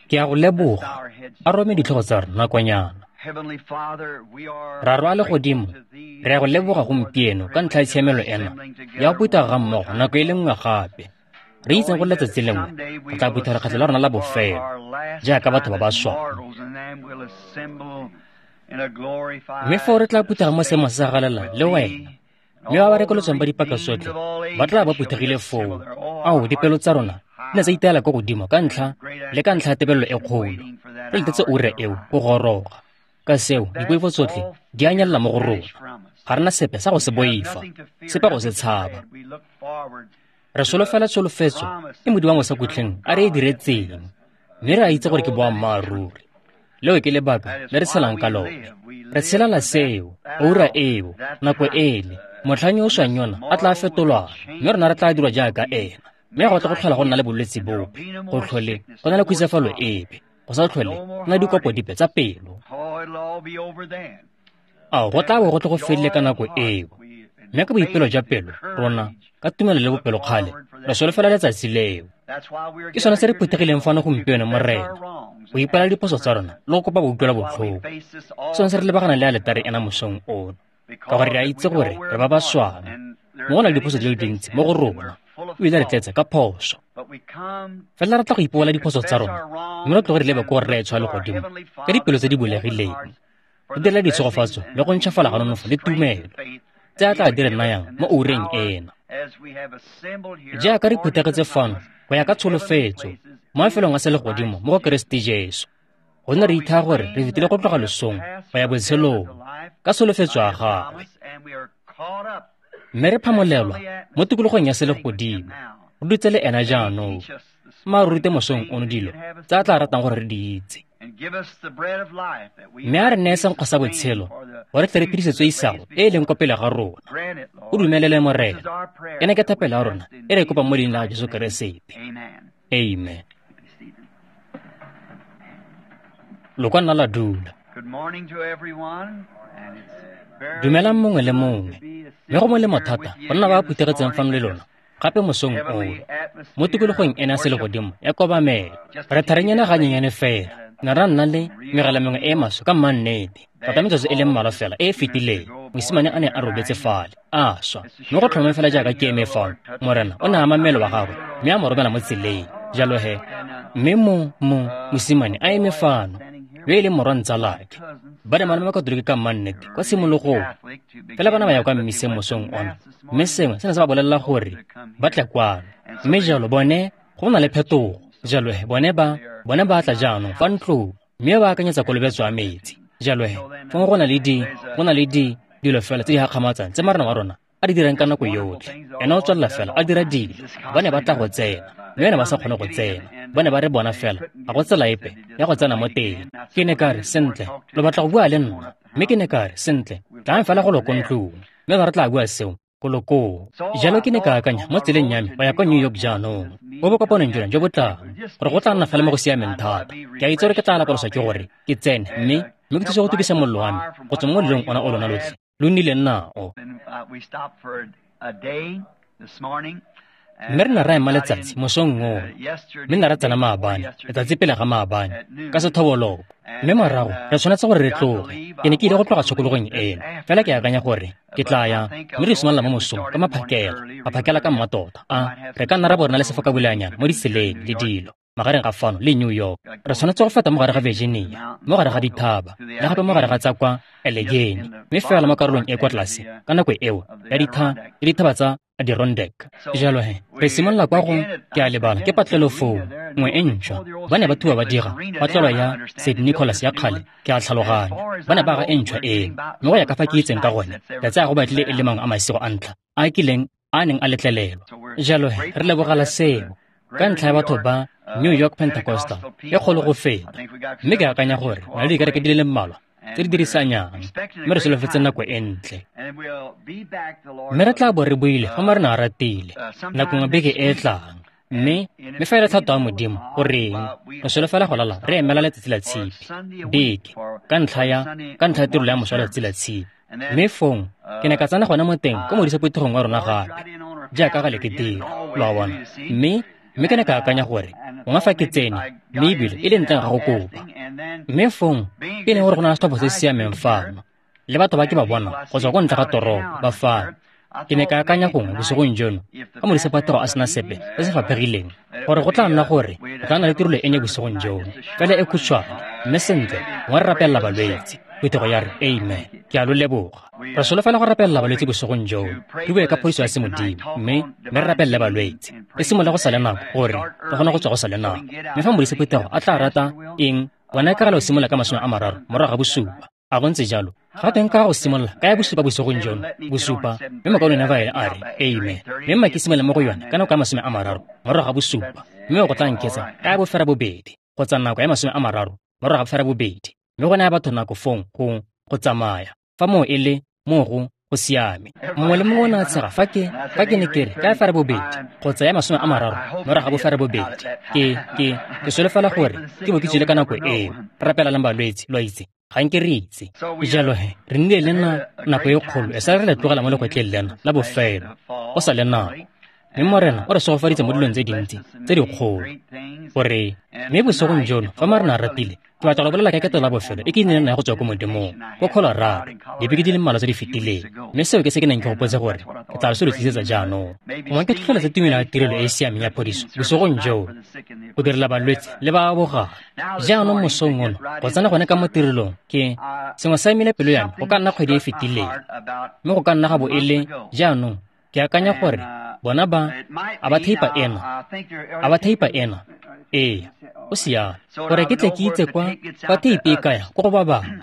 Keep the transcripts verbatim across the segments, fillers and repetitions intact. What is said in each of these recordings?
Ke a go leboga. A rome ditlhogo tsa rona nakonyana. Raro a legodimo, re a go leboga gompieno ka ntlha ya tshiamelo ena ya go phutha ga mmogo nako e le nngwe gape. Re itseng gore letsatsi lengwe re tla phutha lekgetlho la rona la bofelo jaaka batho ba ba swang. Mme foo re tla phuthega mo seemong se se galelang le wena, mme ba ba rekolotsweng ba dipaka tsotlhe ba tla ba phuthegile foo. Ao, dipelo tsa rona di ne tsa iteela ko godimo ka ntlha le ka ntlha ya tebelelo e kgolo. Re letetse ura eo go goroga. Ka seo, dipoifo tsotlhe di a nyelela mo go rona. Ga re na sepe sa go se boifa, sepe go se tshaba. Re solofela tsholofetso e Modimo wa mosakutleng a re e diretseng, mme re a itse gore ke boammaaruri. Leo ke lebaka le re tshelang ka lone. Re tshelela seo, ura eo, nako ele, motlhang yo o swang yona a tla fetolwang, mme rona re tla dirwa jaaka ena. Mme ga go tle go tlhola go nna le bolwetse bope, go tlhole go na le khutsafalo epe, go sa tlhole go na dikopo dipe tsa pelo. Ao, go tla bo go tle go fedile ka nako eo. Mme ka boipelo jwa pelo, rona, ka tumelo le bopelokgale, re solofela letsatsi leo. Ke sone se re phuthegileng fano gompieno, Morena, go ipela diphoso tsa rona le go kopa boutlwela botlhoko. Ke sone se re lebagana le aletare ena mosong ono, ka gore re a itse gore re ba ba swang, mme go na le diphoso di le dintsi mo go rona, ebile re tletse ka phoso. Fela re tla go ipobola diphoso tsa rona, mme re tloge re lebe ko Rraetsho wa legodimo ka dipelo tse di bulegileng, re direla ditshegofatso le go ntšhafala ga nonofo le tumelo tse a tla di re nayang mo oureng ena. Jaaka re phuthegetse fano go ya ka tsholofetso mo mafelong a selegodimo mo go Keresete Jesu, gonne re ithaya gore re fetile go tloga losong go ya botshelong ka tsholofetso ya gagwe, mme re phamolelwa mo tikologong ya selegodimo re dutse le ena jaanong. Mma re rute mosong ono dilo tse a tla ratang gore re di itse, mme a re neye senkgwa sa botshelo gore tle re phedisetswe isago e e leng kwa pele ga rona. O dumelele, Morena. Ena ke thapelo ya rona e re e kopang mo leineng la Jesu Keresete. Amen. Lo ka nna la dula. Dumelang mongwe le mongwe, mme go molemo thata go nna ba phuthegetseng fano le lona gape mosong ono mo tikologong ena ya selegodimo ya kobamelo. Re tharenyana ganyenyane fela, ne ra nna le megala mengwe e e maswe ka mmannete tota metsotso e le mmalwa fela e e fetileng. Mosimane a ne a robetse fale a swa, mme go tlhomame fela jaaka ke eme fano, Morena o ne a ama mmele wa gagwe mme a mo romela mo tseleng. Jalo he, mme mo mo mosimane a eme fano yo e leng morwa ntsalake. Ba ne ba le Makatoliki ka mmannete kwa tshimologong, fela ba ne ba ya kwa mmiseng mosong ono, mme sengwe se ne se ba bolelela gore ba tle kwano. Mme jalo bone go na le phetogo. Jalo he bone ba bone ba tla jaanong fa ntlong mme ba akanyetsa kolobetso ya metsi. Jalo he fong go na le di go na le di dilo fela tse di gakgamatsang tse Morena wa rona a di dirang ka nako yotlhe. Ena o tswelela fela a dira dilo. Ba ne ba tla go tsena, mme ne ba sa kgone go tsena. Ba ne ba re bona fela ga go tsela epe ya go tsena mo teng. Ke ne ka re, sentle, lo batla go bua le nna? Mme ke ne ka re, sentle, tlang fela go lo ko ntlong, mme ba re tla bua seo ko lo koo. Jalo ke ne ka akanya mo tseleng ya me go ya kwa New York jaanong, mo bokopanong jona jo bo tlang, gore go tla nna fela mo go siameng thata. Ke a itse gore ke tla lapoloswa ke gore ke tsene mme mme ke thuse go tukisa mollo wa me go tswa mo molelong ona o lona lotlhe lo nnileng nao. Mme re ne ra ema letsatsi mosong ono, mme ne ra tsena maabane, letsatsi pele ga maabane, ka sethoboloko. Mme morago re tshwanetse gore re tloge. Ke ne ke ile go tloga tshokologong eno, fela ke akanya gore ke tla ya mme re simolola mo mosong ka maphakela, maphakela ka mmatota. A re ka nna ra bo re na le sefokaboleanyana mo ditseleng le dilo magareng ga fano le New York. Re tshwanetse go feta mo gare ga Virginia, mo gare ga dithaba, le gape mo gare ga tsa kwa Allegheny, mme fela mo karolong e kwa tlase ka nako eo ya ditha le dithaba tsa Adirondack. Jalo he, re simolola kwa go, ke a lebala, ke patlelo foo nngwe e ntšhwa. Ba ne ba thuba ba dira patlelo ya Saint Nicholas ya kgale, ke a tlhaloganya. Ba ne ba aga e ntšhwa eno, mme go ya ka fa ke itseng ka gone, re tsaya go batlile e le mangwe a masigo a ntlha a kileng a neng a letlelelwa. Jalo he, re lebogela seo ka ntlha ya batho ba New York Pentecostal e kgolo go feta, mme ke akanya gore na le dikereke di le mmalwa tse di dirisanyang, mme re solofetse nako e ntle. Mme re tla bo re buile fa Morena a ratile nako nngwe beke e e tlang, mme mme fa e le thato ya Modimo goreng re solofela go lala re emela letsatsi la tshipi beke ka ntlha ya ka ntlha ya tirelo ya moso wa letsatsi la tshipi. Mme fong ke ne ka tsena gone mo teng ko modisa phuthegong wa rona gape jaaka gale ke dira, lo a bona. Mme Mme ke ne ka akanya gore gongwe fa ke tsene, mme ebile e le ntleng ga go kopa. Mme fong e leng gore go na le setlhopha se se siameng fano, le batho ba ke ba bona go tswa ko ntle ga toropo ba fano. Ke ne ka akanya gongwe bosigong jono, fa modisa phuthego a sena sepe se se faphegileng, gore go tla nna gore go tla nna le tirelo e nnye bosigong jono, fela e khutshwane, mme sentle gongwe re rapelela balwetse. Phuthego ya re amen. Ke a lo leboga. Re solofela go rapelela balwetse bosigong jono, re bue ka phodiso ya semodimo, mme mme re rapelele balwetse. Re simolole go sa le nako gore re kgone go tswa go sa le nako. Mme fa modisa phuthego a tla rata eng, bona e ka gale o simolola ka masome a mararo morago ga bosupa. A go ntse jalo? Ga teng ka go simolola ka ya bosupa bosigong jono, bosupa, mme mokaulengwe Neville a re amen. Mme mma ke simolole mo go yone ka nako ya masome a mararo morago ga bosupa, mme go tla nketsa ka ya bofera bobedi kgotsa nako ya masome a mararo morago ga bofera bobedi, mme go naya batho nako fong go go tsamaya. Fa moo e le moo go go siame. Mongwe le mongwe o ne a tshega fa ke fa ke ne ke re ka ya fera bobedi kgotsa ya masome a mararo morago ga bofera bobedi. Ke ke ke solofela gore ke bo ke tswile ka nako eo. Re rapelelang balwetse, lo a itse. Ga nke re itse. Jalo he, re nnile le na nako e kgolo e sa re le tlogela mo lekwetleng lena la bofelo, go sa le nako. Mme Morena o re segofaditse mo dilong tse dintsi tse dikgolo. Gore mme bosigong jono fa Morena a ratile, ke batla go bolela ka ketelo la bofelo e ke nnileng nayo go tswa ko Modimong, ko Colorado, dibeke di le mmalwa tse di fetileng. Mme seo ke se ke neng ke gopotse gore ke tla se lo tlisetsa jaanong. Gongwe ke tlhotlheletse tumelo ya tirelo e e siameng ya phodiso bosigong jono, go direla balwetse le ba ba bogang. Jaanong mosong ono, go tsena gone ka mo tirelong, ke sengwe sa imile pelo ya me go ka nna kgwedi e e fetileng, mme go ka nna ga bo e le jaanong. Ke akanya gore bona ba a ba theipa ena, a ba theipa ena. Ee, o siame. Gore ke tle ke itse kwa kwa theipe e kaya ko go ba bangwe.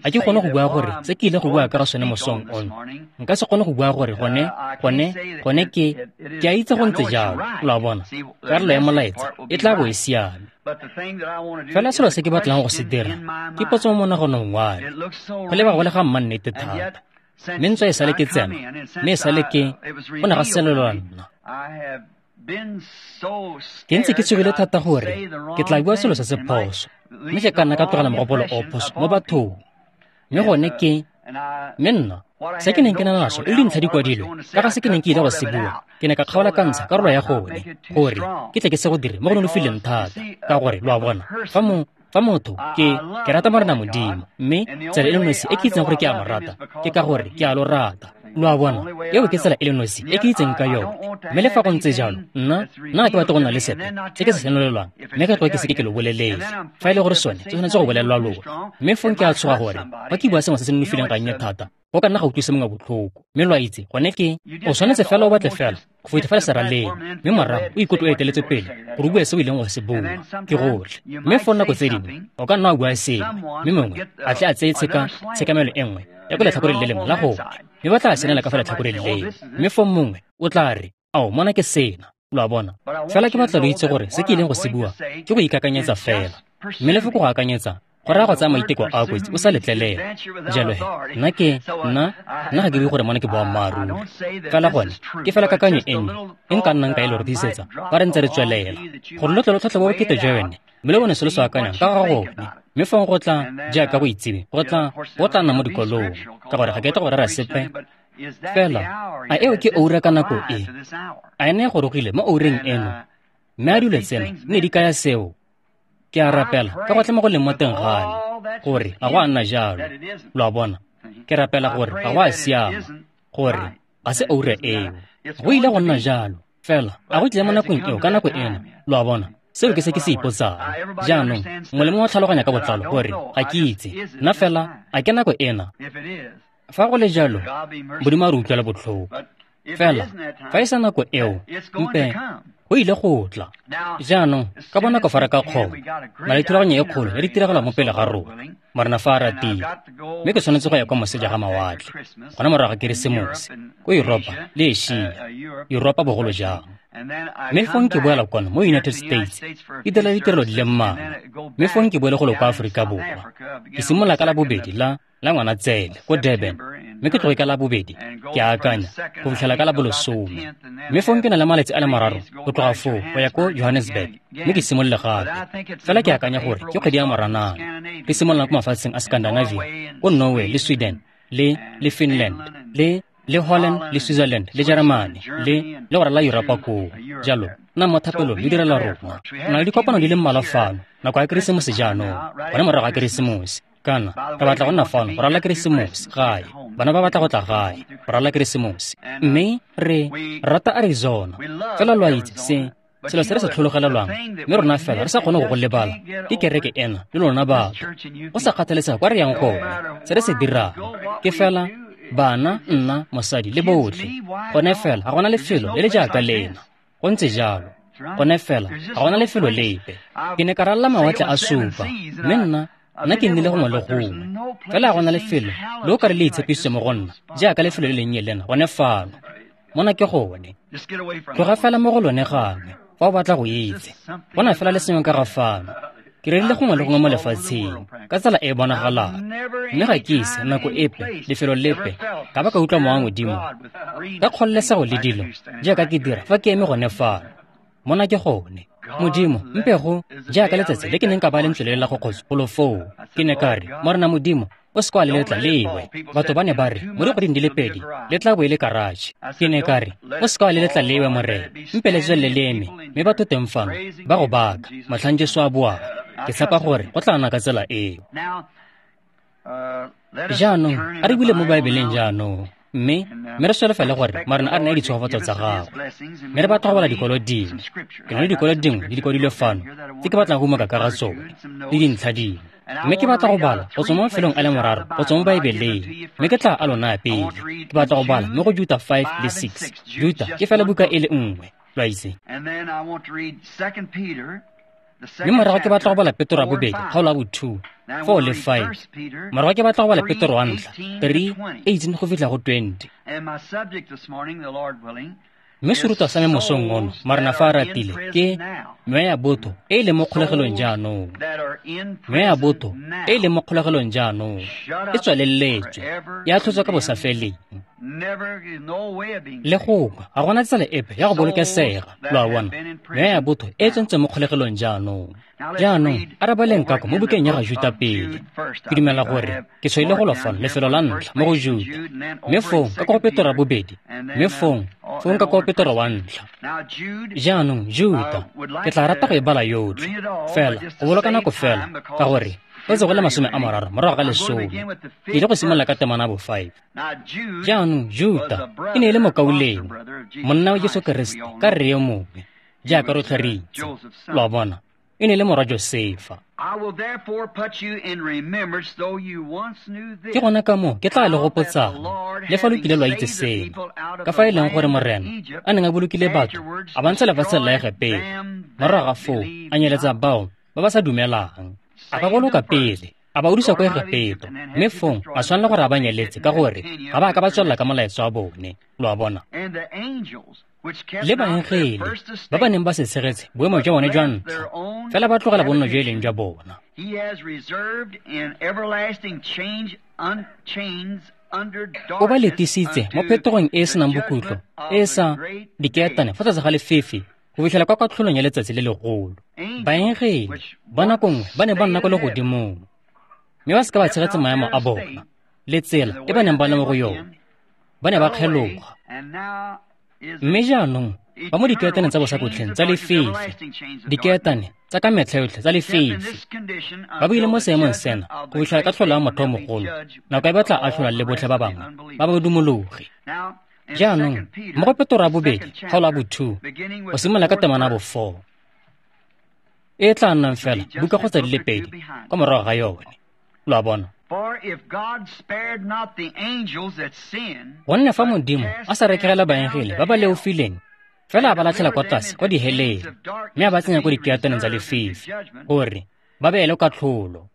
Ga ke kgone go bua gore se ke ile go bua ka ga sone mosong ono. Nka se kgone go bua gore gone gone gone ke ke a itse go ntse jalo, lo a bona. Karolo ya molaetsa e tla bo e siame. Fela selo se ke batlang go se dira ke potso mo monaganong wa me. Go leba go le ga mmannete thata. Mme ntswa e sale ke tsena, mme e sale ke go ne ga selelwa nna. Ke ntse ke tshogile thata gore ke tla bua selo se se phoso, mme ke ka nna ka tlogela mogopolo o phoso mo bathong. Mme gone ke, mme nna, se ke neng ke na naso e le dintlha di kwadilwe ka ga se ke neng ke ile go se bua, ke ne ka kgaola ka ntsha karolo ya gone, gore ke tle ke se go dire mo go nonofileng thata, ka gore lo a bona, fa mo fa motho ke ke rata Morena Modimo, mme tsela e le nosi e ke itseng gore ke a mo rata ke ka gore ke a lo rata. Lo a bona, eo ke tsela e le nosi e ke itseng ka yone. Mme le fa go ntse jalo, nna nna ke batla go nna le sepe se ke se senolelwang, mme ke tloga ke se ke ke lo bolelele. Fa e le gore sone se tshwanetse go bolelelwa lona, mme fong ke a tshoga gore fa ke bua sengwe se se nonofileng ga nnye thata, go ka nna ga utlwisa mongwe botlhoko. Mme lo a itse, gone ke o tshwanetse fela o batle fela go feta fela seraleng, mme morago o ikutlwe o eteletse pele gore o bue se o ileng go se bua. Ke gotlhe. Mme fo nako tse dingwe o ka nna wa bua sengwe, mme mongwe a tle a tseye tsheka tshekamelo e nngwe ya ko letlhakoreng le lengwe la gone, mme ba tla senela ka fa letlhakoreng leo. Mme fo mongwe o tla re, ao, mona ke sena. Lo a bona. Fela ke batla lo itse gore se ke ileng go se bua ke go ikakanyetsa fela. Mme lefoko go akanyetsa go raya go tsaya maiteko a kotsi o sa letlelela. Jalo he, nna ke nna nna ga ke bue gore mona ke boammaaruri. Fela gone ke fela kakanyo e nnye e nka nnang ka e lo rutisetsa fa re ntse re tswelela, gore lo tle lo tlhatlhobe bokete jwa yone, mme lo bone se lo se akanyang ka ga gone. Mme fong go tla jaaka go itsiwe, go tla go tla nna mo dikolong, ka gore ga ke tle go rera sepe. Fela a eo ke oura ka nako e? A ene e gorogile mo oureng eno? Mme a dilo tsena ne di kaya seo? Ke a rapela ka gotlhe mo go leng mo teng ga me gore ga go a nna jalo. Lo a bona, ke rapela gore ga go a siama, gore ga se oura eo. Go ile go nna jalo, fela a go tlile mo nakong eo ka nako eno. Lo a bona, seo ke se ke se ipotsang. Jaanong mongwe le mongwe o tlhaloganya ka botlalo gore ga ke itse nna, fela a ke nako ena? Fa go le jalo, Modimo a re utlwela botlhoko. Fela fa e sa nako eo, mpe go ile go tla. Jaanong ka bonako fa re ka kgona, na le thulaganyo e kgolo ya ditiragalo mo pele ga rona, Morena fa a ratile. Mme ke tshwanetse go ya kwa moseja ga mawatle, gona morago ga Keresemose, ko Yuropa le Asia, Yuropa bogolo jang. Mme fong ke boela kwano mo United States, ke dira ditirelo di le mmalwa. Mme fong ke boele golo kwa Aforika Borwa. Ke simolola ka la bobedi la la Ngwanatsele ko Durban, mme ke tloge ka la bobedi, ke a akanya, go fitlhela ka la bolesome. Mme fong ke na le malatsi a le mararo go tloga foo go ya ko Johannesburg, mme ke simolole gape. Fela ke akanya gore ke kgwedi ya Moranang, ke simolola ko mafatsheng a Scandinavia, ko Norway le Sweden le le Finland le le Holland le Switzerland le Jeremane le le go rala Yuropa koo. Jalo nna mo thapelong le direla rona. Re na le dikopano di le mmalwa fano nako ya Keresemose jaanong, gone morago ga Keresemose. Kana re batla go nna fano go ralala Keresemose gae, bana ba batla go tla gae go ralala Keresemose. Mme re rata Arizona, fela lo a itse se selo se re se tlhologelelwang, mme rona fela re sa kgone go go lebala ke kereke ena le lona batho. Go sa kgathalesega kwa re yang gone, se re se dirang ke fela bana, nna, mosadi le botlhe. Gone fela ga gona lefelo le le jaaka lena. Go ntse jalo. Gone fela ga gona lefelo lepe. Ke ne ka ralala mawatle a supa, mme nna nna ke nnile gongwe le gongwe. Fela ga gona lefelo le o ka re le itshepisitse mo go nna jaaka lefelo le lennye lena gone fano. Mona ke gone. Tloga fela mo go lone gangwe fa o batla go itse. Bona fela le sengwe ka ga fano. Ke rerile gongwe le gongwe mo lefatsheng ka tsela e e bonagalang, mme ga ke ise nako epe lefelo lepe ka ba ka utlwa mowa Modimo ka kgololesego le dilo jaaka ke dira fa ke eme gone fano. Mona ke gone. Modimo mpe go jaaka letsatsi le ke neng ka ba lentswe le la go kgotso golo foo. Ke ne ka re, Morena Modimo, o se kwa le letla lewe. Batho ba ne ba re mo dikgweding di le pedi le tla bo e le karatšhe. Ke ne ka re, o se kwa le letla lewe, Morena, mpe le tswelele le eme, mme batho teng fano ba go baka motlhang Jesu a boang. Ke tshepa gore go tla nna ka tsela eo. Jaanong a re bule mo Baebeleng jaanong, mme mme re solofele gore Morena a re neye ditshegofatso tsa gagwe. Mme re batla go bala dikwalo dingwe. Ke na le dikwalo dingwe di dikwadilwe fano tse ke batlang go umaka ka ga tsone le dintlha dingwe. Mme ke batla go bala go tswa mo mafelong a le mararo go tswa mo Baebeleng, mme ke tla a lona pele. Ke batla go bala mo go Juta five le six. Juta ke fela buka e le nngwe, lo a itse. Mme morago ke batla go bala Petro wa bobedi kgaolo ya bo two, four le five. Morago ke batla go bala Petro wa ntlha three, eighteen go fitlha go twenty. Mme serutwa sa me mosong ono, Morena fa a ratile, ke meya ya botho e e leng mo kgolegelong jaanong. Meya ya botho e e leng mo kgolegelong jaanong e tswaleletswe, e atlhotswe ka bosafeleng. Le gongwe ga gona tsela epe ya go bolokesega, lo a bona. Meya ya botho e e tsentswe mo kgolegelong jaanong. Jaanong a re baleng kako mo bukeng ya ga Juta pele. Ke dumela gore ke tshwaile go lo fano lefelo la ntlha mo go Juta, mme fong ka ko go Petro wa bobedi, mme fong fong ka ko Petro wa ntlha. Jaanong Juta ke tla rata go e bala yotlhe, fela go boloka nako fela ka gore go tse go le masome a mararo morago ga lesome. Ke ile go simolola ka temana bo five. Jaanong Juta e ne e le mokaulengwe, monna wa Jesu Keresete ka rre yo mongwe, jaaka rotlhe re itse. Lo a bona, e ne e le morwa Josefa. Ke gona ka moo ke tla le gopotsang, le fa lo kile lwa itse seno, ka fa e leng gore Morena a neng a bolokile batho a ba ntsha lefatsheng la Egepeto, morago ga foo a nyeletsa bao ba ba sa dumelang. A ba boloka pele, a ba udusa kwa Egepeto, mme fong a tshwanela gore a ba nyeletse ka gore ga ba ka ba tswelela ka molaetsa wa bone. Lo a bona. Le baengele ba ba neng ba se tshegetse boemo jwa bone jwa ntlha, fela ba tlogela bonno jo e leng jwa bona. O ba letisitse mo phetogong e e senang bokhutlo, e e sa dikeetane fa tlase ga lefefe go fitlhela kwa katlholong ya letsatsi le legolo. Baengele ba nako nngwe ba ne ba nna kwa legodimong, mme ba seka ba tshegetsa maemo a bona le tsela e ba neng ba le mo go yone. Ba ne ba kgeloga, mme jaanong ba mo dikeetaneng tsa bosakotleng tsa lefefe, dikeetane tsa ka metlha yotlhe tsa lefefe. Ba buile mo seemong sena go fitlhela katlholo ya motho o mogolo, nako e ba tla atlhola le botlhe ba bangwe ba ba dumologe. Jaanong mo go Petro wa bobedi kgaolo ya bo two go simolola ka temana bo four, e tla nnang fela buka kgotsa di le pedi kwa morago ga yone. Lo a bona. Gonne fa Modimo a sa rekegela baengele ba ba leofileng, fela a ba latlhela kwa tlase kwa diheleng, mme a ba tsenya kwa dikeetaneng tsa lefifi gore ba beele katlholo.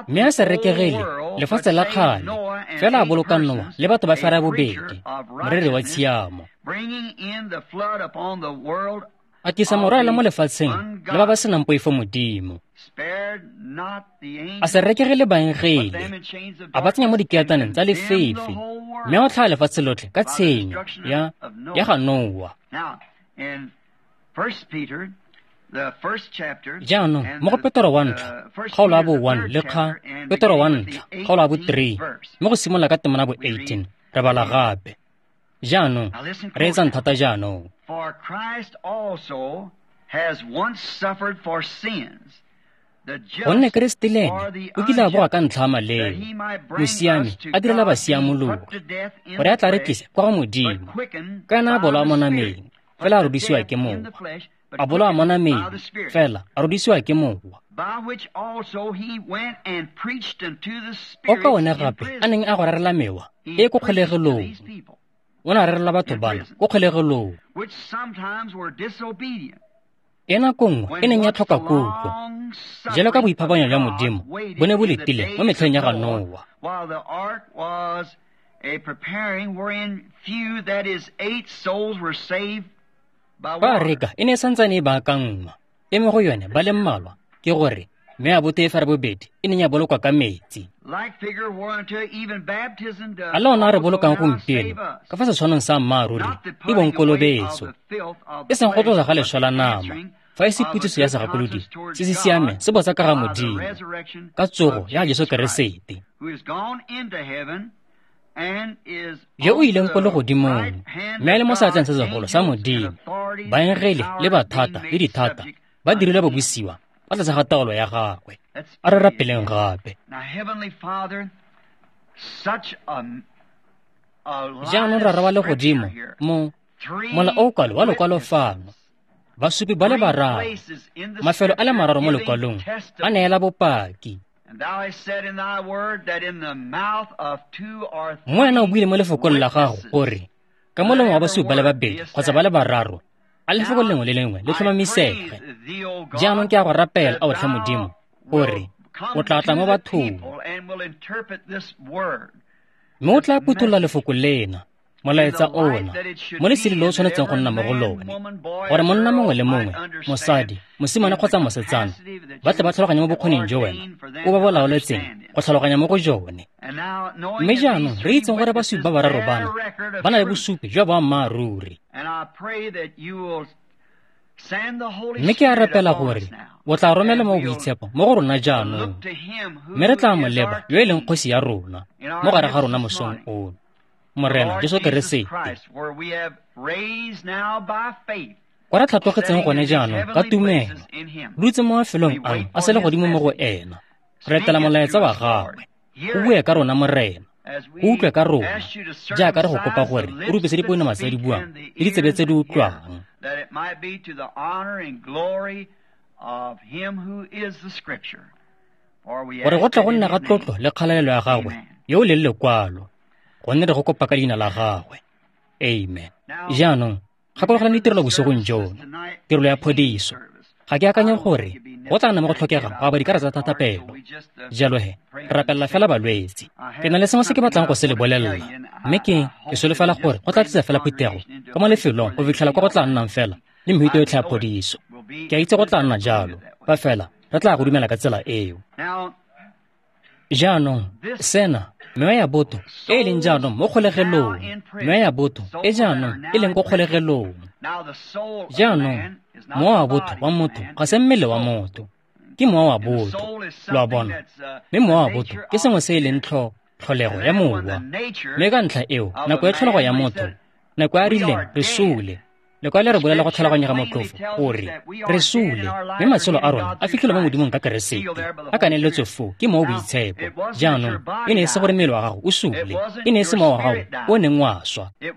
Mme a sa rekegele lefatshe la kgale, fela a boloka Noa le batho ba fera bobedi, moreri wa tshiamo, a tlisa morwalela mo lefatsheng le ba ba senang poifo Modimo. A se rekegele baengele, a ba tsenya mo dikeetaneng tsa lefefe, mme a otlhaya lefatshe lotlhe ka tshenyo ya ya ga Noa. Jaanong mo go Petoro wa ntlha kgaolo ya bo one le kga Petoro wa ntlha kgaolo ya bo three mme go simolola ka temana bo eighteen re bala gape. Jaanong reetsang thata jaanong. Gonne Keresete le ene o kile a boga ka ntlha ya maleo, mosiami a direla basiamologi, gore a tla re tlise kwa go Modimo. Ka ena a bolawa mo nameng, fela a rodisiwa ke Mowa. A bolawa mo nameng, fela a rodisiwa ke Mowa. O ka one gape a neng a go rerela mewa e ko kgolegelong. O ne a rerela batho bana ko kgolegelong. E nako nngwe e neng ya tlhoka kutlo, jalo ka boiphapanyo jwa Modimo bo ne bo letile mo metlheng ya ga Noa. Fa areka e ne e santsane e baakanngwa, e mo go yone ba le mmalwa, ke gore mme a bote e ferabobedi e neng ya bolokwa ka metsi. A le ona a re bolokang gompieno ka fa setshwanong sa mmaaruri e bong kolobetso, e seng go tlosa ga leswe la nama, fa e se putsiso ya segakolodi se se siameng se botsa ka ga Modimo ka tsogo ya Jesu Keresete, yo o ileng ko legodimong mme a le mo seatleng se segolo sa Modimo. Baengele le bathata le dithata ba dirile babusiwa ba tlase ga taolo ya gagwe. A re rapeleng gape. Jaanong Rara wa legodimo, mo mola o kwalo wa lokwalo fano, basupi ba le bararo, mafelo a le mararo mo lekwalong a neela bopaki. Mo wena o buile mo lefokong la gago gore ka molomo wa basupi ba le babedi kgotsa ba le bararo a lefoko lengwe le lengwe le tlhomamisege. Jaanong ke a go rapela, ao tlhe Modimo, gore o tla tla mo bathong mme o tla phuthulola lefoko lena, molaetsa ona, mo lesedi le o tshwanetseng go nna mo go lone, gore monna mongwe le mongwe, mosadi, mosimane kgotsa mosetsana, ba tle ba tlhaloganye mo bokgoning jo wena o ba bo laoletseng go tlhaloganya mo go jone. Mme jaanong re itseng gore basupi ba bararo bana ba na le bosupi jwa boammaaruri. Mme ke a rapela gore o tla romela mo boitshepo mo go rona jaanong, mme re tla mo leba yo e leng kgosi ya rona mo gare ga rona mosong ono, Morena Jesu Keresete. Kwa re tlhatlogetseng gone jaanong ka tumelo, dutse mo mafelong ano a selegodimo mo go ena, re etela molaetsa wa gagwe. O bue ka rona, Morena, o utlwe ka rona, jaaka re go kopa gore o rupise dipounama tse di buang le ditsebe tse di utlwang, gore go tla go nna ga tlotlo le kgalalelo ya gagwe yo o leng lekwalo, gonne re go kopa ka leina la gagwe. Amen. Jaanong gakologelang ditirelo bosigong jono, tirelo ya phodiso. Ga ke akanye gore go tla nna mo go tlhokega go aba dikarata tsa thapelo. Jalo he, re rapelela fela balwetse. Ke na le sengwe se ke batlang go se le bolelela, mme ke ke solofela gore go tla tlisa fela phuthego ka mo lefelong go fitlhela kwa go tla nnang fela le mehuta yotlhe ya phodiso. Ke a itse go tla nna jalo, fa fela re tla go dumela ka tsela eo. Jaanong sena, mewa ya botho e e leng jaanong mo kgolegelong, mewa ya botho e jaanong e leng ko kgolegelong. Jaanong mowa wa botho wa motho ga se mmele wa motho, ke mowa wa botho, lo a bona. Mme mowa wa botho ke sengwe se e leng tlho tlholego ya mowa. Mme ka ntlha eo, nako ya tlholego ya motho, nako ya rileng re sule. Lekwalo le re bolela go tlhaloganyega motlhofo gore re sule, mme matshelo a rona a fitlhelwa mo Modimong ka Keresete, a kaneletswe foo ke mowa o boitshepo. Jaanong e ne e se gore mmele wa gago o sule, e ne e se mowa wa gago o neng wa swa, e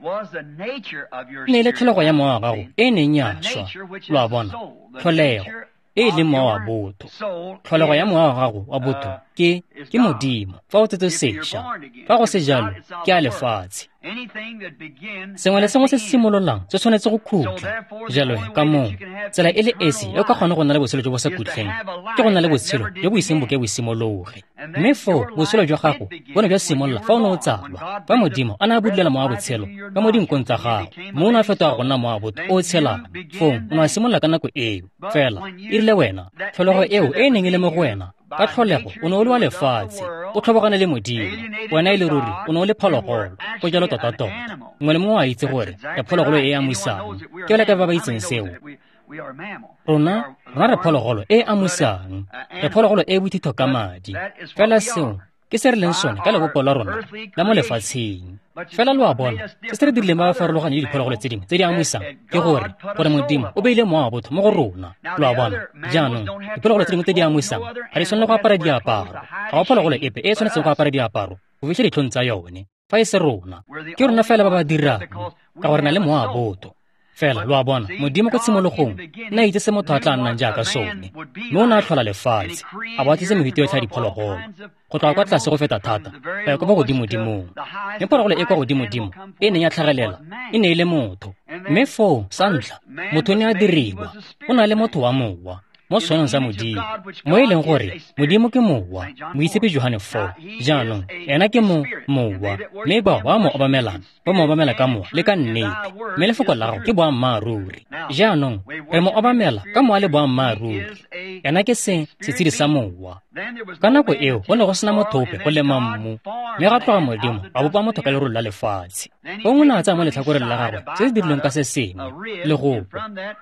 ne e le tlholego ya mowa wa gago e neng ya swa. Lo a bona, tlholego e e leng mowa wa botho, tlholego ya mowa wa gago wa botho ke ke Modimo fa o tsetswe sešwa. Fa go se jalo, ke a lefatshe. Sengwe le sengwe se se simololang se tshwanetse go khutla. Jalo he, ka moo tsela e le esi e o ka kgona go nna le botshelo jo bo sa khutleng ke go nna le botshelo jo bo iseng bo ke bo simologe. Mme foo botshelo jwa gago bo ne jwa simolola fa o ne o tsalwa, fa Modimo a ne a budulela mowa wa botshelo ka mo dinkong tsa gago, mme o ne a fetoga go nna mowa wa botho o o tshelang. Foo o ne a simolola ka nako eo. Fela e rile wena, tlholego eo e e neng e le mo go wena ka tlholego o ne o le wa lefatshe, o tlhobogane le Modimo. Wena e le ruri o ne o le phologolo, go jalo tota-tota. Mongwe le mongwe a itse gore re phologolo e e amusang. Ke bale ka ba ba itseng seo. Rona, rona re phologolo e e amusang, re phologolo e e bothitho ka madi. Fela seo ke se re leng sone ka lebopo la rona la mo lefatsheng. Fela lo a bona, se se re dirileng ba ba farologaneng le diphologolo tse dingwe tse di amusang ke gore gore Modimo o beile mowa wa botho mo go rona. Lo a bona? Jaanong, diphologolo tse dingwe tse di amusang ga di tshwanele go apara diaparo. Ga go phologolo epe e e tshwanetseng go apara diaparo go fitlha ditlhong tsa yone, fa e se rona. Ke rona fela ba ba dirang, ka gore na le mowa wa botho. Fela, lo a bona, Modimo ko tshimologong ne a itse se motho a tla nnang jaaka sone, mme o ne a tlhola lefatshe, a bo a tlisa mefuta yotlhe ya diphologolo, go tloga kwa tlase go feta thata go ya kwa bo godimodimong. Mme phologolo e kwa godimodimo e neng ya tlhagelela e ne e le motho. Mme foo, sa ntlha, motho o ne a diriwa, o na le motho wa mowa, mo setshwanong sa Modimo, mo e leng gore Modimo ke mowa, Moitshepi Johane four. Jaanong, ena ke mo mowa, mme bao ba mo obamelang ba mo obamela ka mowa le ka nnete, mme lefoko la gago ke boammaaruri. Jaanong, re mo obamela ka mowa le boammaaruri. Ena ke se setshedi sa mowa. Ka nako eo go ne go sena motho ope go lema mmu, mme ga tloga Modimo a bopa motho ka lerole la lefatshe. Gongwe o ne a tsaya mo letlhakoreng la gagwe se se dirilweng ka se sengwe, legopo,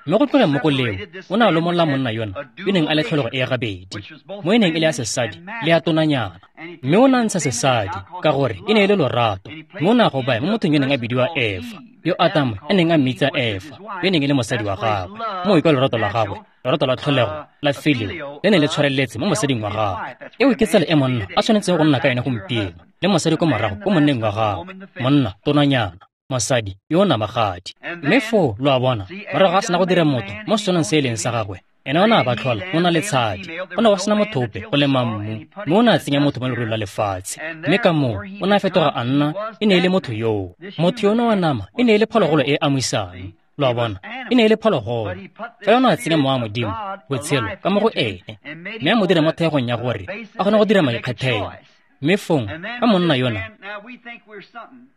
mme go tlogeng mo go leo o ne a lomolola monna yona yo neng a le tlholego e gabedi, mo e neng e le ya sesadi le ya tonanyana. Mme o ne a ntsha sesadi ka gore e ne e le lorato, mme o ne a go baya mo mothong yo neng a bidiwa Efa, yo Atamo a neng a mmitsa Efa, yo neng e le mosadi wa gagwe. Moo ke lorato la gagwe, lorato la tlholego la filio le ne le tshwareletse mo mosading wa gagwe. Eo ke tsela e monna a tshwanetseng go nna ka yone gompieno, le mosadi ko morago ko monneng wa gagwe, monna tonanyana, mosadi yo o namagadi. Mme foo, lo a bona, morago ga sena go dira motho mo setshwanong se e leng sa gagwe, ene o ne a ba tlhola mo na le tshadi. Go ne go sena motho ope go lema mmu, mme o ne a tsenya motho mo leroleng la lefatshe. Mme ka moo o ne a fetoga a nna, e ne e le motho yoo. Motho yono wa nama e ne e le phologolo e e amusang. Lo a bona, e ne e le phologolo. Fela o ne a tsenya mowa wa Modimo, botshelo, ka mo go ene, mme a mo dira mo theegong ya gore a kgone go dira maikgethelo. Mme fong, ka monna yona,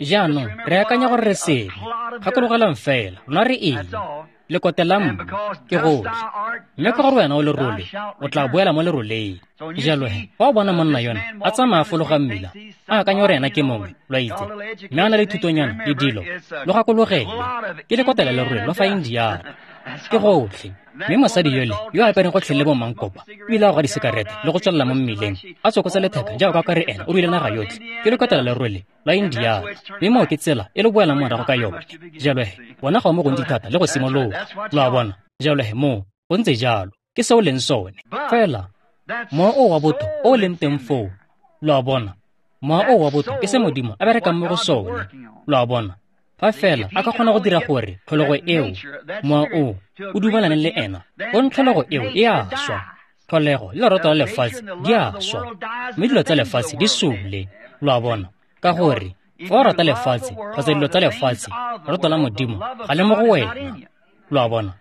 jaanong re akanya gore re sengwe. Gakologelang fela, rona re eng? Lekote la mmu ke gotlhe. Mme ka gore wena o lerole, o tla boela mo leroleng. Jalo he, fa o bona monna yona a tsamaya a fologa mmila, a akanya gore ena ke mongwe, lo a itse, mme a na le thutonyana le dilo, lo gakologele, ke lekote la lerole lo fa Indiana. Ke gotlhe. Mme mosadi yole yo a apereng gotlhe le bomankopa, o ile a goga disekarete le go tswelela mo mmileng, a tsokotsa letheka jaaka ka re ena o ruile naga yotlhe, ke lekote la lerole la Indiana. Mme moo ke tsela e le boelang morago ka yone. Jalo he, bona ga o mo gontsi thata le go simologa. Lo a bona? Jalo he, moo go ntse jalo, ke se o leng sone. Fela mowa o wa botho o o leng teng foo, lo a bona, mowa o wa botho ke se Modimo a berekang mo go sone. Lo a bona? Fa fela a ka kgona go dira gore tlholego eo, mowa o, o dumelane le ena, gong tlholego eo e a swa. Tlholego le lorato la lefatshe di a swa, mme dilo tsa lefatshe di sule. Lo a bona? Ka gore fa o rata lefatshe kgotsa dilo tsa lefatshe, lorato la Modimo ga le mo go wena. Lo a bona?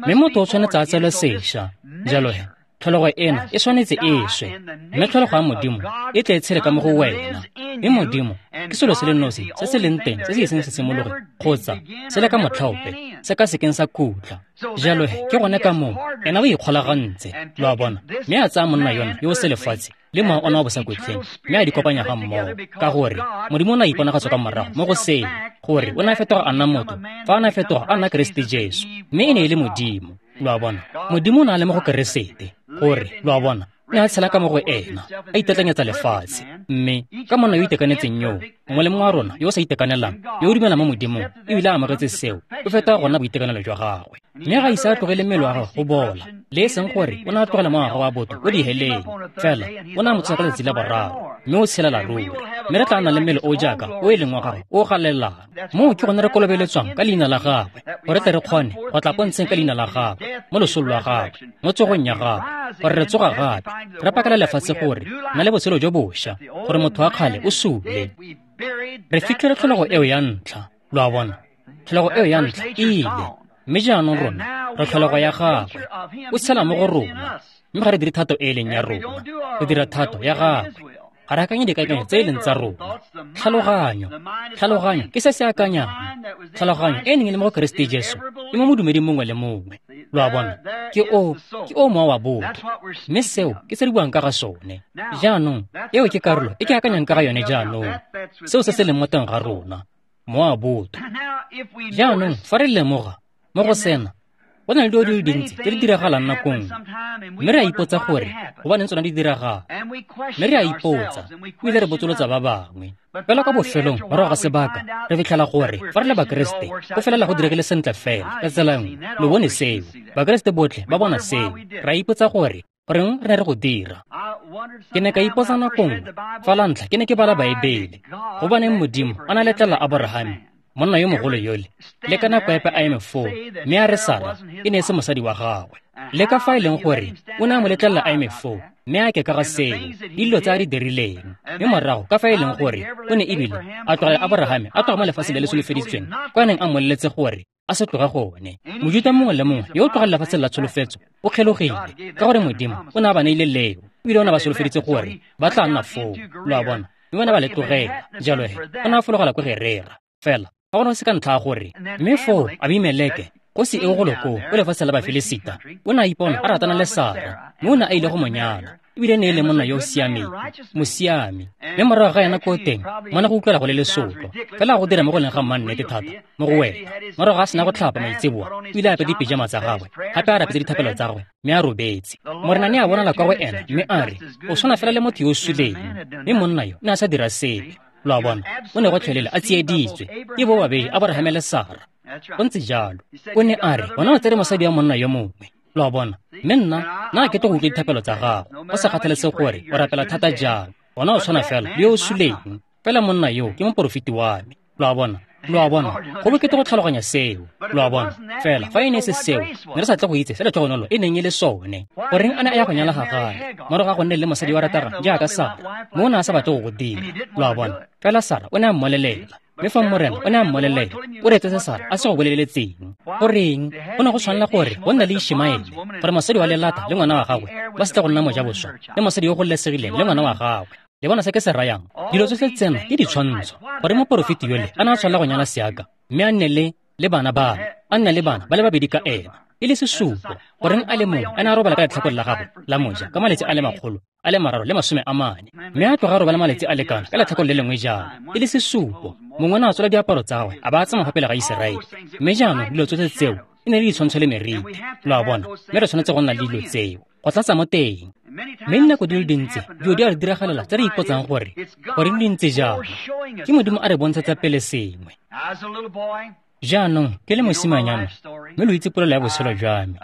Mme motho o tshwanetse a tsalwe sešwa. Jalo he, tlholego ena e tshwanetse e swe, mme tlholego ya Modimo e tle e tshele ka mo go wena. Mme Modimo ke selo se le nosi se se leng teng se se iseng se simologe kgotsa se le ka motlhaope se ka sekeng sa khutla. Jalo he, ke gone ka moo ena o ikgolagantse, lo a bona, mme a tsaya monna yona yo o se lefatshe le mowa ona wa bosakhutleng, mme a di kopanya ga mmogo, ka gore Modimo o ne a iponagatsa ka morago mo go seo, gore o ne a fetoga a nna motho fa a ne a fetoga a nna Keresete Jesu, mme e ne e le Modimo. Lo a bona? Modimo o ne a le mo go Keresete, gore, lo a bona, o ne a tshela ka mo go ena, a itetlanyetsa lefatshe. Mme ka monna yo o itekanetseng yoo, mongwe le mongwe wa rona yo o sa itekanelang, yo o dumelang mo Modimong ebile a amogetse seo, o fetoga go nna boitekanelo jwa gagwe. Mme ga ise a tlogele mmele wa gagwe go bola, le e seng gore o ne a tlogela mowa wa gagwe wa botho ko diheleng, fela o ne a mo tsosa ka letsatsi la boraro, mme o tshelela ruri. Mme re tla nna le mmele o jaaka o e leng wa gagwe o galelelang. Moo ke gone re kolobeletswang ka leina la gagwe, gore tle re kgone go tla pontsheng ka leina la gagwe, mo losong lwa gagwe, mo tsogong ya gagwe, gore re tsoga gape, re pakela lefatshe gore na le botshelo jo bošwa, gore motho wa kgale o sule. Re fitlhele tlholego eo ya ntlha, lo a bona, tlholego eo ya ntlha e ile, mme jaanong rona re tlholego ya gagwe, o tshela mo go rona, mme ga re dire thato e e leng ya rona, re dira thato ya gagwe. Ga re akanye dikakanyo tse e leng tsa rona. Tlhaloganyo, tlhaloganyo ke se se akanyang. Tlhaloganyo e neng e le mo go Keresete Jesu e mo modumeding mongwe le mongwe. Lo a bona? Ke o, ke o mowa wa botho. Mme seo ke se re buang ka ga sone. Jaanong, eo ke karolo e ke akanyang ka ga yone jaanong. Seo se se leng mo teng ga rona, mowa wa botho. Jaanong, fa re lemoga mo go sena, Go na le dilo di le dintsi tse di diragalang nako nngwe, mme re a ipotsa gore gobaneng tsona di diragala. Mme re a ipotsa, ebile re botsolotsa ba bangwe. Fela kwa bofelong morago ga sebaka, re fitlhela gore fa re le Bakeresete, go felela go diregile sentle fela ka tsela nngwe. Lo bone seo, Bakeresete botlhe ba bona seo. Re a ipotsa gore goreng re ne re go dira. Ke ne ka ipotsa nako nngwe, fa la ntlha ke ne ke bala Baebele, gobaneng Modimo a na letlela Aborahame, monna yo mogolo yole, le ka nako epe a eme foo, mme a re Sara e ne e se mosadi wa gagwe. Le ka fa e leng gore o ne a mo letlelela a eme foo, mme a ke ka ga seo, dilo tse a di dirileng. Mme morago ka fa e leng gore o ne ebile a tlogela Aborahame a tloga mo lefatsheng le le solofeditsweng, kwa a neng a mmoleletse gore a se tloga gone. Mojuta mongwe le mongwe yo o tlogang lefatsheng la tsholofetso o kgelogile, ka gore Modimo o ne a ba neile leo, ebile o ne a ba solofeditse gore ba tla nna foo. Lo a bona, mme ba ne ba le tlogela. Jalo he, o ne a fologela ko Gerera. Fela ga gona se ka ntlha ya gore, mme foo Abimeleke, kgosi eo golo koo ko lefatsheng la Bafilisita, o ne a ipona a ratana le Sara, mme o ne a ile go mo nyala, ebile ne e le monna yo o siameng, mosiami. Mme morago ga yena ko teng, mona go utlwela go le lesotlo, fela go dira mo go leng ga mmannete thata mo go wena. Morago ga sena go tlhapa maitseboa, o ile a apere dipejama tsa gagwe, gape a rapetse dithapelo tsa gagwe, mme a robetse. Morena ne a bonala kwa go ena, mme a re, o tshwana fela le motho yo o suleng. Mme monna yo ne a sa dira sepe. Lo a bona, o ne go tlholela a tsieditswe ke bo babedi, Aborahame le Sara. Go ntse jalo. O ne a re, wena o tsere mosadi wa monna yo mongwe. Lo a bona, mme nna nna ke tlo go utlwa dithapelo tsa gago, go sa kgathalesege gore o rapela thata jang. Wena o tshwana fela le yo o suleng. Fela monna yo ke moporofeti wa me. Lo a bona, lo a bona, go bokete go tlhaloganya seo. Lo a bona, fela fa e ne e se seo, ne re sa tle go itse se letlhogonolo e neng e le sone. Goreng a ne a ya go nyala Hagare morago ga go nne le mosadi wa ratara jaaka Sara, mme o ne a sa batle go go dira. Lo a bona, fela Sara o ne a mmolelela. Mme fa Morena o ne a mmolelela, o reetse se Sara a se go boleletseng. Goreng go ne go tshwanela gore go nne le Ishmaele, gore mosadi wa lelata le ngwana wa gagwe ba se tle go nna mojaboswa le mosadi yo o gololesegileng le ngwana wa gagwe. Le bona se ke se rayang? Dilo tsotlhe tsena ke ditshwantsho, gore moporofeti yole a ne a tshwanela go nyala seaka, mme a nne le le bana ba, a nne le bana ba le babedi ka ena, e le sesupo. Goreng a le mongwe a ne a robala ka letlhakore la gagwe la moja ka malatsi a le makgolo a le mararo le masome a mane, mme a tloga a robala malatsi a lekana ka letlhakore le lengwe jalo, e le sesupo. Mongwe o ne a tsola diaparo tsa gagwe a ba a tsamaya fa pele ga Iseraele. Mme jaanong dilo tsotlhe tseo e ne le ditshwantsho le meriti. Lo a bona, mme re tshwanetse go nna le dilo tseo go tlatsa mo teng. Mme dinako di le dintsi dilo di a re diragalela tse re ipotsang gore goreng di ntse jalo. Ke Modimo a re bontshetsa pele sengwe. Jaanong ke le mosimanyana, mme lo itse polelo ya botshelo jwa me.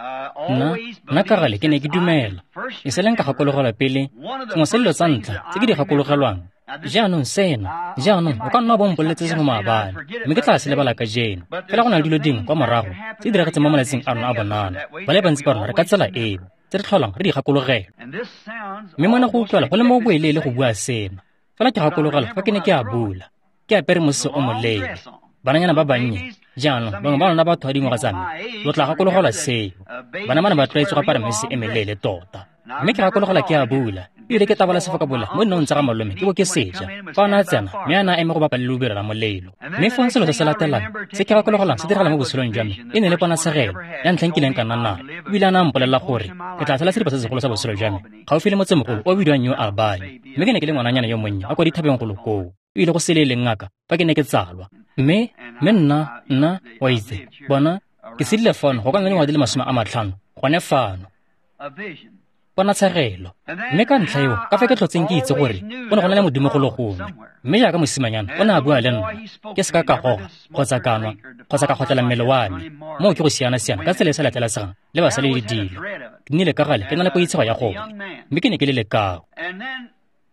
Nna nna ka gale ke ne ke dumela, e se leng ka gakologelwa pele sengwe sa dilo tsa ntlha tse ke di gakologelwang. Jaanong sena, jaanong o ka nna wa bo mpoleletse sengwe maabane, mme ke tla se lebala kajeno. Fela go na le dilo dingwe kwa morago tse di diragetseng mo malatsing a rona a bonana. Ba le bantsi ba rona re ka tsela eo, tse re tlholang re di gakologelwa. Mme mona go utlwala go le mo boeleele go bua sena. Fela ke gakologelwa fa ke ne ke a bula, ke apere mosese o moleele. Bananyana ba bannye, jaanong bangwe ba lona batho ba dingwaga tsa me, lo tla gakologelwa seo. Bana ba ne ba tlwaetse go apara mesese e meleele tota. Mme ke gakologelwa ke a bula, ebile ke tabola sefokabola mo dinong tsa ga malome ke bo ke seja. Fa o ne a tsena, mme a ne a eme go bapa le lobelo la molelo. Mme fong selo se se latelang se ke gakologelwang se diragala mo botshelong jwa me e ne le ponatshegelo ya ntlha nkileng ka nna nayo. Ebile a ne a mpolelela gore ke tla tshela seripa se segolo sa botshelo jwa me gaufi le motsemogolo o bidiwang New Albany. Mme ke ne ke le ngwananyana yo monnye a kwa dithabeng golo koo, ebile go se le leng ngaka fa ke ne ke tsalwa. Mme mme nna nna wa itse, bona ke sedile fano go ka nna dingwaga di le masome a matlhano gone fano. Ponatshegelo. Mme ka ntlha eo, ka fa ke tlhotseng ke itse gore go ne go na le Modimo golo gongwe. Mme jaaka mosimanyana o ne a bua le nna, ke se ka ka goga kgotsa ka nwa kgotsa ka kgotlela mmele wa me. Moo ke go siana-siana ka tsela e sa letlelesegang le basadi le dilo. Ke nnile ka gale ke na le poitshego ya gone, mme ke ne ke le lekao.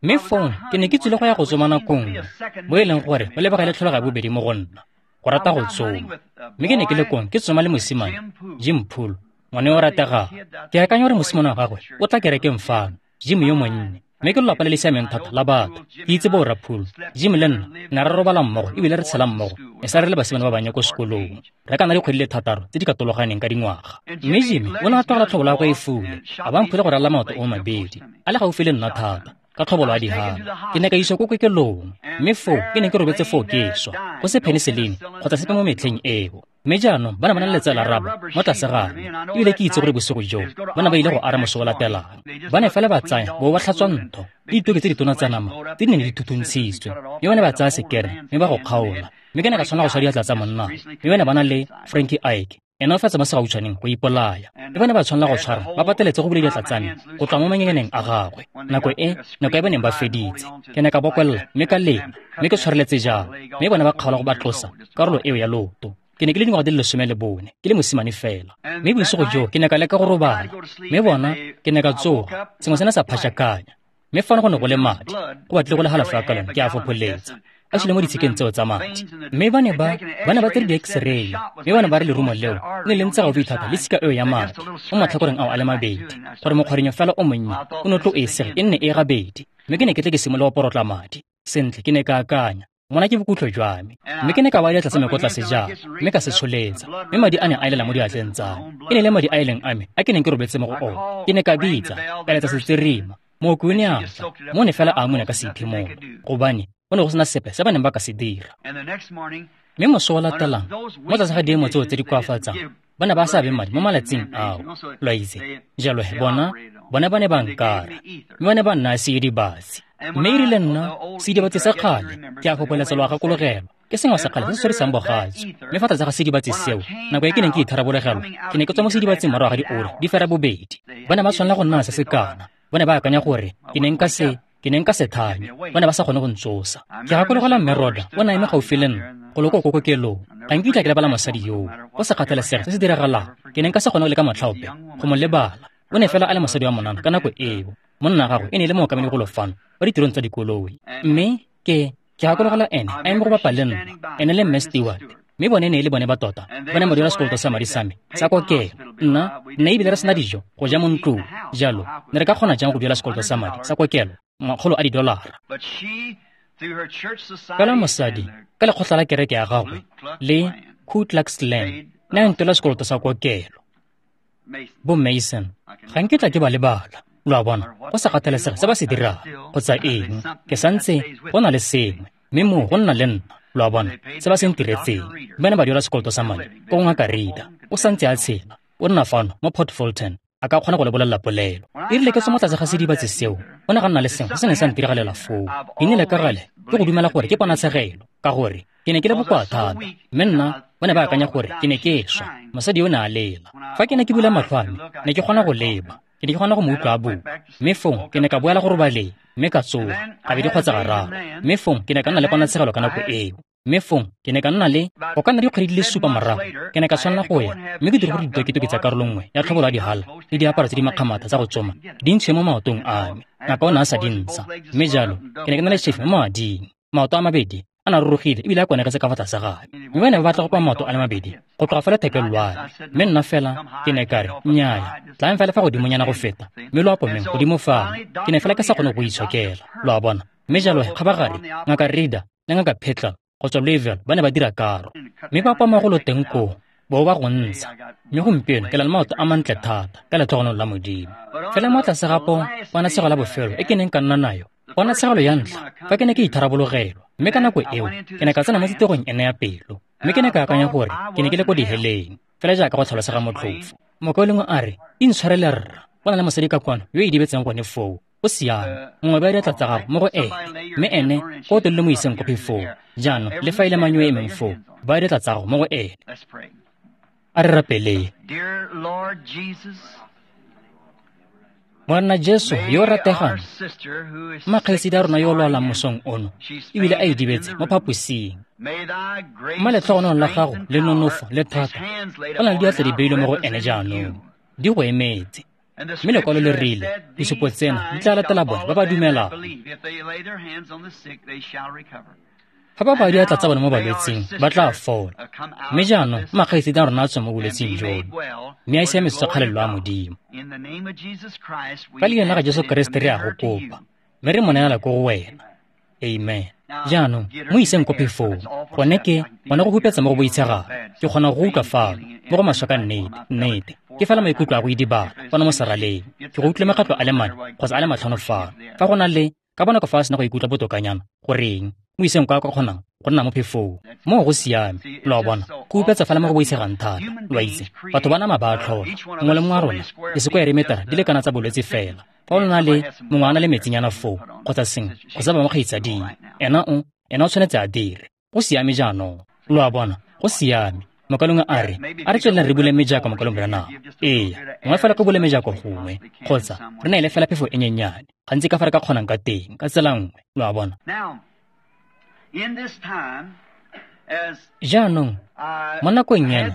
Mme fong ke ne ke tswile go ya go tsoma nako nngwe, mo e leng gore go lebega le tlholega ya bobedi mo go nna, go rata go tsoma. Mme ke ne ke le kong ke tsoma le mosimane Jim Poole, ngwana yo o rategang. Ke akanya gore mosimane wa gagwe o tla kerekeng fano, Jim yo monnye. Mme ke lelapa le le siameng thata la batho. Ke itse borra Poole. Jim le nna ne re robala mmogo ebile re tshela mmogo, e sa re le basimane ba bannye ko sekolong. Re ka nna dikgwedi le thataro tse di katologaneng ka dingwaga. Mme Jimmy o ne a tlogela tlhobolo ya gagwe e fule, a ba mphile go ralala maoto o mabedi, a le gaufi le nna thata ka tlhobolo ya dihala. Ke ne ka iswa ko kokelong, mme foo ke ne ke robetse foo ke swa, go se penicillin kgotsa sepe mo metlheng eo. Mme jaanong ba ne ba na le letsela raba mo tlase ga me, ebile ke itse gore bosigo joo ba ne ba ile go ara moso o latelang. Ba ne fela ba tsaya bo ba tlhatswa ntho le ditoke tse ditona tsa nama tse di neng di thuthuntshisitswe, mme ba ne ba tsaya sekere mme ba go kgaola. Mme ke ne ka tshwanela go swa diatla tsa monna, mme ba ne ba na le Frankie Ike, Ena o fetsa mo segautshwaneng go ipolaya. Mme ba ne ba tshwanela go tshwara ba pateletse go bula diatla tsa me go tloga mo mangengeneng a gagwe. Nako e, nako e ba neng ba feditse. Ke ne ka bokolla mme ka lela, mme ke tshwareletse jalo. Mme bona ba kgaola go ba tlosa karolo eo ya loto. Ke ne ke le dingwaga di le lesome le bone, ke le mosimane fela. Mme bosigo joo ke ne ka leka go robala. Mme bona ke ne ka tsoga, sengwe se ne sa phašakanya. Mme fano go ne go le madi, go batlile go le halafo ya kalone ke a fopholetsa. A sule mo ditshikeng tseo tsa madi. Mme ba ne ba ba ne ba tsere di-x-ray, mme ba ne ba re lerumo leo le ne le ntse gaufi thata le tshika eo ya madi mo matlhakoreng ao a le mabedi, gore mokgwarinyo fela o monnye o ne o tlo e sege e nne e gabedi. Mme ke ne ke tle ke simolola go porotla madi. Sentle, ke ne ka akanya, mona ke bokhutlo jwa me. Mme ke ne ka baya diatla tsa me ko tlase jalo, mme ka se tsholetsa. Mme madi a ne a elela mo diatleng tsa me. E ne le madi a e leng a me a ke neng ke robetse mo go ona. Ke ne ka bitsa, ka letsa setsirima. Mooki o ne a tla, mo ne fela a amuna ka seiphimolo, gobane go ne go sena sepe se ba neng ba ka se dira. Mme moso o latelang, mo tlase ga diemo tseo tse di koafatsang, ba ne ba sa abe madi mo malatsing ao, lo a itse. Jalo he bona, bona ba ne ba nkara, mme ba ne ba nnaya seidibatsi. Mme e rile nna, seidibatsi sa kgale, ke a fopholetsa lo a gakologelwa, ke sengwe sa kgale se se tshwarisang bogatsu. Mme fa tlase ga seidibatsi seo, nako e ke neng ke itharabologelwa, ke ne ke tswa mo seidibatsing morago ga diura di fera bobedi. Ba ne ba tshwanela go nna se se kana. Ba ne ba akanya gore ke ne nka se ke ne nka se thanye. Ba ne ba sa kgone go ntsosa. Ke gakologelwa mme Roda o ne a eme gaufi le nna go lo ko kokokelong. Ga nkitla ke lebala mosadi yoo. Go sa kgathalesege se se diragalang, ke ne nka se kgone go leka motlhaope go mo lebala. O ne fela a le mosadi wa monana ka nako eo. Monna gagwe e ne e le mookamedi golo fano wa ditirong tsa dikoloi. Mme ke ke gakologelwa ene a eme go bapa le nna, ene le mme Stewart. Mme bone ne e le bone ba tota, ba ne ba duela sekoloto sa madi sa me sa kokelo. Nna nna ebile re sena dijo go ja mo ntlong. Jalo ne re ka kgona jang go duela sekoloto sa madi sa kokelo makgolo a didolara? Fela mosadi ka lekgotla la kereke ya gagwe le Ku Klux Klan ne a ntwela sekoloto sa kokelo. Bo Mason, ga nkitla ke ba lebala. Lo a bona, go sa kgathalesege se ba se dirang kgotsa eng, ke santse go na le sengwe, mme moo go nna le nna. Lo a bona, se ba se ntiretseng. Ba ne ba duela sekoloto sa madi ko go ngaka Rita. O santse a tshela, o nna fano mo Port Fulton, a ka kgona go le bolelela polelo. E rile ke tswa mo tlase ga sedibatsi seo, go ne ga nna le sengwe se se neng sa ntiragalela foo. Ke nnile ka gale ke go dumela gore ke ponatshegelo, ka gore ke ne ke le bokoa thata. Mme nna ba ne ba akanya gore ke ne ke swa. Mosadi o ne a lela. Fa ke ne ke bula matlho a me, ne ke kgona go leba, ke ne ke kgona go mo utlwa a bua. Mme fong ke ne ka boela go robaleng, mme ka tsoga gabedi kgotsa gararo. Mme fong ke ne ka nna le ponatshegelo ka nako eo. Mme fong ke ne ka nna le go ka nna dikgwedi di le supa morago, ke ne ka tshwanela go ya mme ke dire gore ditoketoke tsa karolo nngwe ya tlhobolo ya dihala le diaparo tse di makgamatha tsa go tsoma di ntshiwe mo maotong a me. Ngaka o ne a sa di ntsha. Mme jalo ke ne ke na le chefe mo mading. Maoto a mabedi a na rurugile ebile a konegetse ka fa tlase ga me. Mme ba ne ba batla go pa maoto a le mabedi go tloga fa lethekeng lwa me. Mme nna fela ke ne ka re, nnyaya, tlayang fela fa godimonyana go feta, mme lo apomeng godimo fano. Ke ne fela ke sa kgone go itshokela, lo a bona. Mme jalo kgabagare ngaka Rida le ngaka Petla go tswa Louisville ba ne ba dira karo, mme ba pama go lo teng koo bo ba go ntsha. Mme gompieno ke na le maoto a mantle thata ka letlhogonolo la Modimo. Fela mo tlase ga po ponatshegelo la bofelo e ke neng ka nna nayo, ponatshegelo ya ntlha fa ke ne ke itharabologelwa. Mme ka nako eo ke ne ka tsena mo titegong ene ya pelo, mme ke ne ka akanya gore ke ne ke le ko diheleng, fela jaaka go tlhalosega motlhofo. Mokaulengwe a re, intshwarele rra, go na le mosadi ka kwano yo o idibetseng gone foo. O siame, nngwe ba diatla tsa gago mo go ene, mme ene ko o telele mo iseng ko phefong. Jaanong le fa e le mang yo o emeng foo, ba diatla tsa gago mo go ene. A re rapeleng. Morena Jesu yo o rategang, mmakgaitsedi a rona yo o lwalang mosong ono, ebile a idibetse mo phaposing. Mma letlhogonolo la gago le nonofo le thata, go na le diatla di beilwe mo go ene jaanong, di go emetse. Mme lekwalo le rile, disupo tsena di tla latela bone ba ba dumelang. Fa ba baya diatla tsa bone mo balwetsing, ba tla fola. Mme jaanong makgaitsedi a rona a tswe mo bolwetsing jono, mme a siametswe kgalelo a Modimo. Ka leina la ga Jesu Keresete re a go kopa, mme re mo neela ko go wena. Amen. Jaanong mo iseng ko phefong, gone ke gone go hupetsa mo go boitshegang. Ke kgona go utlwa fano mo go maswe ka nnete, nnete. Ke fela maikutlo a go idibala fano mo seraleng. Ke go utlwile makgetlo a le mane kgotsa a le matlhano fano. Fa go na le ka bonako fa a sena go ikutlwa botokanyana, goreng mo iseng kwa ka kgonang go nna mo phefong. Moo go siame, lo a bona, go hupetsa fela mo go boitshegang thata. Lo a itse, batho ba nama ba a tlhola. Mongwe le mongwe wa rona disekoeremetara di lekana tsa bolwetse fela. Fa o na le mongwe a na le metsinyana foo kgotsa sengwe kgotsa ba mo kgaitsading, ena o ena o tshwanetse a dire. Go siame jaanong, lo a bona, go siame. Mokalong a re, a re tsweleleng re bule mejako mokalong Branham. Ee, gongwe fela ko bule mejako gongwe, kgotsa re neele fela phefo e nyenyane, gantsi ka fa re ka kgonang ka teng, ka tsela nngwe, lo a bona. Jaanong, mo nakong ena,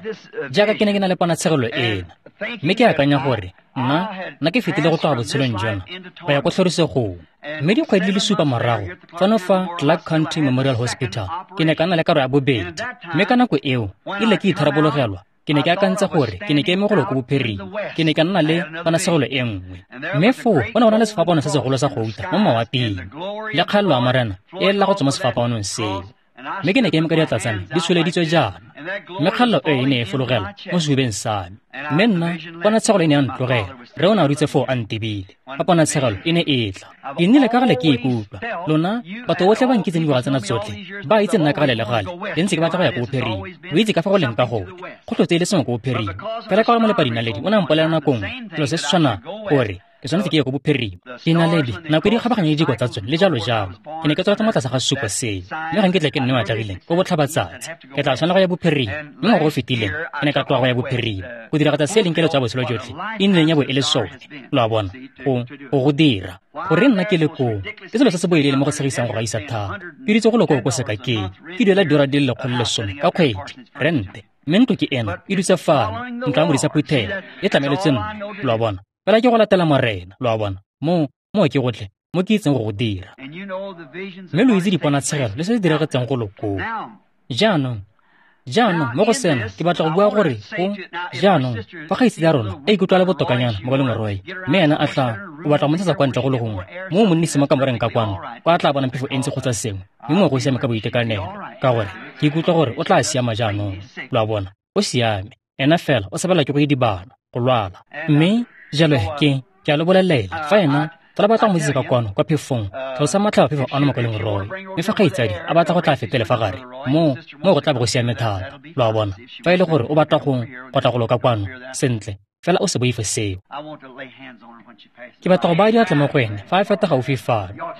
jaaka ke ne ke na le ponatshegelo ena, mme ke akanya gore nna nna ke fetile go tloga botshelong jona go ya ko tlhorisegong. Mme dikgwedi di le supa morago, fano fa Clark County Memorial Hospital, ke ne ka nna le karo ya bobedi. Mme ka nako eo, e ile ke itharabologelwa, ke ne ke akantse gore ke ne ke eme golo ko bophirima, ke ne ka nna le ponatshegelo e nngwe. Mme foo go ne go na le sefapano se segolo sa gouta mo mawaping, le kgaelelo ya Morena e lela go tswa mo sefapanong seo. Mme ke ne ke eme ka diatla tsa me di tsholeditswe jaana, mme kgaelelo e e ne e fologela mo sehubeng sa me. Mme nna ponatshegelo e ne ya ntlogela, rre o ne a dutse foo a ntebile fa ponatshegelo e ne e tla. Ke nnile ka gale ke ikutlwa, lona batho botlhe ba nkitseng dingwaga tsena tsotlhe ba itse nna ka gale le gale ke ntse ke batla go ya ko bophirima. O itse ka fa go leng ka gone, go tlotse e le sengwe ko bophirima. Fela ka gore molepadinaledi o ne a mpolelela nako nngwe selo se se tshwanang, gore ke tshwanetse ke ye ko bophirima. Dinaledi nako e di kgabaganya le diko tsa tsone le jalo jalo. Ke ne ke tsweletse mo tlase ga sesupo seo, mme ga nke tle ke nne o atlegileng ko botlhabatsatsi, ke tla tshwanela go ya bophirima. Mme ngwaga o fetileng ke ne ka tloga go ya bophirima go diragatsa se e leng keletso ya botshelo jotlhe e nnileng ya bo e le sone, lo a bona, go go go dira gore nna ke le koo. Ke selo se se boelele mo go tshegisang go gaisa thata. Ke ditse go loko ko sekakeng, ke duela diura di le lekgolo le lesome ka kgwedi rente, mme ntlo ke ena e dutse fano, ntlo ya modisa phuthego e tlameletswe nna, lo a bona. Fela ke go latela Morena, lo a bona, mo mo ke gotlhe mo ke itseng go go dira. Mme lo itse diponatshegelo le se se diragetseng go lokoo. Jaanong, jaanong mo go sena ke batla go bua gore go jaanong fa kgaitsedi ya rona a ikutlwa le botokanyana mokaleng Roy, mme ena a tla o batla go mo ntshetsa kwa ntle go le gongwe mo monnise mo kamoreng ka kwano, kwa a tla bonang phefo e ntsi kgotsa sengwe, mme mo go siame ka boitekanelo, ka gore ke ikutlwa gore o tla siama jaanong, lo a bona, o siame. Ena fela o sabela ke go idibala, go lwala. Mme jalo ke ke a lo bolelela, fa ena fela batla go mo tsisa ka kwano kwa phefong, tlhalosa matlhaba phefo ano mokaleng Roy. Mme fa kgaitsadi a batla go tla fetele fa gare, mo mo go tla bo go siame thata, lo a bona. Fa e le gore o batla go go tla go loka kwano, sentle, fela o se boife seo. Ke batla go baya diatla mo go ene fa a feta gaufi fano.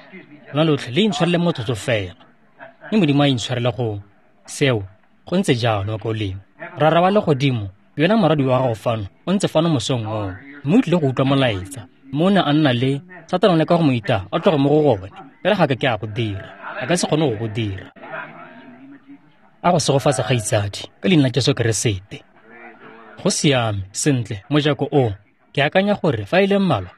Lona lotlhe le intshwarele motsotso fela, mme Modimo a intshwarele go seo. Go ntse jalo mokaulengwe. Rara wa legodimo, yona moradi wa gago fano o ntse fano mosong oo, mme o tlile go utlwa molaetsa. Mme o ne a nna le Satane o leka go mo itaya a tloge mo go gone, fela ga ka ke a go dira, a ka se kgone go go dira. A go segofatsa kgaitsadi ka leina la Jesu Keresete. Go siame, sentle, mojako o, ke akanya gore fa e le mmalwa,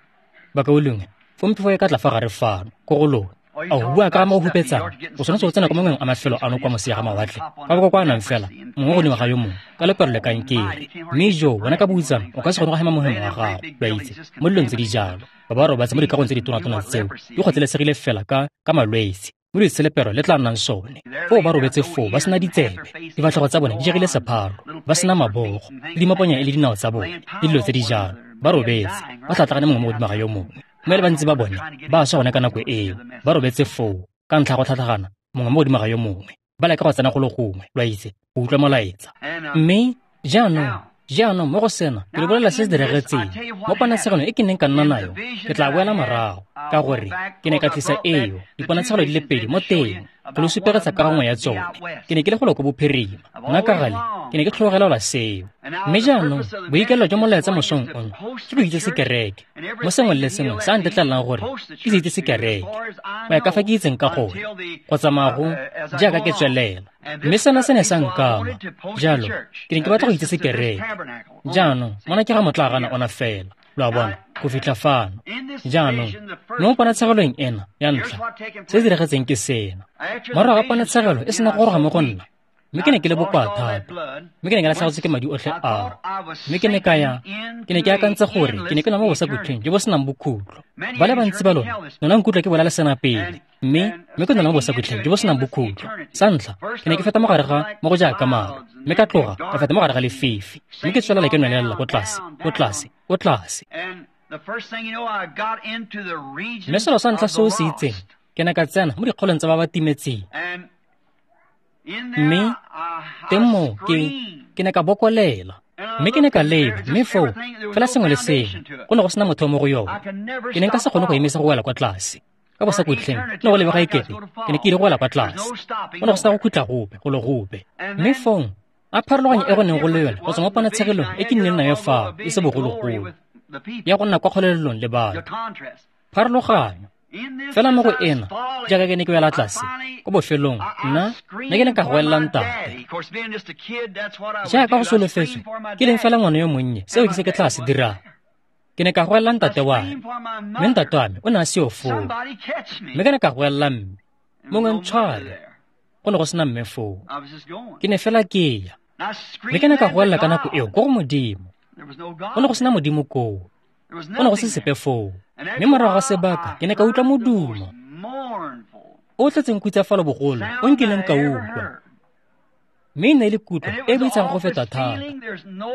bakaulengwe, fong phefo e ka tla fa gare fano, ko go lona. A go bua ka ga mo go hupetsang, o tshwanetse go tsena ko mangweng a mafelo ano kwa moseja ga mawatle, fa ba kokoanang fela, mongwe godimo ga yo mongwe, ka lepero le kankere. Mme jo, wena ka boutsana, o ka se kgone go hema mohemo wa gago, lo a itse, mo dilong tse di jalo. Ba ba robatse mo dikagong tse ditona-tona tseo, di kgotlelesegile fela ka ka malwetse, mo lepero le tla nnang sone. Foo ba robetse foo ba sena ditsebe, difatlhego tsa bone di jegile sepharo, ba sena mabogo, le dimaponya e le dinao tsa bone, le dilo tse di jalo. Ba robetse, ba tlhatlhagane mongwe mo godimo ga yo mongwe. Mme le bantsi ba bone ba swa gone ka nako eo, ba robetse foo ka ntlha ya go tlhatlhagana mongwe mo godimo ga yo mongwe, ba leka go tsena go le gongwe, lo a itse, go utlwa molaetsa. Mme jaanong, jaanong mo go sena ke lo bolelela se se diragetseng mo ponatshegelo e ke neng ka nna nayo. Ke tla boela morago ka gore ke ne ka tlisa eo diponatshegelo di le pedi mo teng go lo supegetsa ka gangwe ya tsone. Ke ne ke le golo ko bophirima, nna ka gale ke ne ke tlhogelelwa seo. Mme jaanong boikaelelo jwa molaetsa mosong ono ke go itsese kereke mo sengwe le sengwe se a ntetlelelang gore ke se itsese kereke go ya ka fa ke itseng ka gone, go tsamaya go jaaka ke tswelela. Mme sena se ne sa nkama, jalo ke ne ke batla go itsese kereke. Jaanong mona ke ga motlaagana ona fela, lo a bona, go fitlha fano. Jaanong mo ponatshegelong ena ya ntlha, se se diragetseng ke sena. Morago ga ponatshegelo e sena go goroga mo go nna, mme ke ne ke le bokoa thata, mme ke ne ke latlhegetswe ke madi otlhe ao. Mme ke ne ka ya, ke ne ke akantse gore ke ne ke nwa mo bosakutlweng jo bo senang bokhutlo. Ba le bantsi ba lona lona nkutlwa ke bolela sena pele, mme mme ke nwa mo bosakutlweng jo bo senang bokhutlo. Sa ntlha, ke ne ke feta mo gare ga mo go jaaka maru, mme ka tloga ka feta mo gare ga lefifi, mme ke tswelela ke nwelelela ko tlase, ko tlase, ko tlase. Mme selo sa ntlha se o se itseng, ke ne ka tsena mo dikgolong tsa ba ba timetseng. Mme teng moo ke ke ne ka bokolela, mme ke ne ka leba, mme foo fela sengwe le sengwe go ne go sena motho mo go yone. Ke ne nka se kgone go emisa go wela kwa tlase ka bosakutleng, ne go lebega ekete ke ne ke ile go wela kwa tlase, go ne go sena go khutla gope go le gope. Mme fong A pharologanyo e go neng go le yone go tswa mo ponatshegelong e ke nnileng nayo fa e se bogologolo ya go nna kwa kgolelelong le batho. Pharologanyo fela mo go ena jaaka ke ne ke wela tlase ko bofelong nna nna ke ne ka goelela ntate. Jaaka go solofetswe ke leng fela ngwana yo monnye, seo ke se ke tla se dirang. Ke ne ka goelela ntate wa me, mme ntate wa me o ne a seo foo. Mme ke ne ka goelela mme, mongwe ntshware, go ne go sena mme foo. Ke ne fela ke ya. Mme ke ne ka goelela ka nako eo ko go Modimo. Go ne go sena Modimo koo. Go ne go se sepe foo. Mme morago ga sebaka ke ne ka utlwa modumo o tletseng khutsafalo bogolo o nkileng ka utlwa. Mme e ne e le kutlo e e boitshegang go feta thata.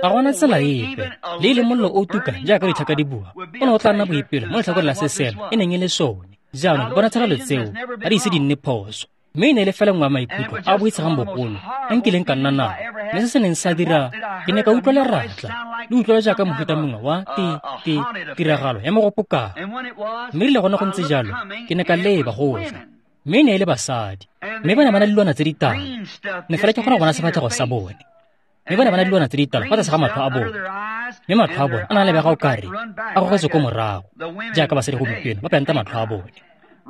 Ga gona tsela epe, le e leng mollo o tuka jaaka ditlhaka di bua, o ne o tla nna boipelo mo letlhakoreng la se selo e neng e le sone. Jaanong diponatshegelo tseo ga di ise di nne phoso. Mme e ne e le fela nngwe ya maikutlo a a boitshegang bogolo a nkileng ka nna nao. Mme se se neng sa dira, ke ne ka utlwa leratla le utlwela jaaka mofuta mongwe wa ti ti tiragalo ya mogopokang. Mme rile gone go ntse jalo, ke ne ka leba go tla. Mme e ne e le basadi, mme ba ne ba na le dilwana tse ditala. Ne fela ke kgona go bona sefatlhego sa bone. Mme ba ne ba na le dilwana tse ditala fa tlase ga matlho a bone. Mme matlho a bone a na a lebega okare a gogetswe ko morago, jaaka basadi gompieno ba penta matlho a bone.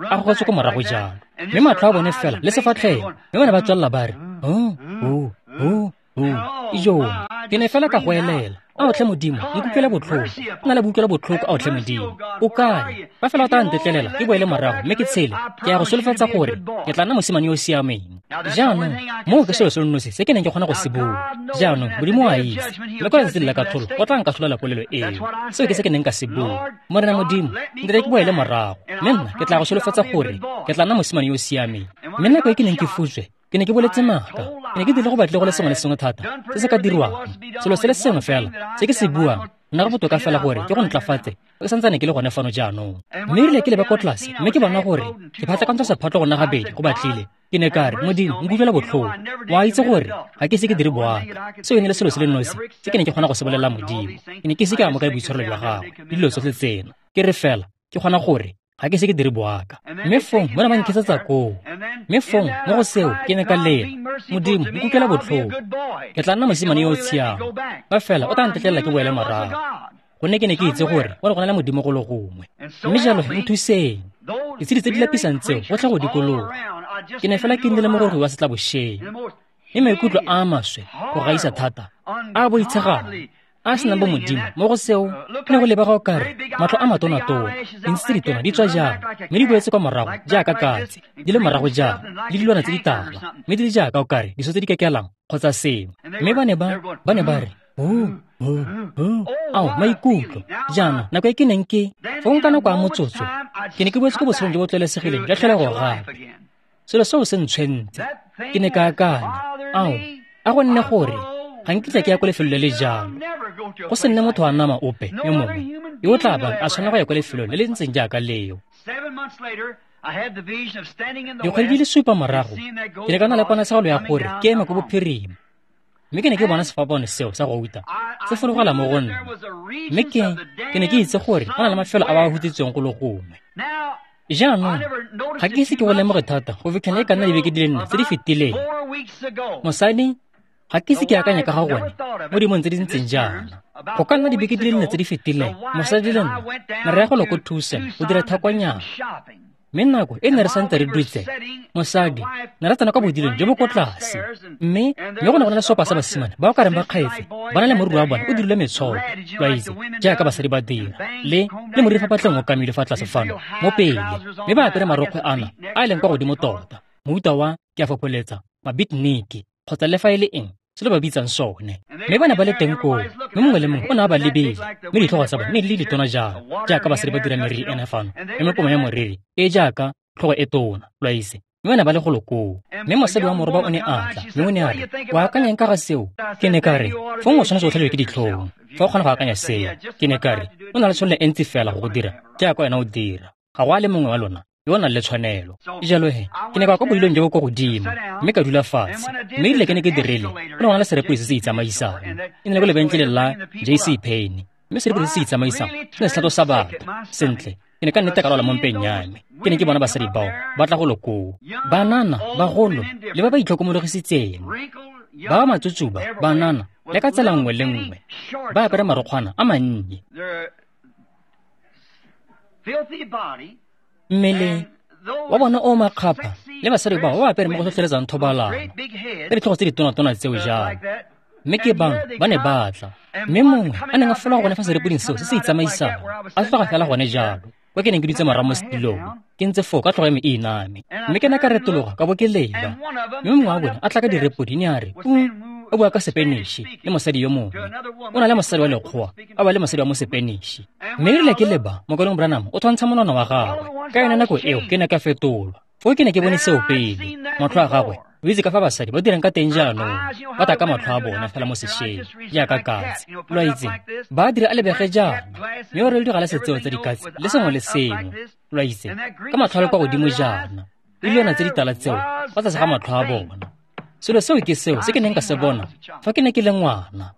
A gogetswe ko morago jalo. Mme matlho a bone fela le sefatlhego, mme ba ne ba tswelela ba re, "Oh, oh, oh, oh, ijoo." Ke ne fela ka goelela, "Ao tlhe Modimo, nkutlwele botlhoko. Nna le boutlwela botlhoko, ao tlhe Modimo. O kae? Fa fela o tla ntetlelela ke boele morago mme ke tshele, ke ya go solofetsa gore ke tla nna mosimane yo o siameng." Jaanong moo ke selo se le nosi se ke neng ke kgona go se bua. Jaanong Modimo o a itse, mme kwa letsatsing la katlholo o tla nkatlholela polelo eo. Seo ke se ke neng ka se bua. Morena Modimo, ntere ke boele morago, mme nna ke tla go solofetsa gore ke tla nna mosimane yo o siameng. Mme nako e ke neng ke futswe, ke ne ke boletse maaka. Ke ne ke dirile go batle go le sengwe le sengwe thata se se ka dirwang. Selo se le sengwe fela se ke se buang, nna go botoka fela gore ke go ntlafatse ke santsane ke le gone fano jaanong. Mme erile ke leba ko tlase mme ke bona gore ke phatlakantsha sephatlo go nna gabedi go batlile. Ke ne ka re, "Modimo, nkutlwela botlhoko. Wa itse gore ga ke ise ke dire boaka." Seo e ne le selo se le nosi se ke neng ke kgona go se bolelela Modimo. Ke ne ke ise ke amogele boitshwarelo jwa gagwe le dilo tsotlhe tsena. Ke re fela ke kgona gore ga ke ise ke dire boaka. Mme fong ba ne ba nkesetsa koo. Mme fong mo go seo ke ne ka lela, "Modimo, nkutlwela botlhoko. Ke tla nna mosimane yo o tshiamo. Fa fela o tla ntetlelela ke boele morago." Gonne ke ne ke itse gore go ne go na le Modimo go le gongwe. Mme jalo nthuseng. Ditshedi tse di lapisang tseo go tla go dikologa. Ke ne fela ke nnile mogorogi wa setlabošeng. Mme maikutlo a a maswe go gaisa thata, a a boitshegang, a senang bo Modimo mo go seo ne go lebega okare matlho a matonatona, dintsi tse ditona di tswa jalo, mme di boetse kwa morago jaaka katse, di le morago jalo, le dilwana tse ditala, mme di le jaaka okare diso tse di kekelang kgotsa sengwe. Mme ba ne ba ba ne ba re, "Oh, oh, oh, ao maikutlo." Jaanong nako e ke neng ke fong ka nako ya motsotso, ke ne ke boetse ko botshelong jo bo tlwaelesegileng jwa tlholego gape. Selo seo se ntshwentse. Ke ne ka akanya, "Ao, a go nne gore ga nkitla ke ya ko lefelong le le jalo. Go se nne motho wa nama ope yo mongwe yo o tla bang a tshwanela go ya ko lefelong le le ntseng jaaka leo." Dikgwedi di le supa morago, ke ne ka nna le ponatshegelo ya gore ke eme ko bophirima. Mme ke ne ke bona sefapano seo sa gouta se fologela mo go nna. Mme ke ke ne ke itse gore go na le mafelo a ba a hutsitsweng go le gongwe. Jaanong ga ke ise ke go lemoge thata go fitlhela e ka nna dibeke di le nne tse di fetileng. Mosadi, ga ke ise ke akanya ka ga gone mo dimong tse di ntseng jaana. Go ka nna dibeke di le nne tse di fetileng, mosadi le nna ne re ya go lo ko Tucson go dira thakwanyana. Mme nako e ne re santse re dutse, mosadi ne re tsena kwa bodilong jo bo ko tlase. Mme mme go ne go na le seopa sa basimane ba o ka reng ba kgaetse, ba na le moriri wa bone o dirilwe metshoko, lo a itse, jaaka basadi ba dira, le le moriri fa patleng o kamilwe fa tlase fano mo pele, mme ba apere marokgwe ana a e leng kwa godimo tota, mofuta wa ke a fopholetsa mabitniki kgotsa le fa e le eng se le ba bitsang sone. Mme ba ne ba le teng koo, mme mongwe le mongwe o ne a ba lebile, mme ditlhogo tsa bone ne di le ditona jalo, jaaka basadi ba dira meriri ena fano, mme mepomo ya moriri e jaaka tlhogo e tona, lo a itse. Mme ba ne ba le golo koo. Mme mosadi wa moroba o ne a tla, mme o ne a re, "O akanyang ka ga seo?" Ke ne ka re, "Fong o tshwanetse o tlhabiwe ke ditlhong fa o kgona go akanya seo." Ke ne ka re, "O na le tshwanelo e ntsi fela go go dira jaaka wena o dira. Ga go a le mongwe wa lona yo o nang le tshwanelo." Jalo he, ke ne ka kwa bodilong jo bo kwa godimo, mme ka dula fatshe. Mme erile ke ne ke dirile, go ne go na le serepodi se se itsamaisang. E ne le ko lebenkeleng la J C Penney. Mme serepodi se se itsamaisang se ne se tlhatlosa batho. Sentle, ke ne ka nnete ka lwala mo mpeng ya me. Ke ne ke bona basadi bao ba tla go lo koo, banana, bagolo le ba ba itlhokomologisitseng, Ba matsutsuba, banana, le ka tsela nngwe le nngwe, ba apere marokgwana a mannye. Mmele wa bona o makgapha le basadi bao ba apere mo go tlhotlheletsang thobalano ka ditlhogo tse ditonatona tseo jalo. Mme ke bangwe ba ne ba tla, mme mongwe a neng a fologa gone fa serepoding seo se se itsamaisang, a tloga fela gone jalo kwa ke neng ke dutse morago mo setilong, ke ntse foo ka tlhogo ya me e iname. Mme ke ne ka retologa ka bo ke leba, mme mongwe wa bone a tla ka direpodi ne a re, o bua ka Sepeniši le mosadi yo mongwe. O na le mosadi wa lekgowa, a bua le mosadi wa mo Sepeniši. Mme erile ke leba, Mokaulengwe Branham o thwantsha monwana wa gagwe. Ka yone nako eo ke ne ka fetolwa. Foo ke ne ke bone seo pele. Matlho a gagwe, o itse ka fa basadi ba dirang ka teng jaanong, ba taka matlho a bona fela mo sešweng jaaka katse. Lo a itse, ba dira a lebege jaana, mme o rwele digalase tseo tsa dikatse le sengwe le sengwe. Lo a itse, ka matlho a le kwa godimo jaana, le dilwana tse ditala tseo fa tlase ga matlho a bona. Selo seo ke seo se ke neng ka se bona fa ke ne ke le ngwana.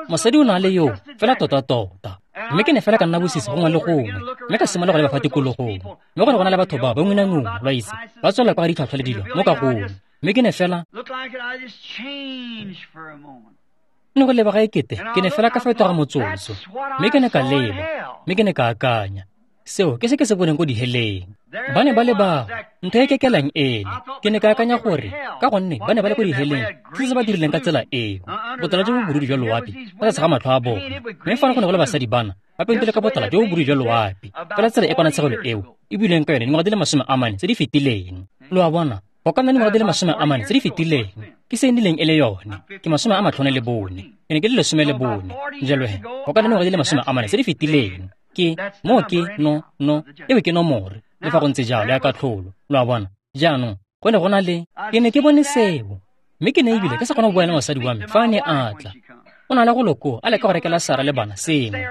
Mosadi o na le yo fela tota-tota. Mme ke ne fela ka nna bosisi gongwe le gongwe, mme ka simolola go leba fa tikologong. Mme go ne go na le batho bao ba ngunanguna, lo a itse, ba tswelela kwa ga ditlhwatlhwa le dilo mo kagong. Mme ke ne fela ne go lebega ekete ke ne fela ka fetoga motsotso. Mme ke ne ka leba, mme ke ne ka akanya, seo ke se ke se boneng ko diheleng. Ba ne ba le bao, ntho e kekelang ene. Ke ne ka akanya gore ka gonne ba ne ba le ko diheleng, ke se ba dirileng ka tsela eo, botala jo bo borudu jwa loapi fa tlase ga matlho a bona. Mme fano go ne go le basadi bana ba pentile ka botala jo bo borudu jwa loapi, fela tsela e ponatshegelo eo e builweng ka yone dingwaga di le masome a mane tse di fetileng. Lo a bona, go ka nna dingwaga di le masome a mane tse di fetileng ke se e nnileng e le yone. Ke masome a matlhano le bone, ke ne ke le lesome le bone. Jalo he, go ka nna dingwaga di le masome a mane tse di fetileng. Ke mo ke no no eo ke nomore le fa go ntse jalo ya katlholo. Lo a bona? Jaanong go ne go na le, ke ne ke bone seo, mme ke ne ebile ke sa kgona go bua le mosadi wa me fa a ne a tla. O na le go loko a leka go rekela Sara le bana sengwe,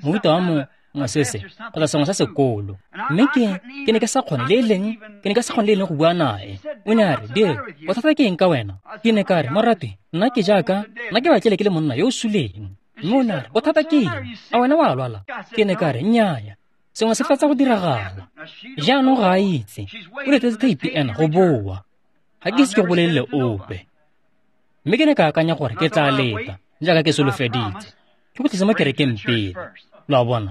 mohuta wa mo mosese kgotsa sengwe sa sekolo. Mme ke ke ne ke sa kgone le e leng, ke ne ke sa kgone le e leng go bua nae. O ne a re, "Bill, bothata ke eng ka wena?" Ke ne ka re, "Moratwe, nna ke jaaka nna ke batlile ke le monna yo o suleng." Mme o ne a re, "Bothata ke eng? A wena wa lwala?" Ke ne ka re, "Nnyaya, sengwe se fetsa go diragala." Jaanong ga a itse, o letetse theipi ena go boa. Ga ke ise ke go bolelele ope. Mme ke ne ka akanya gore ke tla leta, jaaka ke solofeditse, ke go tlisa mo kerekeng pele. Lo a bona,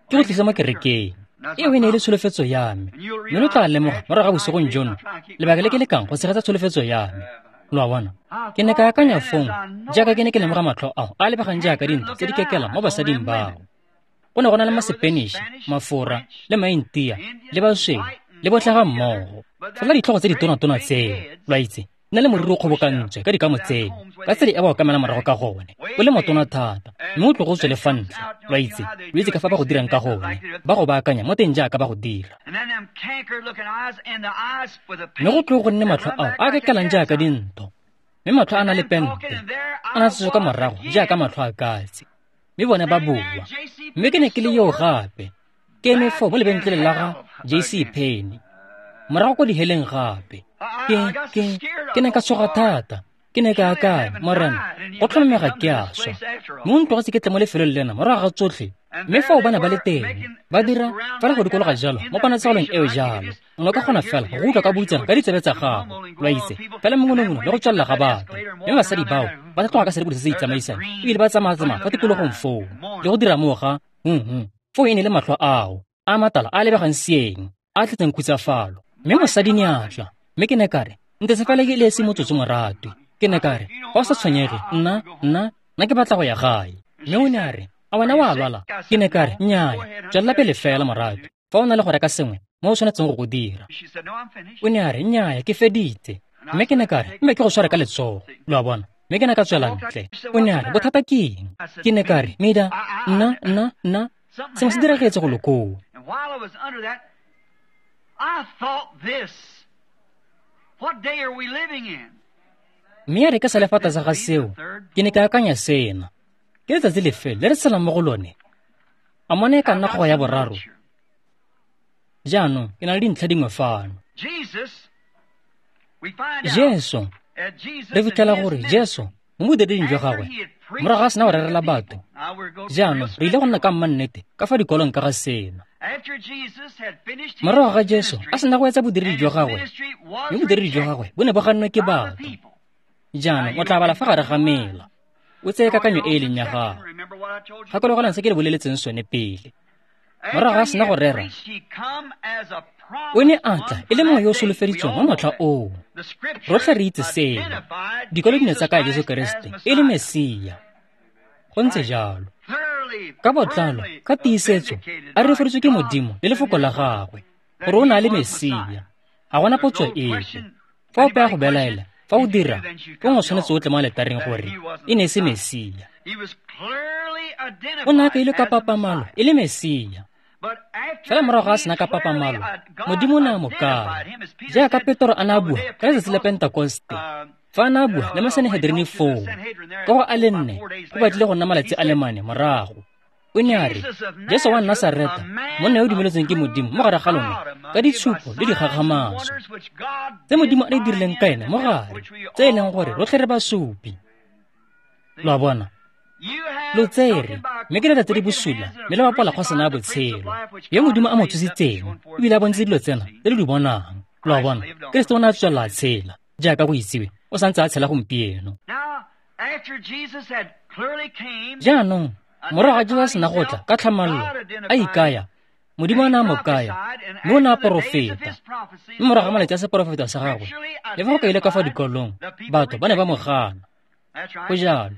ke go tlisa mo kerekeng. Eo e ne e le tsholofetso ya me. Mme lo tla lemoga morago ga bosigong jono lebaka le ke lekang go tshegetsa tsholofetso ya me. Lo a bona? Ke ne ka akanya fong, jaaka ke ne ke lemoga matlho ao a lebegang jaaka dintho tse di kekelang mo basading bao. Go ne go na le Masepeniši, Mafora, le Maintia, le basweu, le botlhe ga mmogo. Fela ditlhogo tse ditonatona tseo, lo a itse, nna le moriri o kgobokantswe ka dikamo tseo, ka tsela e ba okamela morago ka gone, o le motona thata, mme o tlogo o tswe le fa ntle. Lo a itse, lo itse ka fa ba go dirang ka gone, ba go baakanya mo teng jaaka ba go dira. Mme go tlogo go nne matlho ao a kekelang jaaka dintho, mme matlho a na le pente, a na tsetswe ka morago jaaka matlho a katse. Mme bone ba boa. Mme ke ne ke le yo gape, ke eme foo mo lebentleleng la ga J C Penney, morago ko diheleng gape. Ke ke ke ne ka tshoga thata. Ke ne ka akanya, Morena, go tlhomamega ke a swa. Mme o ntlogetse ke tle mo lefelong lena morago ga tsotlhe. Mme fao ba ne ba le teng, ba dira fela go dikologa jalo mo ponatshegelong eo jalo. O ne o ka kgona fela go utlwa ka boutsana ka ditsebe tsa gago, lo a itse, fela mongonongono le go tswelela ga batho. Mme basadi bao ba tla tloga ka serepodi se se itsamaisang, ebile ba tsamaya-tsamaya fa tikologong foo, le go dira moo ga hm foo e ne le matlho ao a matala a lebegang seeng, a tletseng khutsafalo. Mme mosadi ne a tla, mme ke ne ka re, "Ntese fela ke le esi motsotso moratwe." Ke ne ka re, "Fa o sa tshwenyege, nna nna nna ke batla go ya gae." Mme o ne a re, "A wena wa lwala?" Ke ne ka re, "Nnyaya, tswelela pele fela moratwe, fa o na le go reka sengwe mo o tshwanetseng go go dira." O ne a re, "Nnyaya, ke feditse." Mme ke ne ka re, "Mme ke go tshware ka letsogo." Lo a bona? Mme ke ne ka tswela ntle. O ne a re, "Bothata ke eng?" Ke ne ka re, "Mida, nna nna nna sengwe se diragetse go lokoo." Mme ya re ke sa le fa tlase ga seo, ke ne ka akanya sena. Ke letsatsi lefe le re tshelang mo go lone? A mone e ka nna kgogo ya boraro? Jaanong ke na le dintlha dingwe fano. Jesu, re fitlhela gore Jesu mo bodireding jwa gagwe, morago ga a sena go rerela batho. Jaanong re ile go nna ka mannete ka fa dikolong ka ga sena. Morago ga Jesu a sena go etsa bodiredi jwa gagwe, mme bodiredi jwa gagwe bo ne bo gannwe ke batho. Jaanong o tla bala fa gare ga mela, o tseye kakanyo e e leng ya gago. Gakologelang se ke le boleletseng sone pele. Morago ga sena go rera, o ne a tla e le mongwe yo o solofeditsweng wa motlha oo. Rotlhe re itse seno. Dikwalo di ne tsa kaya Jesu Keresete e le Mesia. Go ntse jalo. Ka botlalo, ka tiisetso, a rurifaleditswe ke Modimo le lefoko la gagwe gore o ne a le Mesia. Ga gona potso epe. Fa ope a go belaela, fa o dira, fong o tshwanetse o tle mo aletareng gore e ne e se Mesia. O ne a kailwe ka papamalo e le Mesia. Fela morago ga a sena ka papamalo, Modimo o ne a mo kaya. Jaaka Petro a ne a bua ka letsatsi la Pentekoste, fa a ne a bua le Masanehedrini foo, ka go a le nne go batlile go nna malatsi a le mane morago. O ne a re, Jesu wa Nasareta, monna yo o dumeletsweng ke Modimo mo gare ga lona ka ditshupo le dikgakgamatso tse Modimo a di dirileng ka ene mo gare, tse e leng gore rotlhe re basupi. Lo a bona? Lo tsere, mme ke dira tse di bosula, mme le bapola kgosana ya botshelo, yo Modimo a mo tsositseng, ebile a bontse dilo tsena tse le di bonang. Lo a bona? Keresete o ne a tswelela a tshela, jaaka go itsiwe, o santse a tshela gompieno. Jaanong, morago ga Jesu a sena go tla ka tlhamallo, a ikaya, Modimo o ne a mo kaya, mme o ne a porofeta. Mme morago ga malatsi a seporofeta sa gagwe, le fa go kaile ka fa dikolong, batho ba ne ba mo gana. Go jalo.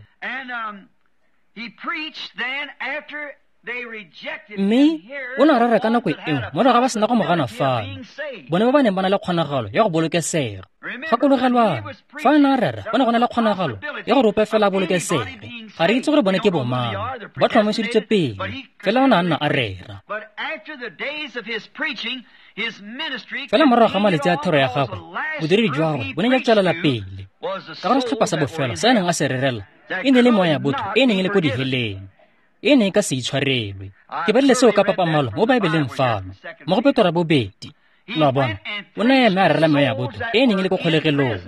Mme o ne a rera ka nako eo morago ga ba sena go mo gana fano, bone ba ba neng ba na le kgonagalo ya go bolokesega. Gakologelwang, fa a ne a rera go ne go na le kgonagalo ya gore ope fela a bolokesege. Ga re itse gore bone ke bomang, ba tlhomamiseditswe pele, fela o ne a nna a rera. Fela morago ga malatsi a thero ya gagwe, bodiredi jwa gagwe bo ne jwa tswelela pele. Ka gore setlhopha sa bofelo se a neng a se rerela e ne e le moya ya botho e neng e le ko diheleng, e ne e ka se itshwarelwe. Ke badile seo ka papamalo mo Baebeleng fano, mo go Petro bobedi. Lo a bona? O ne a eme a rerela moya ya botho e neng e le ko kgolegelong,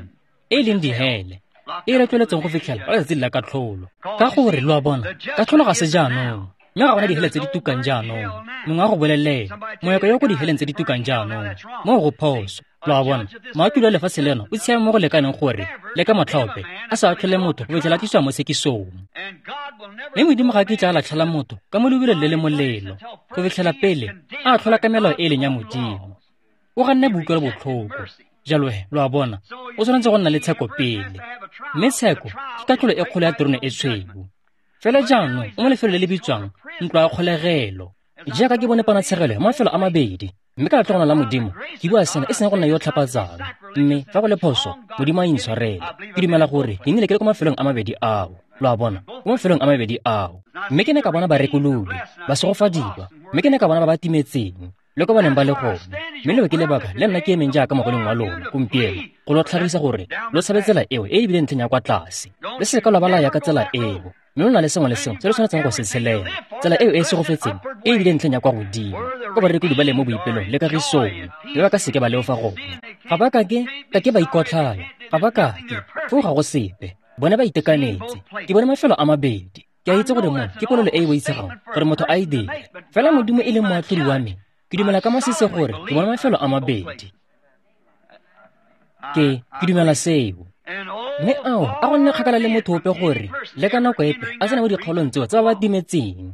e e leng dihele, e e retlweletseng go fitlhela ka letsatsi la katlholo. Ka gore, lo a bona, katlholo ga se jaanong, mme ga gona dihele tse di tukang jaanong. Mongwe a go bolelela, moeko yo ko diheleng tse di tukang jaanong, moo go phoso. Lo a bona, moatlhodi wa lefatshe leno o tshiame mo go lekaneng gore le ka motlha ope a sa atlhole motho go fitlhela a tliswa mo tshekisong. Mme Modimo ga a kitla a latlhela motho ka mo leubelong le le molelo go fitlhela pele a atlhola ka melao e e leng ya Modimo. O ganne boutlwelobotlhoko. Jalo he, lo a bona, o tshwanetse go nna le tsheko pele. Mme tsheko ke katlholo e kgolo ya terone e tshweu. Fela jaanong o mo lefelong le le bitswang ntlo ya kgolegelo. Jaaka ke bone ponatshegelo ya mafelo a mabedi, mme ka letlhogona la Modimo ke bua sena e seng go nna yo o tlhapatsang, mme fa go le phoso, Modimo a intshwarele. Ke dumela gore ke nnile ke le ko mafelong a mabedi ao. Lo a bona, ko mafelong a mabedi ao. Mme ke ne ka bona barekolodi, ba segofadiwa, mme ke ne ka bona ba ba timetseng, le ko ba neng ba le gone. Mme leo ke lebaka le nna ke emeng jaaka mogolong wa lona gompieno, go lo tlhagisa gore lo tshabe tsela eo e e bileng ntlheng ya kwa tlase. Le seka lwa ba la ya ka tsela eo, mme lo na le sengwe le sengwe se lo tshwanetseng go se tshelela. Tsela eo e e segofetseng e e bileng ntlheng ya kwa godimo, ko barekodi ba leng mo boipelong le kagisong, mme ba ka seke ba leofa gone. Ga ba kake kake ba ikotlhaya, ga ba kake, foo ga go sepe. Bone ba itekanetse. Ke bone mafelo a mabedi. Ke a itse gore mo ke polelo e e boitshegang gore motho a e dire. Fela Modimo e leng moatlhodi wa me, ke dumela ka masisi gore ke bone mafelo a mabedi. Ke ke dumela seo. Mme ao a go nne kgakala le motho ope gore le ka nako epe a tsena mo dikgaolong tseo tsa ba ba timetseng.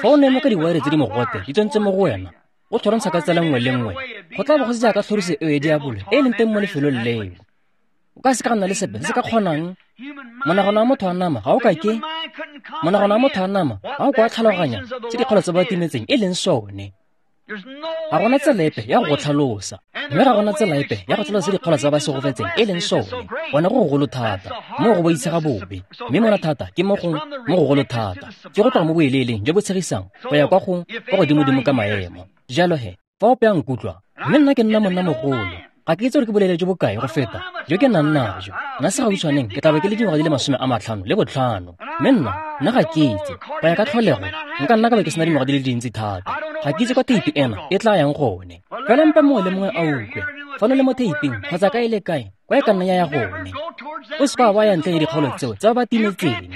Fa o ne mo ka diwaere tse di mogote di tsentse mo go wena, o tlhorontsha ka tsela nngwe le nngwe, go tla bo go se jaaka tlhoriso eo ya diabolo e e leng teng mo lefelong leo. O ka se ka nna le sepe se se ka kgonang. Monagano wa motho wa nama ga o ka ke monagano wa motho wa nama ga o kwa tlhaloganya tse dikgolo tse ba timetseng e leng sone. Ga gona tsela epe ya go go tlhalosa, mme ga gona tsela epe ya go tlhalosa dikgolo tsa ba segofetseng e leng sone. Gone go gogolo thata, mo go boitshega bobe, mme mona thata ke mo go mo gogolo thata, ke go tloga mo boeleeleng jo bo tshegisang go ya kwa go kwa godimodimo ka maemo. Jalo he, fa ope a nkutlwa, mme nna ke nna monna mogolo, ga ke itse gore ke bolele jo bokae go feta jo ke nang najo. Nna segautshwaneng ke tla be ke le dingwaga di le masome a matlhano le botlhano, mme nna nna ga ke itse go ya ka tlholego nka nna ka be ke sena dingwaga di le dintsi thata. Ga ke itse kwa theipi ena e tla yang gone. Fela mpe mongwe le mongwe a utlwe, fano le mo theiping kgotsa kae le kae kwa e ka nna ya ya gone. O se ka wa ya ntle le dikgaolo tseo tsa ba ba timetseng.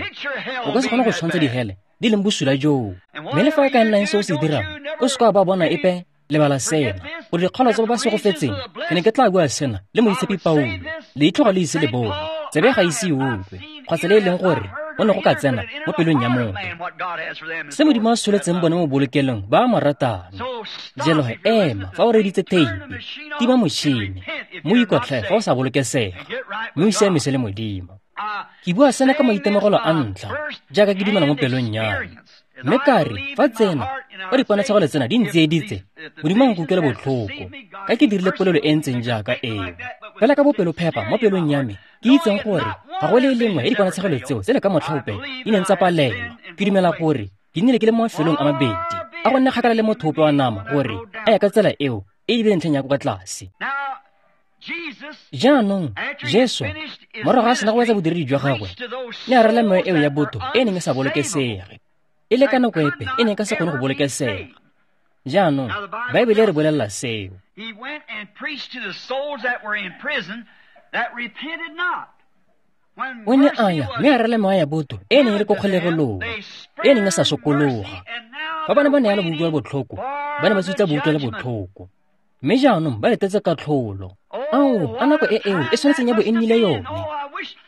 O ka se kgone go tshwantsha dihele di leng bosula joo. Mme le fa e ka nna eng se o se dirang, o se ka wa ba bona epe. Lebala sena, gore dikgolo tsa ba ba segofetseng, ke ne ke tla bua sena le moitshepi Paulo, leitlho ga le ise le bone, Tsebe ga ise e utlwe, kgotsa le e leng gore go ne go ka tsena mo pelong ya motho. Se Modimo a soletseng bone mo bolokelong ba a mo ratang. Jalo he ema fa o reeditse theipi, tima motšhini, mo ikotlhae fa o sa bolokesega, mme o siamise le Modimo. Ke bua sena ka maitemogelo a ntlha, jaaka ke dumela mo pelong ya me. Mme ka re, fa tsena, fa diponatshegelo tsena di ntsieditse, Modimo a nkutlwele botlhoko, ka ke dirile polelo e ntseng jaaka eo. Fela ka bopelophepa mo pelong ya me, ke itseng gore ga go le e lengwe ya diponatshegelo tseo tse le ka motlhaope di neng tsa palelwa. Ke dumela gore ke nnile ke le mo mafelong a mabedi, a go nne kgakala le motho ope wa nama gore a ya ka tsela eo e e ntlheng ya kwa tlase. Jaanong, Jesu, morago a sena go wetsa bodiredi jwa gagwe, ne a rela mewa eo ya botho e neng e sa bolokesege. E le ka nako epe e neng e ka se kgone go bolokesega. Jaanong, Baebele e re bolelela seo. O ne a ya mme a rela mewa ya botho e neng e le ko kgolegelong, e neng e sa sokologa. Fa ba ne ba neela boutlwelo botlhoko, ba ne ba sutsa boutlwelo botlhoko. Mme jaanong ba letetse katlholo. Ao, a nako e eo e tshwanetseng ya bo e nnile yone.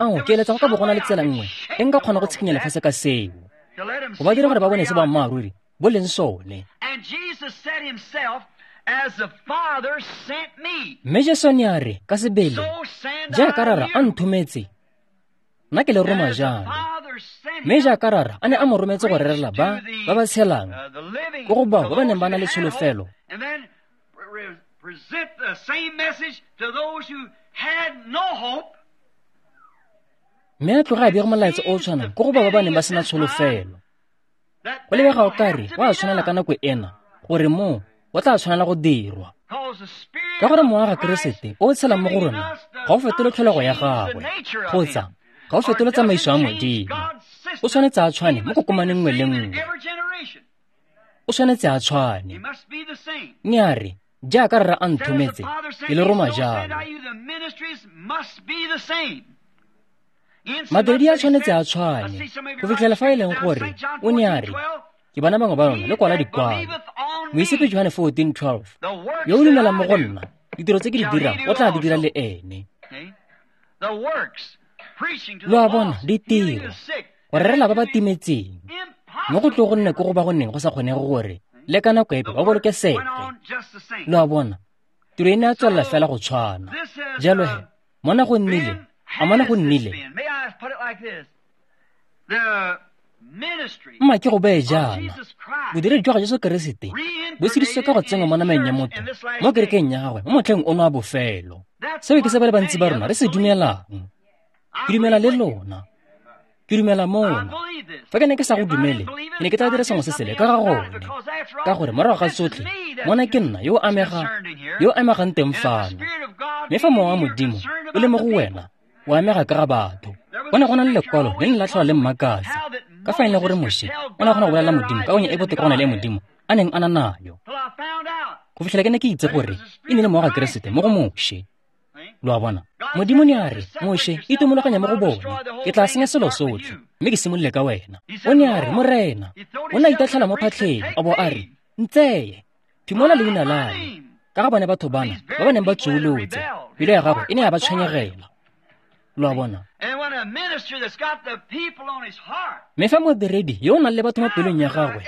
Ao, ke eletsa go ka bo go na le tsela nngwe e nka kgona go tshikinya lefatshe ka seo, go ba dira gore ba bone se boammaaruri bo leng sone. Mme Jesu ne a re ka sebele, jaaka Rara a nthometse, nna ke le roma jalo. Mme jaaka Rara a ne a mo rometse go rerela ba ba ba tshelang, ko go bao ba ba neng ba na le tsholofelo, mme a tloga a bega molaetsa o o tshwanang ko go bao ba ba neng ba sena tsholofelo. Go lebega o kare wa tshwanela ka nako ena gore moo go tla tshwanela go dirwa, ka gore mowa ga Keresete o o tshelang mo go rona ga o fetole tlholego ya gagwe kgotsa ga o fetole tsamaiso ya Modimo. O tshwanetse a tshwane mo kokomaneng nngwe le nngwe. O tshwanetse a tshwane. Mme a re, jaaka Rara a nthometse, ke le roma jalo. Madiredi a tshwanetse a tshwane go fitlhela fa e leng gore o ne a re, ke bona bangwe ba lona le kwala dikwalo. Moitshepi Johane fourteen twelve, yo o dumelang mo go nna, ditiro tse ke di dirang o tla di dira le ene. Lo a bona, ditiro, go rerela ba ba timetseng, mo go tlo go nne ko go ba go neng go sa kgonege gore le ka nako epe ba bolokesege. Lo a bona, tiro e ne a tswelela fela go tshwana. Jalo he, mona go nnile, a mona go nnile. Mma ke go beye jaana, bodiredi jwa ga Jesu Keresete bo sedisitswe ka go tsenngwa mo nameng ya motho mo kerekeng ya gagwe mo motlheng ono wa bofelo. Seo ke se ba le bantsi ba rona re se dumelang. Ke dumela le lona. Ke dumela mona. Fa ke ne ke sa go dumele, ke ne ke tla dira sengwe se sele ka ga gone. Ka gore morago ga tsotlhe, mona ke nna yo o amega, yo o amegang teng fano. Mme fa mowa wa Modimo o le mo go wena, o amega ka ga batho. Go ne go na le lekwalo le ne la tlhola le mmakatsa, ka fa e leng gore Moshe o ne a kgona go bolelela Modimo ka onye e botoka go na le e Modimo a neng a na nayo. Go fitlhela ke ne ke itse gore e ne le mowa ga Keresete mo go Moshe. Lo a bona, Modimo ne a re, Moshe, itomologanya mo go bone, ke tla senya selo sotlhe, mme ke simolole ka wena. O ne a re, Morena, o ne a itatlhela mo phatlheng, a bo a re, ntseye, phimola leina la me, ka ga bone batho bana ba ba neng ba tsuolotse, pelo ya gagwe e ne ya ba tshwenyegela. Lo a bona. Mme fa modiredi yo o nang le batho mo pelong ya gagwe,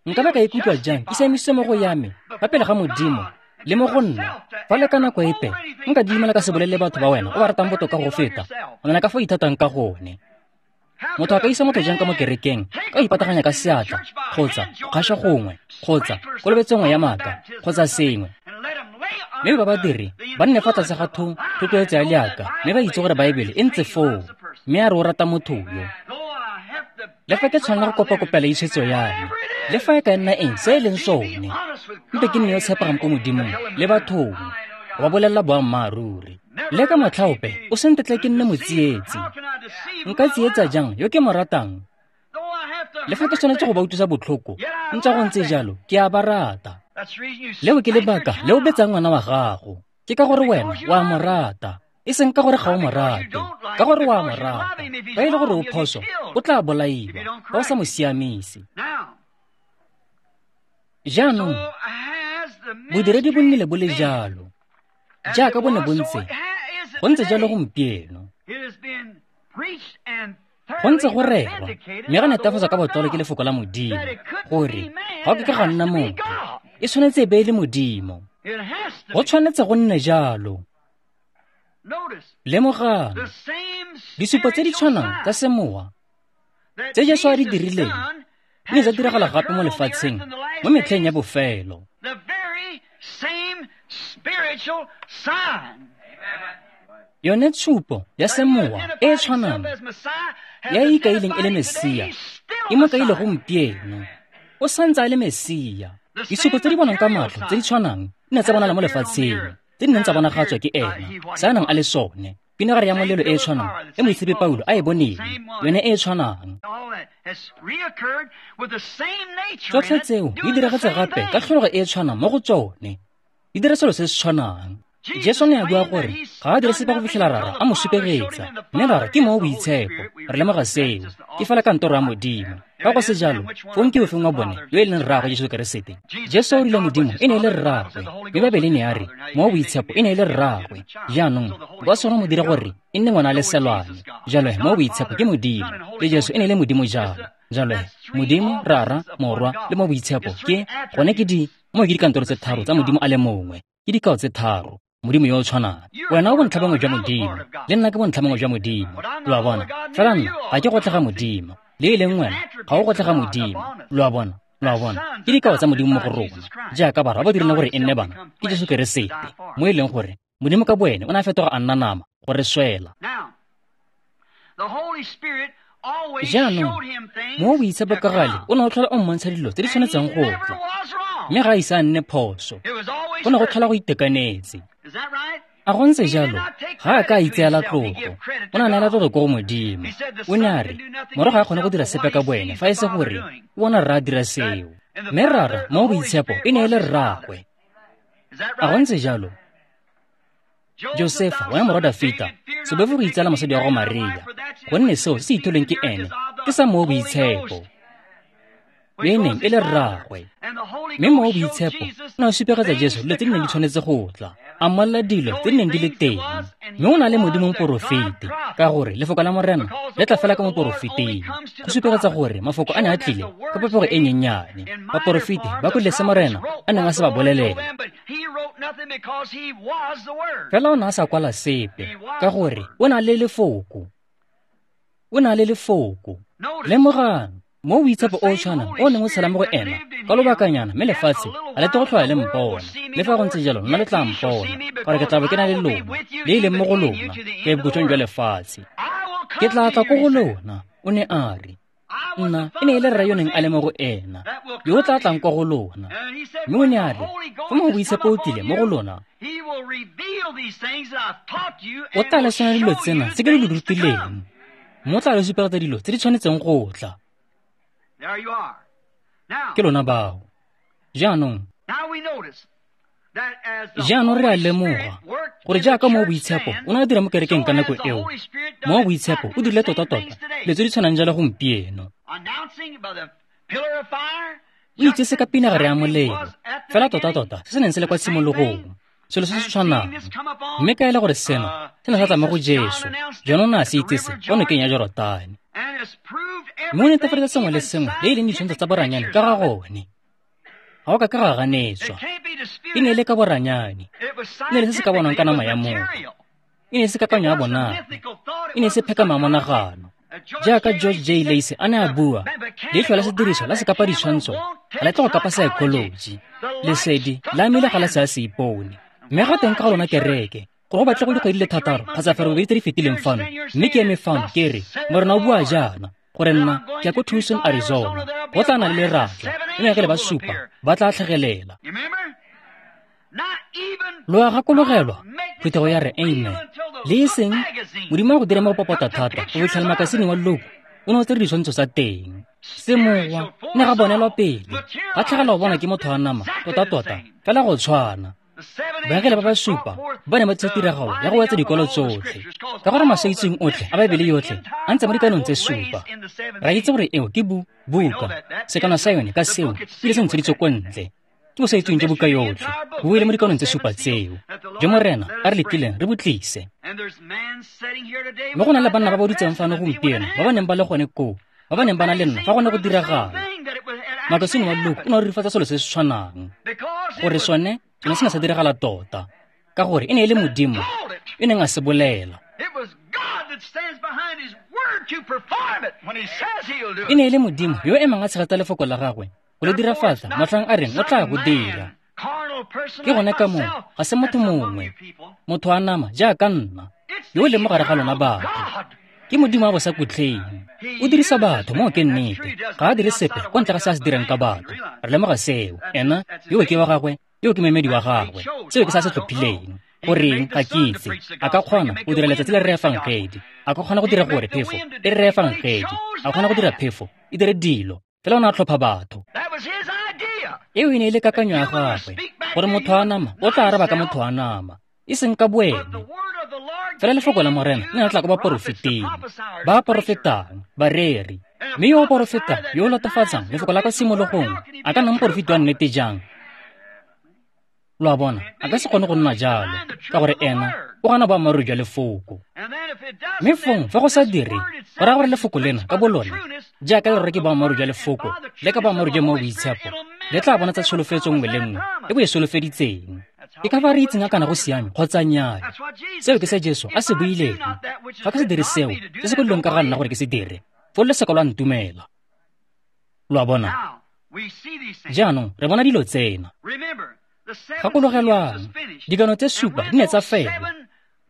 nka ba ka ikutlwa jang ke siamisitswe mo go ya me fa pele ga Modimo le mo go nna, fa le ka nako epe nka dumela ka se bolelele batho ba wena o ba ratang botoka go feta go nna ka fo ithatang ka gone. Motho a ka isa motho jang ka mo kerekeng ka go ipataganya ka seatla kgotsa go kgaša gongwe kgotsa kolobetso nngwe ya maaka kgotsa sengwe, mme ba badiri ba nne fa tlase ga tho thotloetso ya leaka mme ba itse gore Baebele e ntse foo, mme a re o rata motho yo. Le fa ke tshwanela go kopakopela itshwetso ya me, le fa e ka nna eng se e leng sone, mpe ke nne yo tshepegang ko Modimong le bathong, go ba bolelela boammaaruri. Le ka motlhaope o se ntetle ke nne motsietsi. Nka tsietsa jang yo ke mo ratang? Le fa ke tshwanetse go ba utlwisa botlhoko, ntse go ntse jalo, ke a ba rata. Leo ke lebaka le o betsang ngwana wa gago, ke ka gore wena o a mo rata, e seng ka gore ga o mo rate, ka gore o a mo rata. Fa e le gore o phoso, o tla bolaiwa fa o sa mo siamise. Jaanong, bodiredi bo nnile bo le jalo, jaaka bo ne bo ntse, Go ntse jalo gompieno. Go ntse go rerwa, mme ga netefatswa ka botlalo ke lefoko la Modimo, gore ga o ke ka ga nna motho, e tshwanetse e be e le Modimo. Go tshwanetse go nne jalo. Lemogang, disupo tse di tshwanang tsa semowa tse Jesu a di dirileng di ne tsa diragala gape mo lefatsheng mo metlheng ya bofelo. Yone tshupo ya semowa e e tshwanang ya e ikaileng e le Mesia e mo kaile gompieno. O santse a le Mesia. Disupo tse di bonwang ka matlho tse di tshwanang di ne tsa bonala mo lefatsheng, tse di neng tsa bonagatswa ke ena, se a nang a le sone. Pinagare ya molelo e e tshwanang e moitshepi Paulo a e boneng, yone e e tshwanang. Tsotlhe tseo di diragetse gape ka tlhologo e e tshwanang mo go tsone, di dira selo se se tshwanang. Jesu ne a bua gore ga a dire sepe go fitlhela Rara a mo supegetsa, mme Rara ke Mowa o Boitshepo. Re lemoga seo, ke fela kantoro ya Modimo. Fa go se jalo, fong ke ofeng wa bone yo e leng rraagwe Jesu Keresete? Jesu o rile Modimo e ne e le rraagwe, mme Baebele ne ya re Mowa o Boitshepo e ne e le rraagwe. Jaanong ba sone mo dira gore e nne ngwana a le selwane. Jalo Mowa o Boitshepo ke Modimo, le Jesu e ne e le Modimo jalo. Jalo Modimo, Rara, Morwa le Mowa o Boitshepo ke gone ke di mo ke dikantoro tse tharo tsa Modimo a le mongwe, ke dikao tse tharo. Modimo yo o tshwanang. Wena o bontlhabongwe jwa Modimo, le nna ke bontlhabongwe jwa Modimo. Lo a bona? Fela nna ga ke gotlhe ga Modimo, le e leng wena ga o gotlhe ga Modimo. Lo a bona? Lo a bona? Ke dikao tsa Modimo mo go rona, jaaka barwa ba dirileng gore e nne bana ke Jesu Keresete, mo e leng gore Modimo ka boene o ne a fetoga a nna nama go re swela. Jaanong Mowa o Boitshepo ka gale o ne o tlhola o mmontsha dilo tse di tshwanetseng go tla, mme ga a ise a nne phoso. Go ne go tlhola go itekanetse. A go ntse jalo, ga a ka a itseela tlotlo, o ne a neela tlotlo ko go Modimo. O ne a re morago ga a kgone go dira sepe ka boene fa e se gore o bona Rra a dira seo. Mme Rara, Mowa o Boitshepo, e ne e le rraagwe. A go ntse jalo? Josefa, wena morwa Dafita, se boife go itseela mosadi wa gago Maria, gonne seo se se itholweng ke ene ke sa Mowa o Boitshepo, yo e neng e le rraagwe. Mme Mowa o Boitshepo o ne a supegetsa Jesu dilo tse di neng di tshwanetse go tla, a mmolelela dilo tse di neng di le teng. Mme o na le Modimo moporofeti, ka gore lefoko la Morena le tla fela ka moporofeting, go supegetsa gore mafoko a ne a tlile ka popego e nyenyane. Baporofeti ba kwele se Morena a neng a se ba bolelela, fela o ne a sa kwala sepe, ka gore o na le lefoko. O na le lefoko. Lemogang, Mowa o Boitshepo o o tshwanang o neng o tshela mo go ena ka lobakanyana, mme lefatshe ga le tle go tlhola le mpona. Le fa go ntse jalo, nna le tla mpona, gore ke tla bo ke na le lona, le e leng mo go lona, ke bokhutlong jwa lefatshe. Ke tla tla ko go lona, o ne a re. Nna e ne e le Rra yo neng a le mo go ena, yo o tla tlang kwa go lona. Mme o ne a re, fa Mowa o Boitshepo o tlile mo go lona, o tla le senola dilo tsena tse ke di lo rutileng, mme o tla le supegetsa dilo tse di tshwanetseng go tla. Ke lona bao. Jaanong, jaanong re a lemoga gore jaaka Mowa o Boitshepo o ne a dira mo kerekeng ka nako eo, Mowa o Boitshepo o dirile tota-tota dilo tse di tshwanang jalo gompieno. O itsese ka pinagare ya molelo, fela tota-tota se se neng se le kwa tshimologong, selo se se tshwanang. Mme ka e le gore seno se ne sa tla mo go Jesu, jaanong o ne a se itsese kwa nokeng ya Jorotane. Mme o netefaletsa sengwe le sengwe le e leng ditshwantsho tsa boranyane ka ga gone. Ga o ka ka ga ganetswa. E ne e le ka boranyane, e ne e le se se ka bonwang ka nama ya motho, e ne e se kakanyo ya bonako, e ne e se phekamo ya monagano. Jaaka George J. Lacey a ne a bua, leitlho la sediriso la sekapa ditshwantsho ga le tle go kapa saekholoji. Lesedi la amile ga la se a se ipone. Mme ga teng ka ga lona kereke, gore go batle go dikgwedi le thataro kgotsa ferobedi tse di fetileng fano, mme ke eme fano ke re, Morena o bua jaana, gore nna ke ya ko Tucson, Arizona, go tla na le leratla, mme baengele ba supa ba tla tlhagelela. Lo a gakologelwa, phuthego ya re amen. Le e seng Modimo a go dire mo go popota thata go fitlhela makasine wa Look o ne o tsere ditshwantsho tsa teng. Semowa ne ga bonelwa pele, ga tlhagela go bonwa ke motho wa nama tota-tota fela go tshwana. Baengele ba ba supa ba ne ba tsaya tiragalo ya go wetsa dikwalo tsotlhe, ka gore masaitseng otlhe a Baebele yotlhe a ntse mo dikanong tse supa. Ra itse gore eo ke bu buka, sekano sa yone ka seo ebile se ntsheditswe ko ntle. Ke bosaitseweng jwa buka yotlhe, bo buile mo dikanong tse supa tseo, jo Morena a re letlileng re bo tlise. Mme go na le banna ba ba dutseng fano gompieno ba ba neng ba le gone koo, ba ba neng ba na le nna fa go ne go diragala. Makasine wa Luke o ne o rurifatsa selo se se tshwanang, gore sone sone se ne sa diragala tota, ka gore e ne e le Modimo yo neng a se bolela. E ne e le Modimo yo o emang a tshegetsa lefoko la gagwe go le dirafatsa motlhang a reng o tla go dira. Ke gone ka moo ga se motho mongwe, motho wa nama jaaka nna, yo o leng mo gare ga lona batho. Ke Modimo wa bosakutleng. O dirisa batho, moo ke nnete. Ga a dire sepe kwa ntle ga se a se dirang ka batho. Re lemoga seo. Ena yo ke wa gagwe, yo ke moemedi wa gagwe. Seo ke se a se tlhophileng. Goreng ga ke itse. A ka kgona go dira letsatsi le re efangedi. A ka kgona go dira gore phefo e re efangedi. A kgona go dira phefo e dire dilo. Fela o ne a tlhopha batho. Eo e ne e le kakanyo ya gagwe, gore motho wa nama o tla araba ka motho wa nama, e seng ka boene. Fela lefoko la Morena le ne la tla ko baporofeteng, ba porofetang, bareri. Mme yo o porofetang, yo o latofatsang lefoko la kwa tshimologong, a ka nna moporofeti wa nnete jang? Lo a bona, a ka se kgone go nna jalo, ka gore ena o gana boammaaruri jwa lefoko. Mme fong fa go sa dire, go raya gore lefoko lena ka bolone, jaaka le rora ke boammaaruri jwa lefoko le ka boammaaruri jwa Mowa o Boitshepo, le tla bonatsa tsholofetso nngwe le nngwe e bo e solofeditseng. Ke ka fa re itseng a kana go siame kgotsa nnyaa. Seo ke se Jesu a se buileng. Fa ke se dire seo, se se kwadilweng ka ga nna gore ke se dire, foo le seka lwa ntumela. Lo a bona? Jaanong re bona dilo tsena. Gakologelwang, dikano tse supa di ne tsa fela.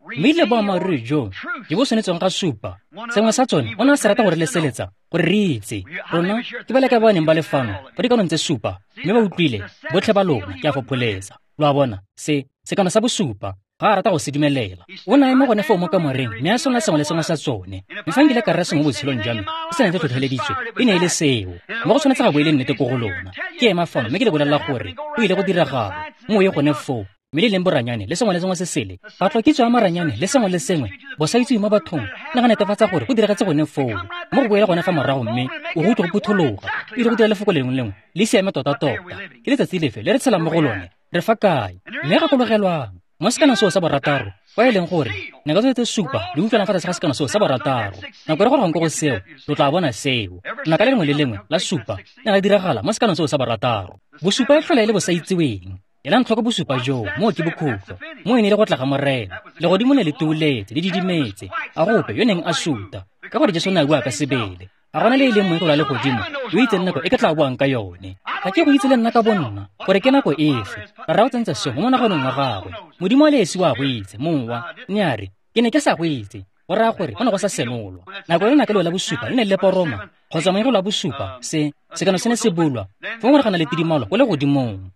Mme le boammaaruri jo jo bo tshwanetsweng ga supa, sengwe sa tsone o ne a se rata gore leseletsa gore re itse. Rona ke ba le ka ba neng ba le fano fa dikanong tse supa, mme ba utlwile botlhe ba lona, ke a fopholetsa. Lo a bona, se sekano sa bosupa ga a rata go se dumelela. O ne a eme gone foo mo kamoreng mme a senola sengwe le sengwe sa tsone. Mme fa nkile ka rera sengwe mo botshelong jwa me se se neng se tlhotlheleditswe, e ne e le seo. Mme go tshwanetse ga bo e le nnete ko go lona. Ke ema fano mme ke le bolelela gore go ile go diragala. Mo ye gone foo, mme le leng boranyane le sengwe le sengwe se sele, patlo-kitso ya maranyane le sengwe le sengwe, bosaitsewe mo bathong, ne ga netefatsa gore go diragetse gone foo. Mo go boele gone fa morago mme o go utlwe go phuthologa, e ile go dira lefoko lengwe lengwe le siame tota-tota. Ke letsatsi lefe le re tshelang mo go lone? Re fa kae? Mme gakologelwang, mo sekanong seo sa borataro, kwa e leng gore nako tse tse supa di utlwana fa tlase ga sekano seo sa borataro. Nako re gorogang ko go seo, lo tla bona seo. Naka le lengwe le lengwe la supa ne la diragala mo sekanong seo sa borataro. Bosupa e tlhola e le bosaitseweng. Elang tlhoko bosupa joo, moo ke bokhutlo. Mo e ne e le go tla ga Morena. Legodimo ne le tuuletse, le didimetse. A gope yo neng a suta, ka gore Jesu o ne a bua ka sebele. Ga gona le e leng moengele wa legodimo yo itseng nako e ke tla buang ka yone. Ga ke go itse le nna ka bonna gore ke nako efe. Rra o tsentse seo mo monaganong wa gagwe. Modimo a le esi wa go itse, mowa. Ne a re, ke ne ke sa go itse. Go raya gore go ne go sa senolwa. Nako e lenaka leo la bosupa le ne le poroma, kgotsa moengele wa bosupa, se sekano se ne se bulwa, fong gore ga na le tidimalo ko legodimong.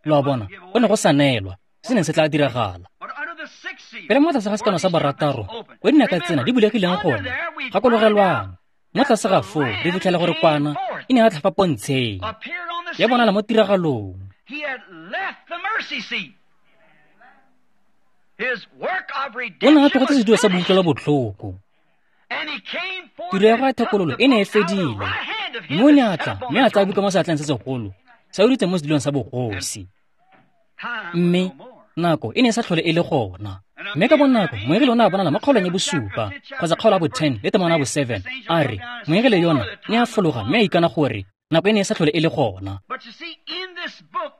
Lo a bona, go ne go sa neelwa se neng se tla diragala. Pele mo tlase ga sekano sa borataro, ko dinaka tsena di bulegileng gone, gakologelwang, mo tlase ga foo re fitlhela gore kwana e ne ya tlhafa pontsheng, ya bonala mo tiragalong. O ne a tlogetse sedulo sa boutlwelo botlhoko. Tiro ya gagwe ya thekololo e ne e fedile, mme o ne a tla mme a tsaya buka mo seatleng se segolo, sa o dutse mo sedulong sa bogosi. Mme nako e ne e sa tlhole e le gona. Mme ka bonako moengele o ne a bonala mo kgaolong ya bosupa kgotsa kgaolo ya bo-ten le temana ya bo-seven, a re moengele yona ne a fologa mme a ikana gore nako e ne e sa tlhole e le gona.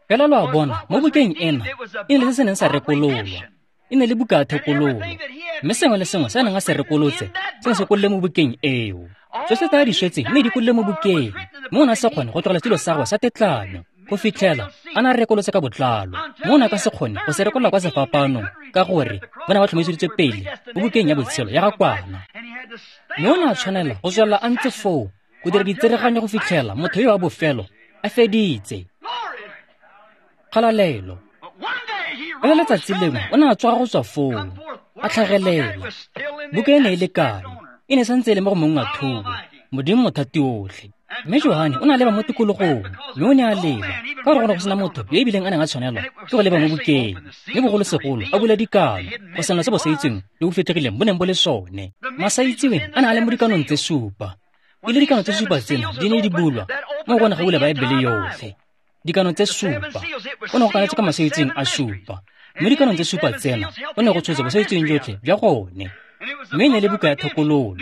Fela lo a bona, mo bukeng ena e ne le se se neng sa rekololwa. E ne le buka ya thekololo, mme sengwe le sengwe se a neng a se rekolotse se ne se kolole mo bukeng eo. Tsotlhe tse a di swetseng ne di kolole mo bukeng, mme o ne a se kgone go tlogela setulo sa gagwe sa tetlanyo go fitlhela a ne a rekolotse ka botlalo. Mme o ne a ka se kgone go se rekolola kwa sefapanong, ka gore ba ne ba tlhomiseditswe pele mo bukeng ya botshelo ya ga kwana. Mme o ne a tshwanela go tswelela a ntse foo go dira ditsereganyo go fitlhela motho yo wa bofelo a feditse. Kgalalelo. Ka letsatsi lengwe o ne a tsoga go tswa foo, a tlhagelela. Buka e ne e le kae? E ne santse e le mo go mong wa thobo, Modimo mothati otlhe. Mme Johane o ne a leba mo tikologong, mme o ne a leba, ka gore go ne go sena motho yo ebileng a neng a tshwanelwa ke go leba mo bukeng, mme bogolosegolo a bula dikano, go senola se bosaitseweng le bo fitlhegileng bo neng bo le sone. Masaitseweng a ne a le mo dikanong tse supa. E le dikano tse supa tsena di ne di bulwa mo go ne ga bula Baebele yotlhe. Dikano tse supa. O ne go kanetswe ka masaitseng a supa. Mme dikanong tse supa tsena, go ne go tshotse bosaitseng jotlhe jwa gone. Mme e ne le buka ya thekololo,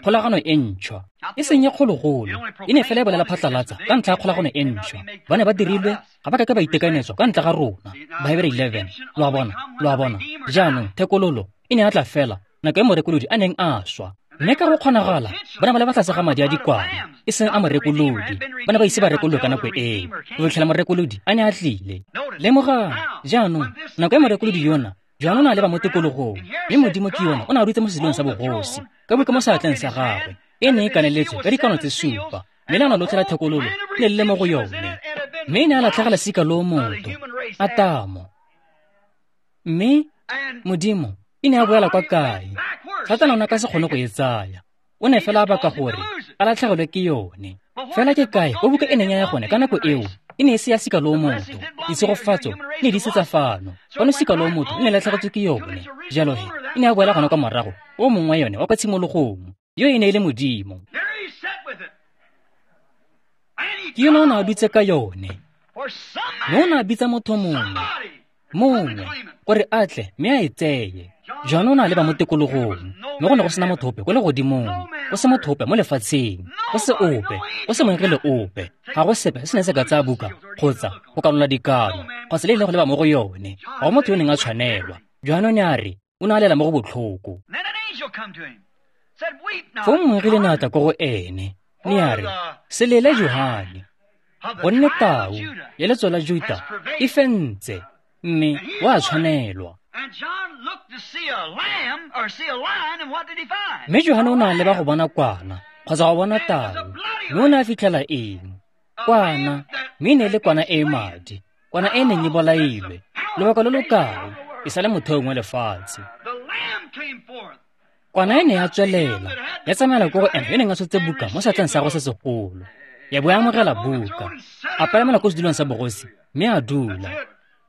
kgolagano e ntšhwa, e seng e kgologolo, e ne fela e bolela phatlalatsa ka ntlha ya kgolagano e ntšhwa. Ba ne ba dirilwe, ga ba ka ke ba itekanetswa ka ntle ga rona. Bahebere eleven. Lo a bona, lo a bona. Jaanong thekololo e ne ya tla fela nako e morekolodi a neng a swa. Mme ka go kgonagala, ba ne ba le ba tlase ga madi a dikwana, e seng a morekolodi. Ba ne ba ise ba rekololwe ka nako eo, go fitlhela morekolodi a ne a tlile. Lemogang, jaanong, nako e morekolodi yona, Johane o ne a leba mo tikologong, mme Modimo ke yona o ne a dutse mo sedulong sa bogosi, ka buka mo seatleng sa gagwe, e ne e kaneletswe ka dikano tse supa, mme leano lotlhe la thekololo le le mo go yone. Mme e ne a latlhegela sika loo motho, Atamo. Mme Modimo e ne a boela kwa kae? Satane o ne a ka se kgone go e tsaya. O ne fela a baka gore a latlhegelwe ke yone. Fela ke kae ko buka e neng ya ya gone ka nako eo? E ne e se ya sika loo motho. Ditshegofatso ne di se tsa fano. Fano sika loo motho e ne latlhegetswe ke yone. Jalo he, e ne ya boela gone kwa morago o mongwe wa yone wa kwa tshimologong. Yo e ne e le Modimo. Ke yone o ne a dutse ka yone. Mme o ne a bitsa motho mongwe, mongwe, gore a tle mme a e tseye. Johane o ne a leba mo tikologong, mme go ne go sena motho ope ko legodimong, go se motho ope mo lefatsheng, go se ope, go se moengele ope. Ga go sepe se se neng se ka tsaya buka kgotsa go kanola dikano, kgotsa le e leng go leba mo go yone. Ga go motho yo neng a tshwanelwa. Johane o ne a re, o ne a lela mo go botlhoko. Foo moengele ne a tla ko go ene, ne a re, se lele Johane, gonne tau ya letso la Juta e fentse, mme o a tshwanelwa. Mme Johane o ne a leba go bona kwana, kgotsa go bona tau, mme o ne a fitlhela eng? Kwana, mme e ne e le kwana e e madi, kwana e e neng e bolailwe, lobaka lo lo kae, e sa le motheong wa lefatshe. Kwana e ne ya tswelela, ya tsamaela ko go ene yo neng a tshotse buka mo seatleng sa gagwe se segolo, ya bo ya amogela buka, a palamela ko sedulong sa bogosi, mme a dula.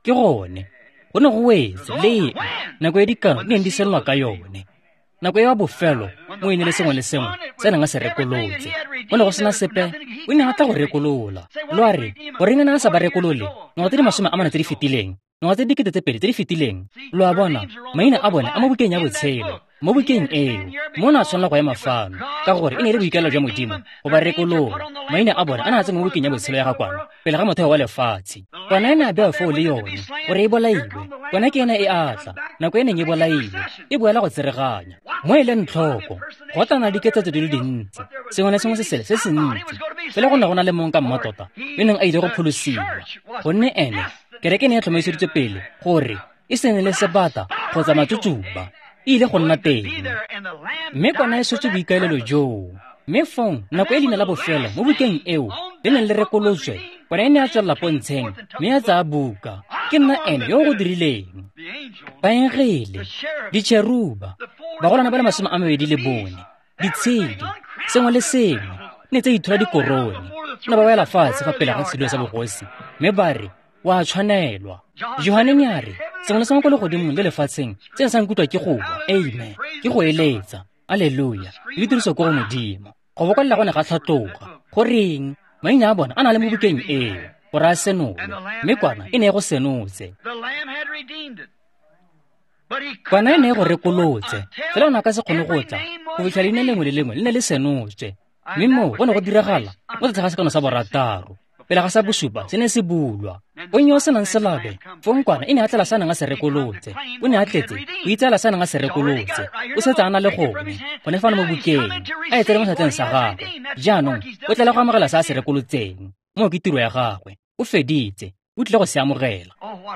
Ke gone, go ne go wetse leng nako e dikano di neng di senolwa ka yone. Nako e wa bofelo mo e ne le sengwe le sengwe se neng a se rekolotse. Go ne go sena sepe, o ne a tla go rekolola. Lo a re, goreng a ne a sa ba rekolole ngwaga tse di masome a mane tse di fetileng, ngwaga tse dikete tse pedi tse di fetileng? Lo a bona, maina a bone a mo bukeng ya botshelo, mo bukeng eo, mo ne a tshwanela go ema fano, ka gore e ne e le boikaelelo jwa Modimo go ba rekolola. Maina a bone a ne a tsene mo bukeng ya botshelo ya ga kwana pele ga motheo wa lefatshe. Kwana e ne a bewa foo le yone gore e bolailwe. Kwana ke ena e a tla, nako e neng e bolailwe, e boela go tsereganya. Mo e leng tlhoko, go tla nna diketsetso di le dintsi, sengwe le sengwe se sele se se ntsi. Fela go ne go na le mongwe ka mmatota yo neng a ile go pholosiwa, gonne ene kereke e ne ya tlhomamiseditswe pele gore e se ne le sebata kgotsa matsutsuba, e ile go nna teng. Mme kwana e swetse boikaelelo joo. Mme fong nako e leina la bofelo mo bukeng eo le neng le rekolotswe, kwana e ne ya tswelela pontsheng mme ya tsaya buka. Ke nna ene yo o go dirileng. Baengele, ditšheruba, bagolwana ba le masome a mabedi le bone, ditshedi, sengwe le sengwe ne tse ithola dikorone, ne ba wela fatshe fa pele ga sedulo sa bogosi, mme ba re, wa tshwanelwa. Johane ne a re, sengwe le sengwe ko legodimong le lefatsheng se ne sa nkutlwa ke go wa, amen, ke go eletsa, alleluia, le tiriso ko go Modimo. Go bokolela go ne ga tlhatloga. Goreng? Maina a bona a na le mo bukeng eo, gore a senolwe, mme kwana e ne e go senotse. Kwana e ne e go rekolotse, fela o ne a ka se kgone go tla go fitlha leina lengwe le lengwe le ne le senotswe. Mme moo go ne go diragala mo tlase ga sekano sa borataro, pele ga sa bosupa se ne se bulwa. Ponyo o senang selabe, fong kwana e ne a tlela sa neng a se rekolotse. O ne a tletse go itseela sa neng a se rekolotse. O setse a na le gone, gone fano mo bukeng, a e tsere mo seatleng sa gagwe. Jaanong o tlela go amogela sa a se rekolotseng. Moo ke tiro ya gagwe. O feditse, o tlile go se amogela.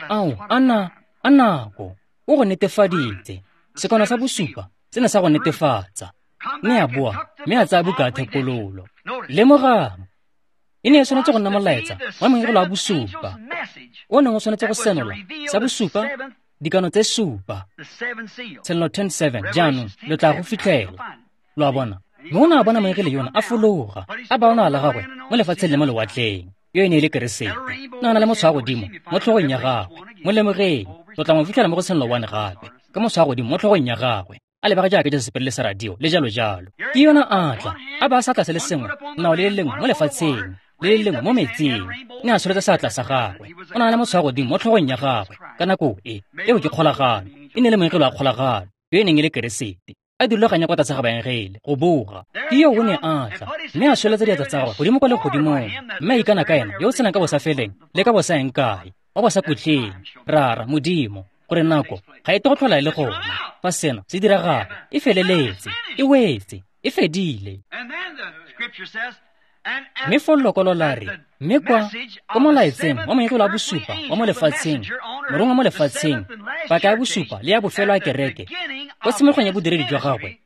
Ao, a na, a nako, o go netefaditse. Sekano sa bosupa se ne sa go netefatsa. Mme a boa, mme a tsaya buka ya thekololo. Lemogang, e ne e tshwanetse go nna molaetsa wa moengele wa bosupa, o neng o tshwanetse go senola sa bosupa, dikano tse supa, Tshenolo ten seven. Jaanong lo tla go fitlhela. Lo a bona? Mme o ne a bona moengele yona a fologa, a ba ona la gagwe mo lefatsheng le mo lewatleng. Yo e ne e le Keresete. O ne a na le motshwao wa godimo mo tlhogong ya gagwe. Mo lemogeng, lo tla mo fitlhela mo go Tshenolo one gape, ka motshwao wa godimo mo tlhogong ya gagwe, a lebega jaaka Jesu sepele le sa radio le jalo jalo. Ke yona a tla, a ba a sa tla se le sengwe, nao le le lengwe mo lefatsheng, le le lengwe mo metsing. Ne a tsholetsa seatla sa gagwe. O ne a le motshwao godimo mo tlhogong ya gagwe ka nako e. Eo ke kgolagano. E ne le moengele wa kgolagano, yo e neng e le Keresete. A dirulaganya kwa tlase ga baengele go boga. Ke yo o ne a tla, mme a tsholetsa diatla tsa gagwe godimo kwa legodimong, mme a ikana ka ena yo o tshelang ka bosafeleng le ka bosaeng kae, wa bosakhutleng, Rara Modimo, gore nako ga e tle go tlhola e le gona. Fa seno se diragala, e feleletse, e wetse, e fedile. Mme foo lokwalo la re, mme kwa ko molaetseng wa moengele wa bosupa wa mo lefatsheng, morongwa mo lefatsheng, paka ya bosupa le ya bofelo ya kereke, kwa tshimologong ya bodiredi jwa gagwe,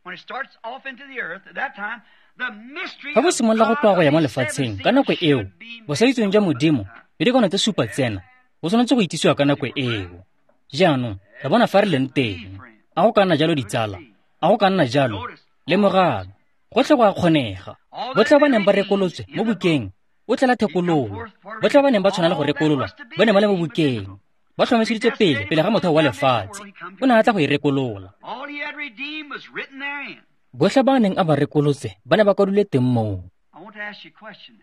fa bo simolola go tloga go ya mo lefatsheng ka nako eo, bosaitsweng jwa Modimo le dikano tse supa tsena bo tshwanetse go itsisiwa ka nako eo. Jaanong re bona fa re leng teng. A go ka nna jalo ditsala? A go ka nna jalo? Lemogang, gotlhe go a kgonega. Botlhe ba neng ba rekolotswe mo bukeng o tlela thekololo. Botlhe ba neng ba tshwanela go rekololwa ba ne ba le mo bukeng, ba tlhomeseditswe pele pele ga motheo wa lefatshe. O ne a tla go e rekolola. Botlhe ba neng a ba rekolotse ba ne ba kwadilwe teng moo.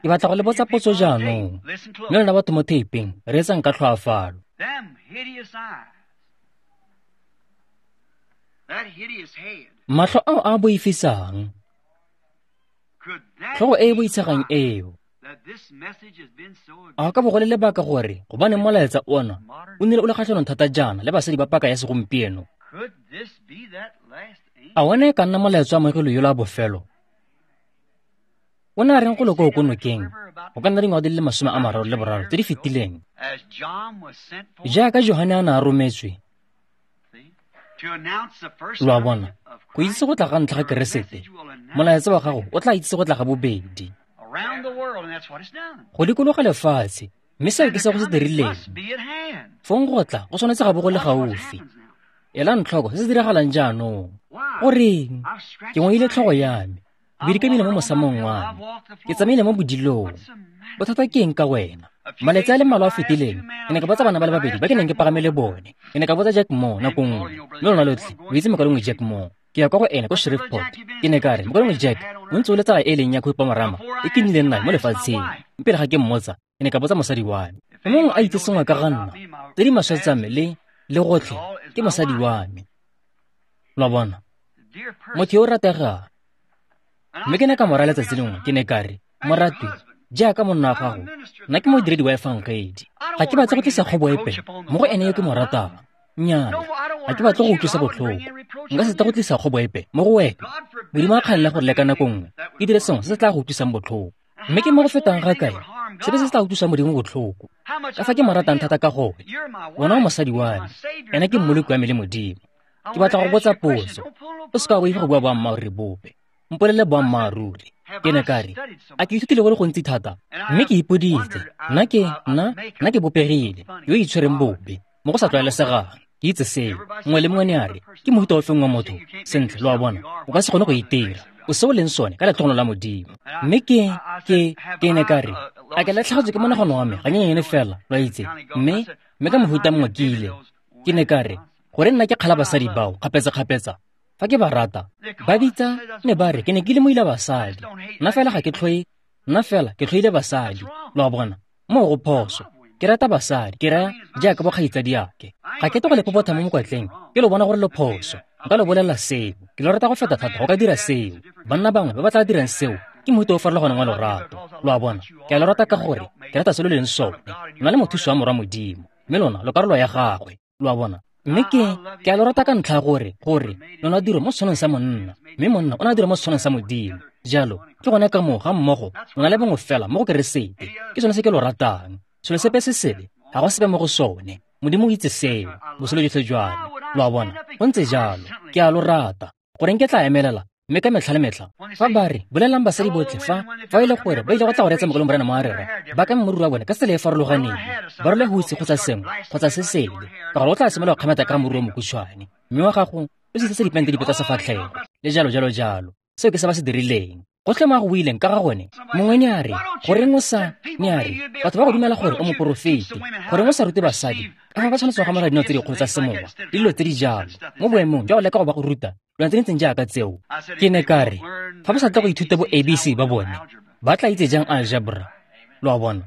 Ke batla go le botsa potso jaanong, mme lona batho mo theipeng reetsang ka tlhoafalo. Matlho ao a boifisang, tlhogo e e boitshegang eo, a ka bo go le lebaka gore gobane molaetsa ona o nnile o le kgatlhanong thata jaana le basadi ba paka ya segompieno? A one e ka nna molaetsa wa moengele yola wa bofelo? O ne a reng go le koo ko nokeng go ka nna dingwaga di le masome a mararo le boraro tse di fetileng, jaaka Johane a ne a rometswe, lo a bona, go itse go tla ga ntlha ga Keresete, molaetsa wa gago o tla itse go tla ga bobedi go dikologa lefatshe, mme seo ke se go se dirileng. Fong go tla go tshwanetse ga bo go le gaufi. Elang tlhoko se se diragalang jaanong. Goreng? Ke ngoile tlhogo ya me, ke mo mosamong wa me, ke tsamaile mo bodilong. Bothata ke eng ka wena? Malatsi a le mmalwa a fetileng, ke ne ka botsa bana ba le babedi ba ke neng ke pagame le bone. Ke ne ka botsa Jack Moore nako nngwe, mme lona lotlhe lo itse mokalengwe Jack Moore. Ke ya kwa go ene ko Shreveport. Ke ne ka re, mokalengwe Jack, o ntse o le tsala e leng ya khupamarama e ke nnileng nayo mo lefatsheng. Mme pele ga ke mmotsa, ke ne ka botsa mosadi wa me. Mongwe a itse sengwe ka ga nna, tse di maswe tsa me le le gotlhe ke mosadi wa me. Lo a bona, motho yo o rategang. Mme ke ne ka mo raya letsatsi lengwe, ke ne ka re, moratwi, jaaka monna wa gago, nna ke modiredi wa efangedi. Ga ke batle go tlisa kgobo epe mo go ene yo ke mo ratang. Nnyaa, ga ke batle go utlwisa botlhoko. Nka se tle go tlisa kgobo epe mo go wena. Modimo a kganela gore le ka nako nngwe ke dire sengwe se se tla go utlwisang botlhoko. Mme ke mo go fetang ga kae sepe se se tla utlwisang Modimo botlhoko? Ka fa ke mo ratang thata ka gone. Wena o mosadi wa me, ena ke mmoloki wa me le Modimo. Ke batla go botsa potso. O se ka wa boifa go bua boammaaruri bope. Mpolelele boammaaruri. Ke ne ka re, a ke ithutile go le gontsi thata, mme ke ipoditse, nna ke, nna, nna ke bopegile, yo o itshwereng bobe, mo go sa tlwaelesegang. Ke itse seo. Mongwe le mongwe ne a re, ke mohuta o feng wa motho? Sentle, lo a bona, o ka se kgone go itira. O se o leng sone ka letlhogonolo la Modimo. Mme ke, ke, ke ne ka re, a ke latlhegetswe ke monagano wa me ganyenyane fela, lo a itse. Mme, mme ka mohuta mongwe ke ile. Ke ne ka re, gore nna ke kgala basadi bao kgapetsa-kgapetsa, fa ke ba rata, ba bitsa ne ba re ke ne ke le moila basadi. Nna fela ga ke tlhoe, nna fela ke tlhoile basadi. Lo a bona, moo go phoso. Ke rata basadi, ke raya jaaka bokgaitsadiake. Ga ke tle go le popotha mo mokwatleng, ke lo bona gore lo phoso. Nka lo bolelela seo. Ke lo rata go feta thata go ka dira seo. Banna bangwe ba ba tla dirang seo ke mohuta o farologaneng wa lorato. Lo a bona, ke a lo rata ka gore ke rata se lo leng sone. Nna le mothusi wa morwa Modimo, mme lona lo karolo ya gagwe. Lo a bona. Mme ke, ke a lo rata ka ntlha gore, gore lona diro mo setshwanong sa monna, mme monna o na dira mo setshwanong sa Modimo. Jalo, ke gone ka moo ga mmogo lona le bongwe fela mo go Keresete. Ke sone se ke lo ratang. Selo sepe se sele ga go sepe mo go sone. Modimo o itse seo, botshelo jotlhe jwa me. Lo a bona, go ntse jalo. Ke a lo rata. Goreng ke tla emelela, mme ka metlha le metlha, fa ba re, bolelelang basadi botlhe fa, fa e le gore ba ile go tla go reetsa mokaleng Morena mo a rera, ba ka moriri wa bone ka tsela e e farologaneng, ba role hutse kgotsa sengwe, kgotsa se sele, ka gore o tla simolola go kgametsa ka moriri o mokhutshwane, mme wa gago o se tletse dipente dipe tsa sefatlhego, le jalo jalo jalo. Seo ke se ba se dirileng. Gotlhe mo a go buileng ka ga gone, mongwe ne a re, goreng o sa, ne a re, batho ba go dumela gore o moporofeti, goreng o sa rute basadi ka fa ba tshwanetse go amogela dino tse dikgolo tsa semowa le dilo tse di jalo, mo boemong jwa go leka go ba go ruta dilwana tse di ntseng jaaka tseo. Ke ne ka re, fa ba sa tle go ithuta bo A B C ba bone, ba tla itse jang algebra? Lo a bona?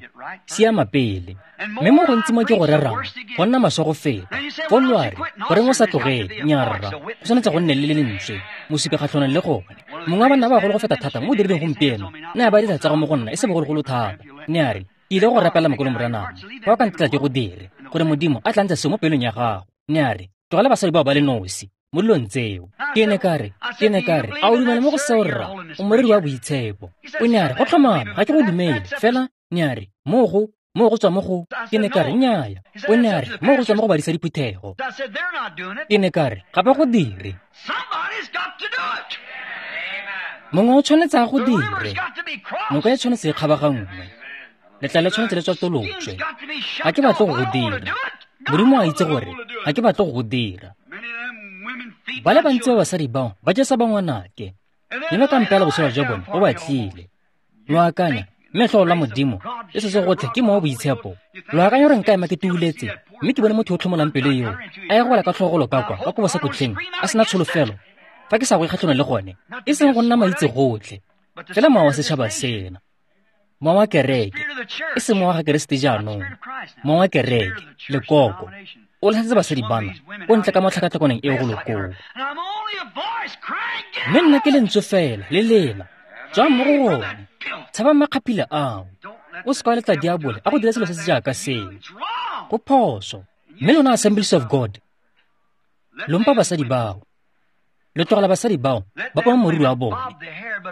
Siama pele. Mme mo gontsi mo ke go rerang, go nna maswe go feta. Foo lo a re, goreng o sa tlogele? Nnyaa rra, go tshwanetse go nne le le lentswe, mosupi kgatlhanong le gone. Mongwe wa banna ba bagolo go feta thata mo o dirileng gompieno, ne a ba dira tsa go mo go nna e se bogologolo thata. Ne a re, ke ile go rapela mokolo Moranang, fa o ka ntetla ke go dire, gore Modimo a tla ntsha seo mo pelong ya gago. Ne a re, tlogela basadi bao ba le nosi mo dilong tseo. Ke ne ka re, ke ne ka re, a o dumela mo go seo rra? O moreri wa boitshepo. O ne a re, go tlhomame, ga ke go dumele, fela, ne a re, mo go, mo go tswa mo go, ke ne ka re, nnyaya. O ne a re, mo go tswa mo go badisa diphuthego. Ke ne ka re, ga ba go dire. Mongwe o tshwanetse a go dire. Noka e tshwanetse e kgabaganngwe. Letlalo le tshwanetse le tswatolotswe. Ga ke batle go go dira. Modimo a itse gore ga ke batle go go dira. Ba le bantsi ba basadi bao ba jesa ba ngwanake, mme ba ka mpeela botshelo jwa bone bo batlile. Lo akanya, mme tlholo la Modimo le se se gotlhe ke mowa boitshepo. Lo akanya gore nka ema ke tuuletse, mme ke bone motho yo o tlhomolang pelo eo a ya go wela ka tlhogolo ka kwa ka kobo sa kotlheng a sena tsholofelo, fa ke sa go kgatlhanong le gone, e seng go nna maitse gotlhe, fela mowa wa setšhaba sena, mowa wa kereke, e seng mowa wa ga Keresete jaanong, mowa wa kereke, lekoko, o latlhetse basadi bana ko ntle ka mo tlhakatlhakanong eo go lokoo. Mme nna ke lentswe fela le lela, tswang mo go gone, tshabang makgaphila ao, o se ka wa letla diabole a go dira selo se se jaaka seo. Go phoso. Mme lona Assemblies of God, lo mpa basadi bao, lo tlogela basadi bao ba poma moriri wa bone,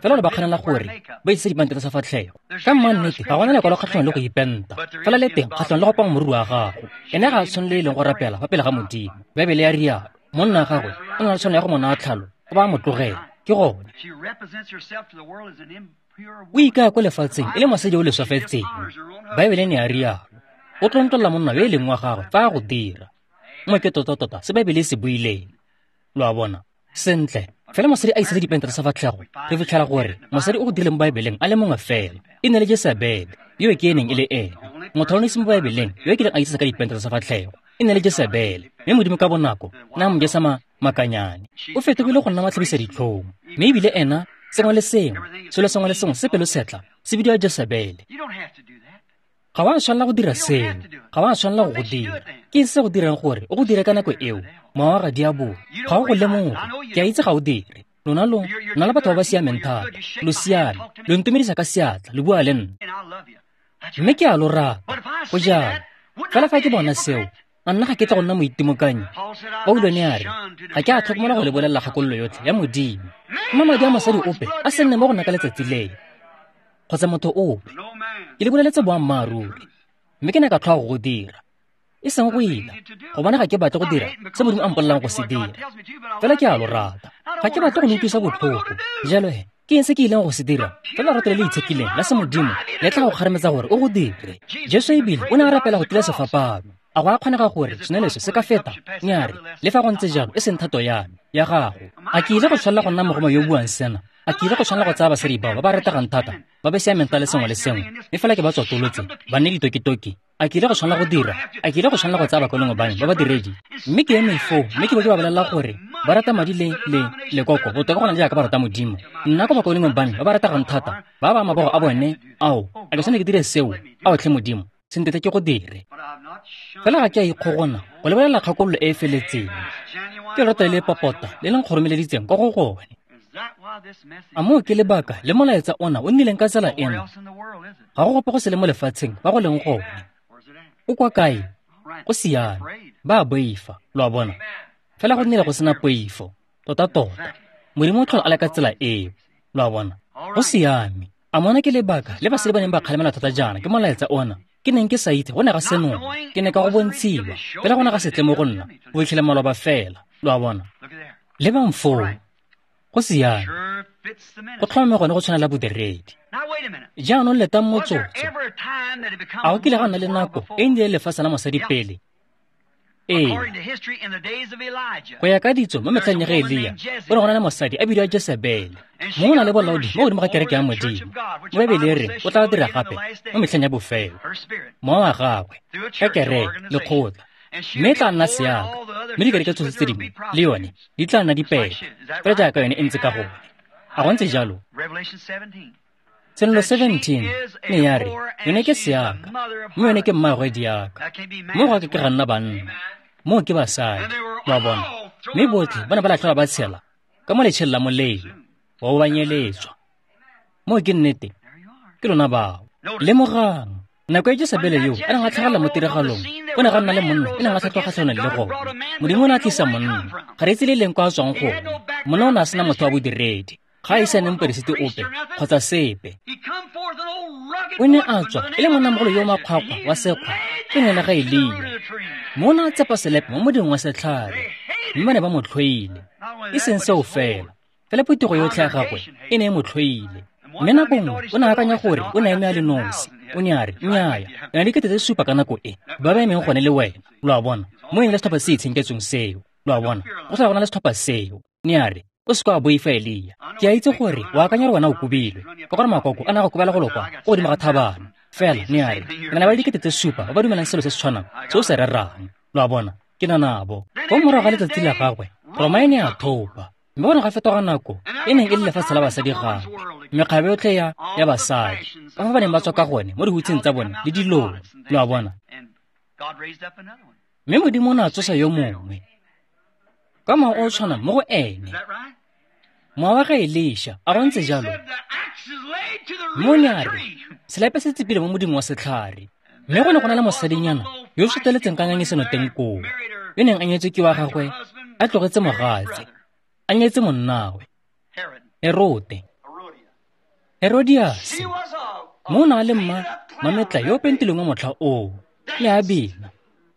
fela lo ba kganela gore ba itse dipente tsa sefatlhego. Ka mmannete ga gona lekwalo kgatlhanong le go ipenta, fela le teng kgatlhanong le go poma moriri wa gago. Ene ga a tshwanele e leng go rapela fa pele ga Modimo. Baebele ya rialo, monna wa gagwe o na le tshwanelo ya go mo naya tlhalo, o ba a mo tlogela. Ke gone. O ikaya ko lefatsheng e le mosadi yo o leswafetseng. Baebele ne ya rialo. O tlontlolla monna yo e leng wa gagwe fa a go dira. Mo ke tota-tota se Baebele e se buileng. Lo a bona? Sentle, fela mosadi a isetse dipente tsa sefatlhego, re fitlhela gore mosadi o go dirileng mo Baebeleng a le mongwe fela, e ne le Jesebele, yo ke e neng e le ene. Motho o ne se mo Baebeleng yo kileng a isetse ka dipente tsa sefatlhego, e ne le Jesebele, mme Modimo ka bonako na mo jesa makanyane. O fetogile go nna matlhabisa ditlhong, mme ebile ena sengwe le sengwe, selo sengwe le sengwe se pelo setla se bidiwa Jesebele. Ga wa tshwanela go dira seo, ga wa tshwanela go go dira. Ke se go dirang gore o go dire ka nako eo, mowa wa ga diabolo, ga o go lemoge. Ke a itse ga o dire. Lona lo nna le batho ba ba siameng thata, lo siame, lo ntumedisa ka seatla, lo bua le nna, mme ke a lo rata. Go jalo. Fela fa ke bona seo, a nna ga ke tla go nna moitimokanyi. Paulo ne a re, ga ke a tlhokomela go le bolelela kgakololo yotlhe ya Modimo. Mma madi a mosadi ope a se nne mo go nna ka letsatsi leo, kgotsa motho ope. Ke le boleletse boammaaruri, mme ke ne ka tlhoa go go dira, e seng go ila, gobane ga ke batle go dira se Modimo a mpolelang go se dira. Fela ke a lo rata, ga ke batle go le utlwisa botlhoko. Jalo he, ke eng se ke ileng go se dira? Fela lerato le le itshekileng la se Modimo le tla go kgarametsa gore o go dire. Jesu ebile o ne a rapela go tila sefapano. A go a kgonega gore seneleso se ka feta? Nya re, le fa go ntse jalo e seng thato ya me, ya gago. A ke ile go tshwanela go nna mogoma yo o buang sena? A ke ile go tshwanela go tsaya basadi bao ba ba rategang thata, ba ba siameng le sengwe le sengwe, mme fela ke ba tswatolotse, ba nne ditokitoki? A ke ile go tshwanela go dira? A ke ile go tshwanela go tsaya bakolongwe ba me ba badiredi? Mme ke eme foo, mme ke bo ke ba bolelela gore ba rata madi le le lekoko botoka go na le jaaka ba rata Modimo. Nna ko bakolongwe ba me ba ba rategang thata, ba ba mabogo a bone, ao, a ke tshwanetse ke dire seo? Ao tlhe Modimo, sentete ke go dire. Fela ga ke a ikgogona go lebelela kgakololo e e feletseng. Ke lerato le le popota le le nkgoromeleditseng kwa go gone. A moo ke lebaka le molaetsa ona o nnileng ka tsela ena? Ga go gope go se le mo lefatsheng ba go leng gone. O kwa kae? Go siame. Ba a boifa, lo a bona. Fela go nnile go sena poifo, tota-tota. Modimo o tlhola a le ka tsela eo, lo a bona. Go siame. A mona ke lebaka le basadi ba neng ba kgalemela thata jaana ke molaetsa ona. Ke neng ke sa itse go ne ga senola, ke ne ka go bontshiwa, fela go ne ga se tle mo go nna, go fitlhela maloba fela, lo a bona. Lebang foo, go siame. Go tlhomame gone go tshwanela bodiredi. Jaanong letang motsotso. A go kile ga nna le nako e nnile lefatshe la mosadi pele? Ee. Go ya ka ditso mo metlheng ya ga Elia, go ne go na le mosadi a bidiwa Jesebele. Mongwe o na le bolaodi mo godimo ga kereke ya Modimo. Mo Baebele e re o tla dira gape mo metlheng ya bofelo. Mowa wa gagwe ka kereke, lekgotla, mme e tla nna seaka, mme dikereke tsotlhe tse dingwe le yone di tla nna dipele, fela jaaka yone e ntse ka gone. A go ntse jalo? Tshenolo seventeen ne ya re, yone ke seaka, mme yone ke mmaagwe diaka. Mo go a ke ke ga nna banna, moo ke basadi, lo a bona. Mme botlhe ba ne ba latlhelwa ba tshela ka mo letšheng la molelo, wa bo ba nyeletswa. Moo ke nnete, ke lona bao. Lemogang, nako e Jesebele yo a neng a tlhagelela mo tiragalong, o ne ga nna le monna e neng a tlhatlhoga kgatlhanong le gone. Modimo o ne a tlisa monna, ga re itse le leng kwa a tswang gone. Monna o ne a sena motho wa bodiredi, ga a ise a nne moperesiti ope kgotsa sepe. O ne a tswa e le monnamogolo yo o makgwakgwa wa sekgwa ke ne le ga Elia. Mme o ne a tsepa selepe mo moding wa setlhare, mme ba ne ba mo tlhoile. E seng seo fela, fela phuthego yotlhe ya gagwe e ne e mo tlhoile. Mme nako nngwe o ne a akanya gore o ne a eme a le nosi. O ne a re, nnyaya, re na le dikete tse supa ka nako e, ba ba emeng gone le wena. Lo a bona, mo e ne le setlhopha se itshenketsweng seo. Lo a bona, go tlhola go na le setlhopha seo. Ne a re, o se ka wa boifa Elia. Ke a itse gore o akanya gore wena o kobilwe, ka gore makoko a ne a go kobela go lo kwa, ko godimo ga thabana. Fela, ne a re, re na le ba dikete tse supa ba ba dumelang selo se se tshwanang se o se rerang. Lo a bona, ke na nabo. Ko morago ga letsatsi la gagwe, Roma e ne a thopa. Mme go ne ga fetoga nako e neng e le lefatshe la basadi gape, mekgabe yotlhe ya ya basadi, ka fa ba neng ba tswa ka gone mo dihutsheng tsa bone le dilong. Lo a bona. Mme Modimo o ne a tsosa yo mongwe ka mowa o o tshwanang mo go ene, mowa wa ga Elisha, a go ntse jalo. Mme o ne a re, selepe se tsepile mo moding wa setlhare. Mme go ne go na le mosadinyana yo o soteletseng ka ngangisano teng koo, yo neng a nyetswe ke wa gagwe, a tlogetse mogatse, a nyetse monnawe, Herote, Herodiase. Mo o ne a le mma mametla yo o pentilweng wa motlha oo, le a bina.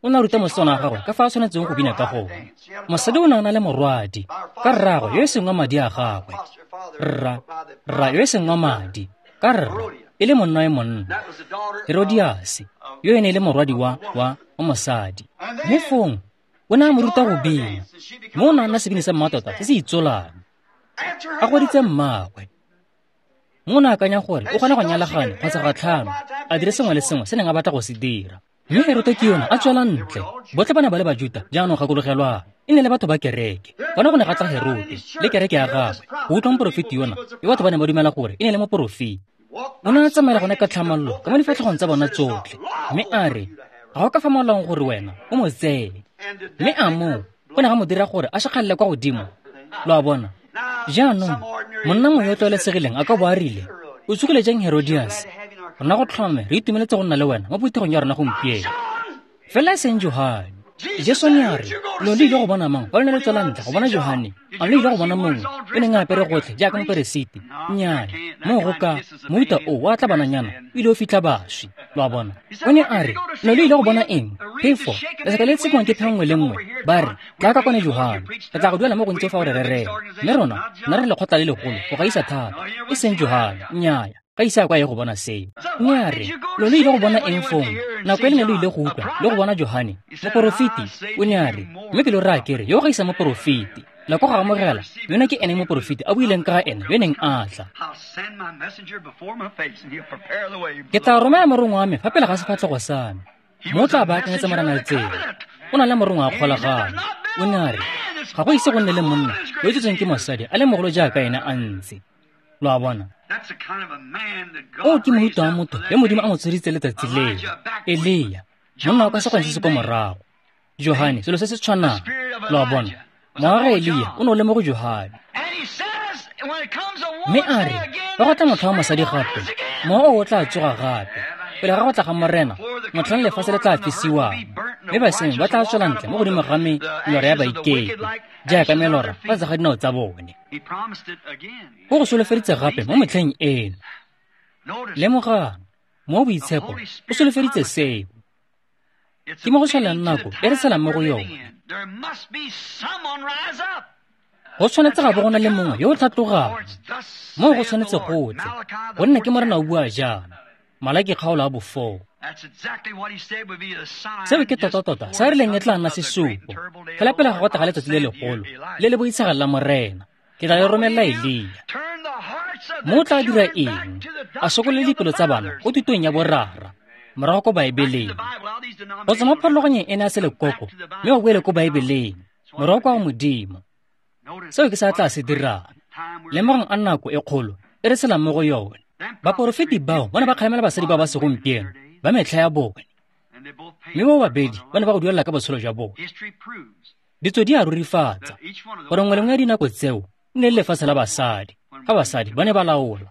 O ne a ruta mosetsana wa gagwe ka fa a tshwanetseng go bina ka gone. Mosadi o ne a na le morwadi ka rraagwe yo e seng wa madi a gagwe, rra rra yo e seng wa madi, ka rra e le monna e monna, Herodiase, yo e ne e le morwadi wa wa wa mosadi. Mme fong o ne a mo ruta go bina, mme o ne a nna sebini sa mmatota se se itsolang, a goditse mmaagwe. Mme o ne a akanya gore o kgona go nyalagane kgotsa ga tlhano, a dire sengwe le sengwe se neng a batla go se dira. Mme Herote ke yona a tswela ntle. Botlhe ba ne ba le Bajuta, jaanong gakologelwang, e ne le batho ba kereke. Fano go ne ga tla Herote le kereke ya gagwe go utlwa moporofeti yona, yo batho ba ne ba dumela gore e ne le moporofeti. O ne a tsamaela gone ka tlhamallo ka mo difatlhegong tsa bona tsotlhe, mme a re, ga go ka fa molaong gore wena o mo tseye. Mme a moo go ne ga mo dira gore a šakgalele kwa godimo. Lo a bona. Jaanong monna mongwe yo o tlwaelesegileng a ka bo a rile, o tsogile jang Herodias? Rona go tlhome re itumeletse go nna le wena mo phuthegong ya rona gompieno. Fela e seng Johane. Jesu ne a re, lo le ile go bona mang fa lo ne le tswela ntle go bona Johane? A lo ile go bona mongwe yo neng a apere gotlhe jaaka moperesiti? Nnyaya, moo go ka mohuta o wa tla bananyana o ile o fitlha baswi. Lo a bona. O ne a re, lo le ile go bona eng? Phefo, lesaka le tshekiwang ke phefo nngwe le nngwe. Ba re, tla ka kwane Johane, re tla go duela mo gontsi fa o re rerela. Mme rona, nna re lekgotla le legolo go gaisa thata. E seng Johane, nnyaya, ga ise a kwa ye go bona seo. Mme a re, lo le ile go bona eng fong? Nako e le ne lo ile go utlwa le go bona Johane, moporofeti? O ne a re, mme ke lo raya ke re, yo gaisa moporofeti. La ko go amogela, yona ke ene moporofeti a buileng ka ga ene yo neng a tla. Ke tla romela morongwa wa me fa pele ga sefatlhego sa me, mo o tla baakanyetsa Morena tsela. O na le morongwa wa kgolagano. O ne a re, ga go ise go nne le monna yo o tsetsweng ke mosadi a le mogolo jaaka ene a ntse. Lo a bona. O ke mohuta wa motho yo Modimo a mo tsheditse letsatsi leo. Elia, monna wa ka sekgweng se se ko morago. Johane, selo se se tshwanang. Lo a bona. Mowa wa ga Elia o ne o le mo go Johane. Mme a re, fa go tla motlha wa mosadi gape, mowa o o tla tsoga gape. Pele ga go tla ga Morena, motlhang lefatshe le tla fisiwang, mme basenyi ba tla tswela ntle mo godimo ga melora ya baikepi, jaaka melora fa tlase ga dinao tsa bone. O go solofeditse gape mo metlheng eno. Lemogang, mo boitshepo o solofeditse seo. Ke mo go tshwanelang nako e re tshelang mo go yone. Go tshwanetse ga bo go na le mongwe yo o tlhatlogang. Moo go tshwanetse go tle, gonne ke Morena o bua jaana. Malaki kgaolo a bofoo. Seo ke tota-tota sa rileng e tla nna sesupo. Fela pele ga go tla ga letsatsi le legolo le le boitshegang la Morena, ke tla le romelela Elia. Mo o tla dira eng? A sokolole dipelo tsa bana ko thutong ya borara, morago ko Baebeleng. Go tswa mo pharologanyong ena ya selekoko, mme ba boele ko Baebeleng, morago kwa go Modimo. Seo ke sa tla se dirang. Lemogang a nako e kgolo e re tshelang mo go yone. Baporofeti bao ba ne ba kgalemela basadi ba ba segompieno ba metlha ya bone. Mme bo babedi ba ne ba go duelela ka botshelo jwa bone. Ditso di a rurifatsa gore nngwe le nngwe ya dinako tseo e ne le lefatshe la basadi, fa basadi ba ne ba laola.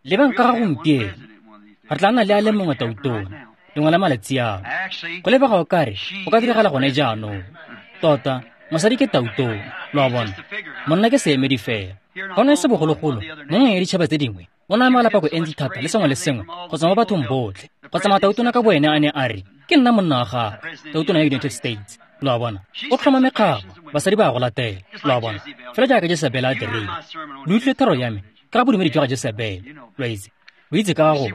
Lebang ka ga gompieno, re tla nna le a le mongwe tautona lengwe la malatsi ano. Go lebega o kare go ka diragala gone jaanong. Tota, mosadi ke tautona, lo a bona. Monna ke seemedi fela. Ga ona e se bogologolo, mo nngwe ya ditšhaba tse dingwe, o ne a amogela pako e ntsi thata le sengwe le sengwe go tswa mo bathong botlhe. Go tsamaya tautona ka boene a ne a re, ke nna monna wa gagwe, tautona ya United States. Lo a bona. O tlhoma mekgabo, basadi ba a go latela. Lo a bona. Fela jaaka Jesebele a dirile. Lo utlwile thero ya me ka ga bodumedi jwa ga Jesebele. Lo a itse. Lo itse ka ga gone.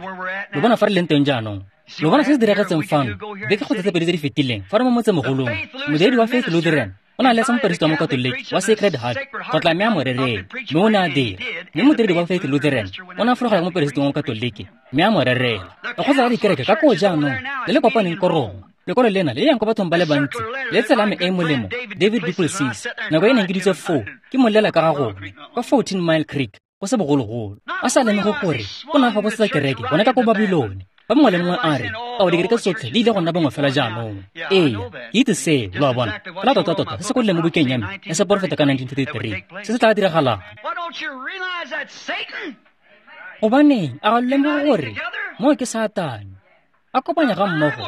Lo bona fa re leng teng jaanong. Lo bona se se diragetseng fano beke kgotsa tse pedi tse di fetileng fa re mo motsemogolong. Modiredi wa Faith Lutheran o ne a letsa moperesiti wa Mokatoliki wa Sacred Heart go tla mme a mo rerela, mme o ne a dira. Mme modiredi wa Faith Lutheran o ne a fologela ko moperesiti wa Mokatoliki mme a mo rerela. Lekgotla la dikereke ka koo jaanong le le kopaneng ko Roma. Lekwalo lena le yang ko bathong ba le bantsi le tsela me e molemo David Duplessis nako e neng ke ditse foo ke molela ka ga gone kwa fourteen Mile Creek go se bogologolo. A sa lemoge gore o ne a faposetsa kereke gone ka ko Babilone. Ba mongwe le mongwe a re, ao dikereke tsotlhe di ile go nna bangwe fela jaanong. Ee, ke itse seo, lo a bona. Fela tota-tota se se kwadileng mo bukeng ya me ya seporofeta ka nineteen thirty-three se se tla diragalang. Gobaneng a ga lo lemoge gore moo ke Satane a kopanya ga mmogo?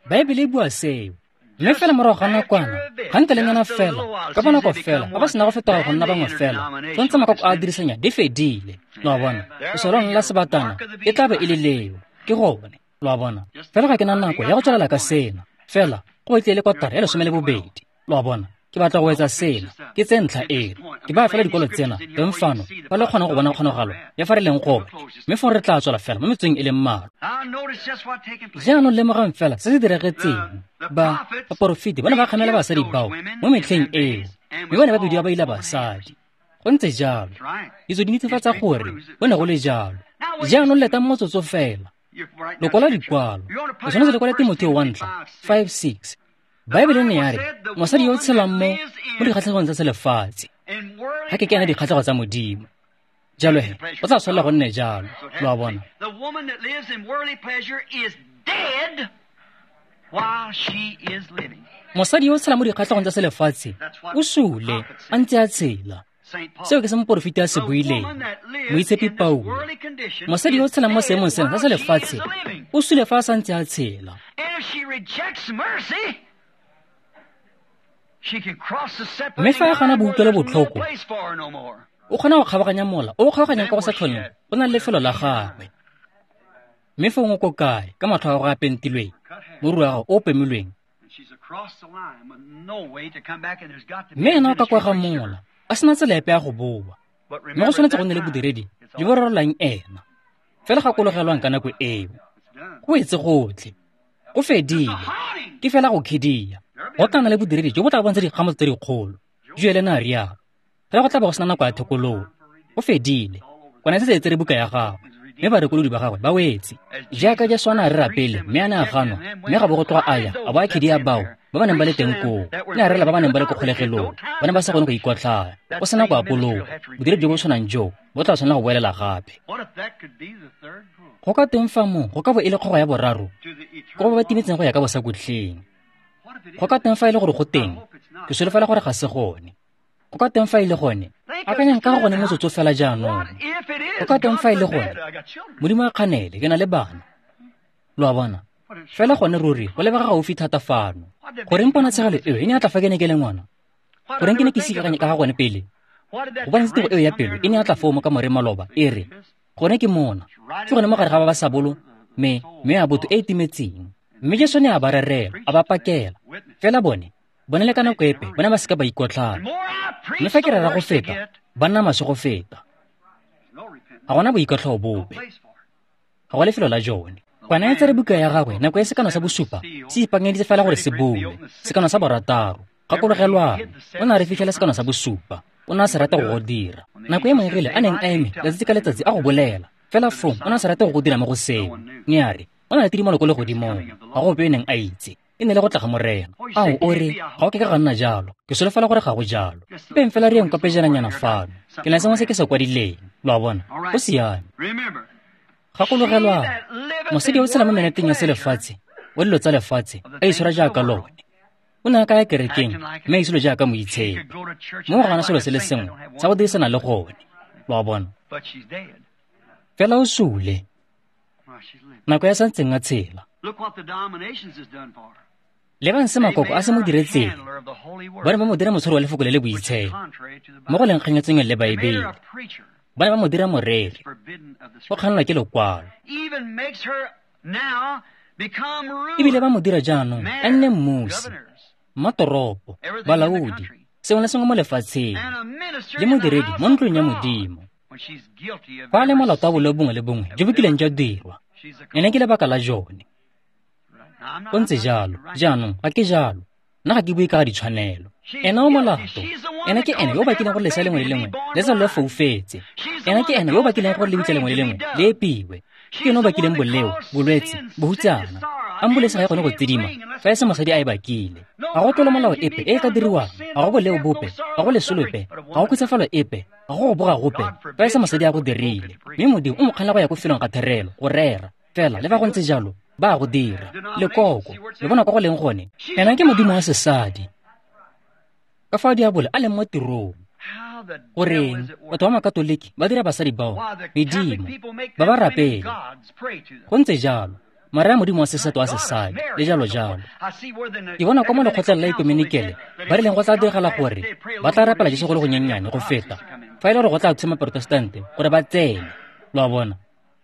Baebele e bua seo. Mme fela morago ga nakwana, gantelenyana fela, ka bonako fela, ga ba sena go fetoga go nna bangwe fela, tsontse makoko a dirisanya di fedile. Lo a bona. Lesolong la sebatana e tla be e le leo. Ke gone. Lo a bona. Fela ga ke na nako ya go tswelela ka sena. Fela go batlile le kotara ya lesome le bobedi. Lo a bona. Ke batla go etsa sena. Ke tse ntlha eno. Ke baya fela dikolo tsena teng fano fa le kgona go bona kgonagalo ya fa re leng gone. Mme fong re tla tswela fela mo metsweng e le mmalwa. Jaanong lemogang fela se se diragetseng. Ba baporofeti ba ne ba kgamela basadi bao mo metlheng eo, mme ba ne ba bidiwa ba ila basadi. Go ntse jalo. Ditso di netefatsa gore go ne go le jalo. Jaanong letang motsotso fela. Lo kwala dikwalo. Lo tshwanetse le kwale Timotheo wa ntlha five six. Baebele ne ya re mosadi yo o tshelang mo mo dikgatlhegong tsa selefatshe ga ke ke ena dikgatlhego tsa Modimo. Jalo he, go tla tshwanela go nne jalo. Lo a bona. Mosadi yo o tshelang mo dikgatlhegong tsa selefatshe o sule a ntse a tshela. Seo ke se moporofeti a se buileng, Moitshepi Paulo. Mosadi yo o tshelang mo seemong sena sa selefatshe o sule fa a santse a tshela. Mme fa a gana boutlwelo botlhoko, o kgona go kgabaganya mola o o kgabaganyang ka go sa tlholeng go na le lefelo la gagwe. Mme fong o ko kae ka matlho a gagwe a pentilweng, moriri wa gagwe o o pemilweng? Mme ena o ka kwa ga mola a sena tsela epe ya go boa. Mme go tshwanetse go nne le bodiredi jo bo rerelang ena. Fela gakologelwang ka nako eo. Go etse gotlhe. Go fedile. Ke fela go khidia. Go tla nna le bodiredi jo bo tla bontsha dikgamo tse dikgolo. Joele ne a rialo. Fela go tla bo go sena nako ya thekololo. Go fedile. Kwana e setse e tsere buka ya gagwe. Mme barekolodi ba gagwe ba wetse. Jaaka Jesu a ne a rera pele mme a ne a ganwa, mme ga bo go tloga a ya a bo a khidia bao ba ba neng ba le teng koo. Ne a rela ba ba neng ba le ko kgolegelong, ba ne ba sa kgone go ikotlhaya. Go sena go apologa. Bodiredi jo bo tshwanang joo bo tla tshwanela go boelela gape. Go ka teng fa moo go ka bo e le kgogo ya boraro ko ba ba timetseng go ya ka bosakutleng. Go ka teng fa e le gore go teng, ke solofela gore ga se gone. Go ka teng fa e le gone, akanyang ka ga gone motsotso fela jaanong. Go ka teng fa e le gone, Modimo a kganele, ke na le bana. Lo a bona. Fela gone ruri go lebega gaufi thata fano. Goreng ponatshegelo eo e ne ya tla fa ke ne ke le ngwana? Goreng ke ne ke ise ka ga gone pele? Gobane tiro eo ya pelo e ne ya tla foo mo kamoreng maloba e re, gone ke mona. Ke gone mo gare ga ba ba sa bolo me mme ya botho e e timetseng. Mme Jesu ne a ba rerela, a ba pakela. Fela bone, bone le ka nako epe, bone ba seka ba ikotlhaya. Mme fa ke rera go feta, ba nna maswe go feta. Ga gona boikotlhao bope. Ga go lefelo la jone. Kwana e tsere buka ya gagwe nako e sekano sa bosupa se ipaakanyeditse fela gore se boe. Sekano sa borataro. Gakologelwang, o ne a re fitlhela sekano sa bosupa. O ne a se rata go go dira. Nako e moengele a neng a eme letsatsi ka letsatsi a go bolela. Fela fong o ne a se rate go go dira mo go seo. Ne a re, o na le tidimalo ko legodimong, ga go ope yo neng a itse. E ne le go tla ga Morena. Ao, o re, ga o ke ka ga nna jalo. Ke solofela gore ga go jalo. Mpeng fela re yeng kwa pejananyana fano. Ke na sengwe se ke se kwadileng, lo a bona. Go siame. Gakologelwang, mosadi yo o tshela mo menateng ya selefatshe, wa dilo tsa lefatshe, a itshwara jaaka lone. O ne a ka ya kerekeng mme a itsholo jaaka moitshepi. Mo go gana selo se le sengwe sa go dirisana le gone, lo a bona. Fela o sule, nako ya santseng a tshela. Lebang se makoko a se mo diretseng. Ba ne ba mo dira motshwari wa lefoko le le boitshepo, mo go leng kganyetseng le Baebele. Ba ne ba mo dira moreri, go kgannwa ke lekwalo. Ebile ba mo dira jaanong a nne mmusi, mmatoropo, balaodi, sengwe le sengwe mo lefatsheng, le modiredi mo ntlong ya Modimo. Fa a le molato wa boleo bongwe le bongwe jo bo kileng jwa dirwa, ene ke lebaka la jone. Go ntse jalo, jaanong ga ke jalo. Nna ga ke bue ka ga ditshwanelo. Ena o molato. Ena ke ene yo o bakileng gore lesea lengwe le lengwe le tsalwe le foufetse. Ena ke ene yo o bakileng gore lebitla lengwe le lengwe le epiwe. Ke ene o bakileng boleo, bolwetse, bohutsana. Ambulense ga e kgone go tsidima fa e se mosadi a e bakile. Ga go tlolo molao epe e e ka diriwang, ga go boleo bope, ga go leso lope, ga go khutsafalo epe, ga go go boga gope fa e se mosadi a go dirile. Mme Modimo o mo kganela go ya ko felong ga therelo go rera. Fela le fa go ntse jalo, ba go dira. Lekoko, le bona kwa go leng gone. Ena ke modimo wa sesadi. Ka fa diabolo a leng mo tirong. Goreng batho ba makatoliki ba dira basadi bao medimo, ba ba rapele. Go ntse jalo, mara ya modimo wa seseto wa sesadi, le jalo jalo. Ke bona kwa mo lekgotleng la ekumenikele ba rileng go tla diragala gore ba tla rapela Jesu go le gonyennyane go feta fa e le gore go tla thusa maprotestante gore ba tsene. Lo a bona,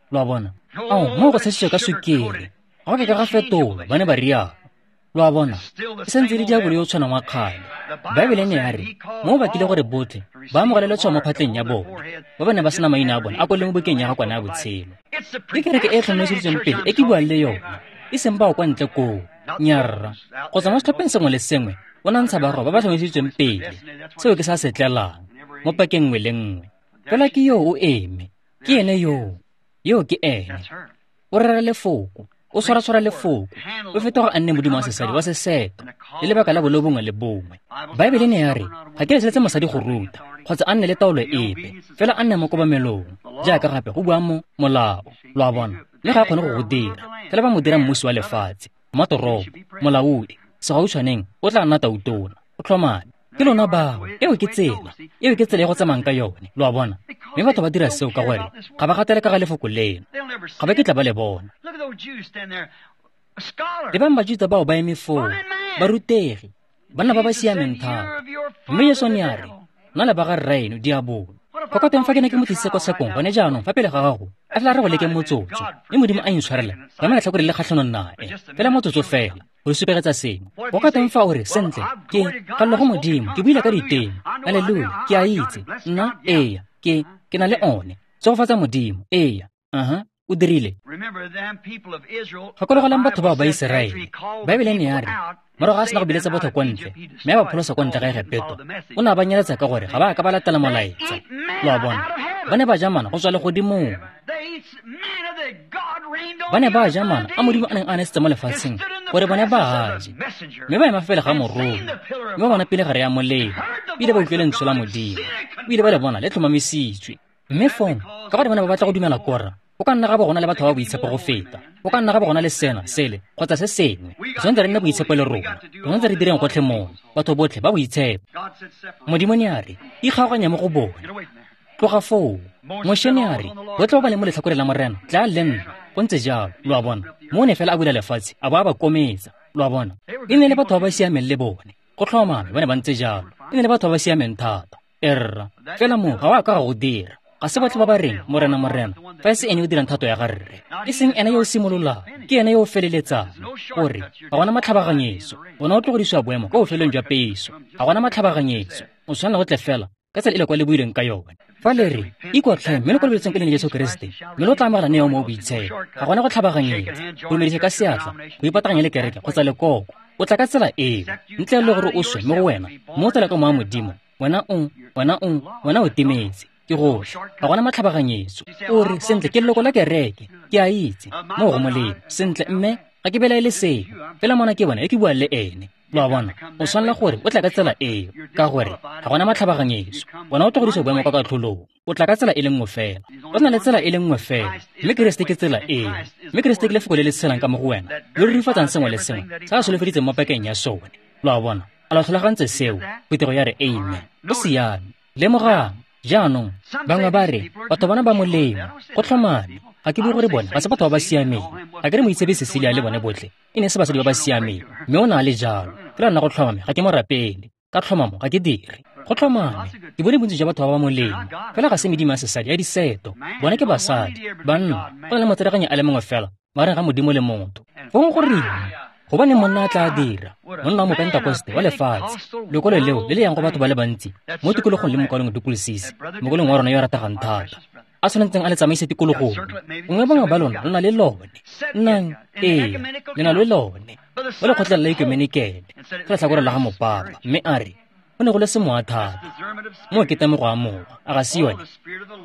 lo a bona. Ao, mo go tshesitswe ka sukiri, ga go ke ka ga fetolwa, ba ne ba rialo. Lo a bona, e santse le diabolo yo o tshwanang wa kgale. Baebele ne ya re mo bakile gore botlhe ba amogele letshwao mo phatleng ya bone, ba ba ne ba sena maina a bone a kwalwe mo bukeng ya ga Kwana ya botshelo. Ke kereke e e tlhomamiseditsweng pele e ke buang le yona, e seng bao kwa ntle koo. Nyarra, go tswa mo setlhopheng sengwe le sengwe o na ntsha barwa ba ba tlhomamiseditsweng pele. Seo ke sa se tlelang mo pakeng nngwe le nngwe. Fela ke yo o eme, ke ene yoo, yoo ke ene. O rera lefoko, o tshwara-tshwara lefoko, o fetoga a nne modimo wa sesadi wa seseto, le lebaka la boleo bongwe le bongwe. Baebele ne ya re ga ke leseletse mosadi go ruta kgotsa a nne le taolo epe, fela a nne mo kobamelong, jaaka gape go bua mo molao. Lo a bona, mme ga a kgone go go dira. Fela ba mo dira mmusi wa lefatshe, mmatoropo, molaodi, segautshwaneng o tla nna tautona, o tlhomame. Ke lona bao, eo ke tsela, eo ke tsela e go tsamayang ka yone, lo a bona. Mme batho ba dira seo ka gore ga ba gatele ka ga lefoko leno, ga ba kitla ba le bona. Lebang Bajuta bao ba eme foo, barutegi, banna ba ba siameng thata. Mme Jesu ne a re, nna le ba ga rraeno diabolo. Go ka teng fa ke ne ke mo tlisitse kwa tshekong gone jaanong fa pele ga gago, a tla re go leke motsotso, mme Modimo a intshwarela, ka ema letlhakore le kgatlhanong nae, fela motsotso fela, go supegetsa sengwe. Go ka teng fa o re, sentle, ke gallo go Modimo, ke buile ka diteme, haleluya, ke a itse, nna, eya, ke, ke na le one, tsogofatsa Modimo, eya, aha, o dirile. Gakologelang batho bao ba Iseraele. Baebele ne ya re, morago a sena go biletsa batho kwa ntle, mme a ba pholosa kwa ntle ga Egepeto, o ne a ba nyeletsa ka gore ga ba a ka ba latela molaetsa. Lo a bona, ba ne ba ja mana go tswa legodimong. Ba ne ba ja mana a Modimo a neng a nesetse mo lefatsheng gore bone ba a je, mme ba ema fa pele ga morongwa, mme ba bona pele gare ya molelo, ebile ba utlwe lentswe la Modimo, ebile ba le bona le tlhomamisitswe. Mme fong, ka gore ba ne ba batla go dumela Kora, go ka nna ga bo gona le batho ba boitshepo go feta, go ka nna ga bo gona le sena, sele, kgotsa se sengwe. Re tshwanetse re nne boitshepo le rona, re tshwanetse re direng gotlhe mona, batho botlhe ba boitshepo. Modimo ne a re, ikgaoganya mo go bone, tloga foo. Moshe ne a re, botlhe ba ba leng mo letlhakoreng la Morena, tla le nna. Go ntse jalo, lo a bona. Mo ne fela a bula lefatshe, a bo a ba kometsa, lo a bona. E ne le batho ba ba siameng le bone, go tlhomame ba ne ba ntse jalo. E ne le batho ba ba siameng thata, erra. Fela mo ga wa ka ga go dira. Ga se botlhe ba ba reng, Morena, Morena, fa e se ene o dirang thato ya ga Rre. E seng ene yo o simololang, ke ene yo o feleletsang. Gore ga gona matlhabaganyetso, bona o tlogedisiwa boemo kwa bofelong jwa peso. Ga gona matlhabaganyetso, o tshwanela go tle fela ka tsela e le kwa le buileng ka yone. Fa le re, ikotlhae mme le kolobetseng ka leina Jesu Keresete, mme lo tla amogela neo mo boitshepo. Ga gona go tlhabaganyetsa, go dumedisa ka seatla, go ipataganya le kereke kgotsa lekoko. O tla ka tsela eo, ntle le gore o swe mo go wena, mo o tsela ka moya Modimo, wena o, wena o, wena o timetse. Ke gotlhe, ga gona matlhabaganyetso. O re, sentle, ke leloko la kereke, ke a itse, mo go molemo. Sentle, mme Ga ke belaele seo, fela mona ke bona e ke buang le ene. Lo a bona, o tshwanela gore o tla ka tsela eo, ka gore ga gona matlhabaganyeso. Bona o tlogedisa boemo kwa katlholong. O tla ka tsela e le nngwe fela. O na le tsela e le nngwe fela, mme Keresete ke tsela eo. Mme Keresete ke lefoko le le tshelang ka mo go wena, lo rurifatsang sengwe le sengwe se a solofeditseng mo pakeng ya sone. Lo a bona, a lo tlhalogantse seo? Phuthego ya re amen. Go siame. Lemogang, jaanong, bangwe ba re, batho bana ba molemo, go tlhomame. Ga ke bue gore bone ga se batho ba ba siameng. Ga ke re Moitshepi Cecilia le bone botlhe e ne se basadi ba ba siameng, mme o ne a le jalo. Fela nna go tlhomame ga ke mo rapele, ka tlhomamo ga ke dire. Go tlhomame, ke bone bontsi jwa batho ba ba molemo, fela ga se medimo ya sesadi ya diseto. Bone ke basadi, banna, go na le motsereganyi a le mongwe fela magareng ga Modimo le motho. Fong goreng? Gobaneng monna a tla dira, monna wa Mopentekoste wa lefatshe, lekwalo leo le le yang go batho ba le bantsi mo tikologong le mokwalong Duplessis, mokwalong wa rona yo a rategang thata, a tshwanetseng a le tsamaise tikologong. Gongwe bangwe ba lona lo na le lone. Nnang, ee, le na le lone. Mo lekgotleng la ekumenikele, ke letlhakore la ga mopapa, mme a re, go ne go le semowa thata. Moo ke temogo ya mowa, a ga se yone?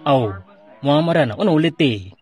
Ao, mowa wa Morena o ne o le teng.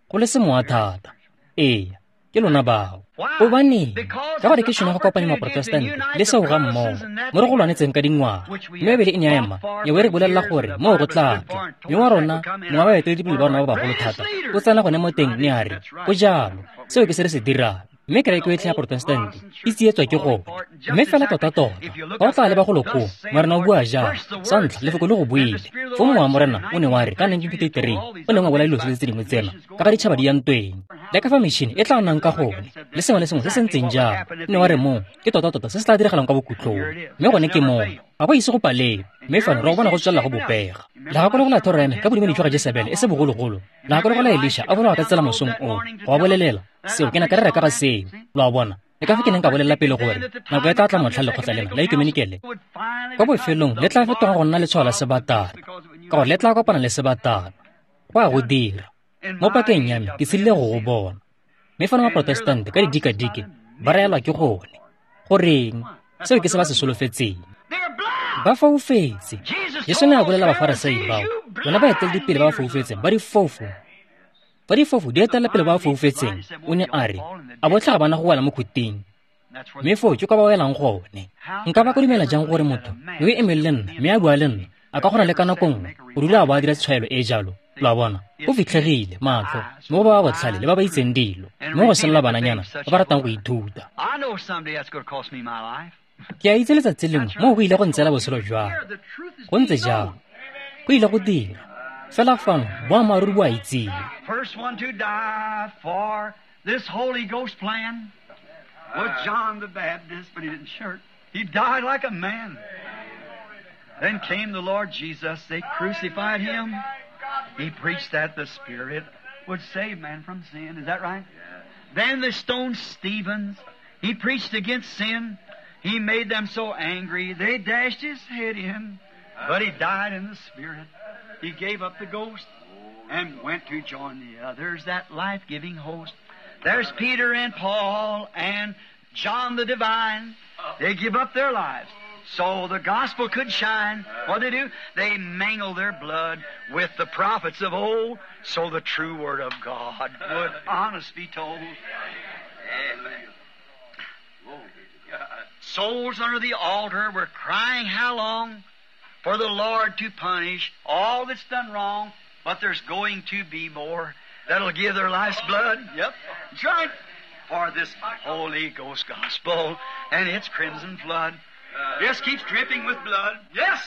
Go le semowa thata. Ee, ke lona bao. Gobaneng? Ka gore ke tšhono ya go kopanya maprotestante le seo ga mmogo, mo re go lwanetseng ka dingwaga. Mme Bibele e ne ya ema, ya bo e re bolelela gore moo go tla tla. Mme wa rona, mongwe wa baeteledipele ba rona ba bagolo thata, o tsena gone mo teng mme a re, go jalo, seo ke se re se dirang. Mme kereke yotlhe ya protestante e tsietswa ke gone. Mme fela tota-tota, fa o tla leba golo koo, Morena o bua jang? Sa ntlha, lefoko le go buile. Foo mowa wa Morena o ne wa re ka nineteen fifty-three, o neng wa bolaya dilo tsotlhe tse dingwe tsena, ka ga ditšhaba di ya ntweng, le ka fa metšhini e tla nnang ka gone, le sengwe le sengwe se se ntseng jalo. O ne wa re moo ke tota-tota se se tla diragalang kwa bokhutlong. Mme gone ke moo, ga go ise go palelwe. Mme fano re go bona go tswelela go bopega. Le gakologelwa thoro ya me ka bodumedi jwa ga Jesebele e se bogologolo. Le gakologelwa Elisha a bolawa ka tsela mosong oo, go ba bolelela seo ke ne ka rera ka ga seo. Lo a bona, le ka fa ke neng ka bolelela pele gore nako e tla tla motlha lekgotla lena la ekumenikele kwa bofelong le tla fetoga go nna letshwao la sebatana, ka gore le tla kopana le sebatana. Go a go dira. Mo pakeng ya me ke tshedile go go bona. Mme fano maprotestante ka didikadike ba raelwa ke gone. Goreng? Seo ke se ba se solofetseng. Ba foufetse. Jesu ne a bolela Bafarasai bao, lona baeteledipele ba ba foufetseng, ba difofo. Ba difofo di etelela pele ba ba foufetseng, o ne a re, a botlhe ga bana go wela mo khuting. Mme foo ke kwa ba welang gone. Nka ba ka dumela jang gore motho yo o emeng le nna mme a bua le nna a ka kgona le ka nako nngwe go dula a bo a dira tshwaelo e jalo? Lo a bona, go fitlhegile matlho mo go ba ba botlhale le ba ba itseng dilo, mo go senola bananyana ba ba ratang go ithuta. Ke a itse letsatsi lengwe moo go ile go ntseela botshelo jwa me. Go ntse jalo, go ile go dira. Fela fano boammaaruri bo a itsiwe. First one to die for this Holy Ghost plan was John the Baptist, but he didn't shirk. He died like a man. Then came the Lord Jesus. They crucified him. He preached that the Spirit would save man from sin. Is that right? Then they stoned Stephen. He preached against sin. He made them so angry, they dashed his head in. But he died in the Spirit. He gave up the ghost and went to join the others, that life-giving host. There's Peter and Paul and John the Divine. They give up their lives so the gospel could shine. What they do? They mingle their blood with the prophets of old so the true word of God would honest be told. Amen. Souls under the altar were crying how long for the Lord to punish all that's done wrong, but there's going to be more that'll give their life's blood. Yep, that's right. For this Holy Ghost gospel and its crimson flood. Just keeps dripping with blood. Yes!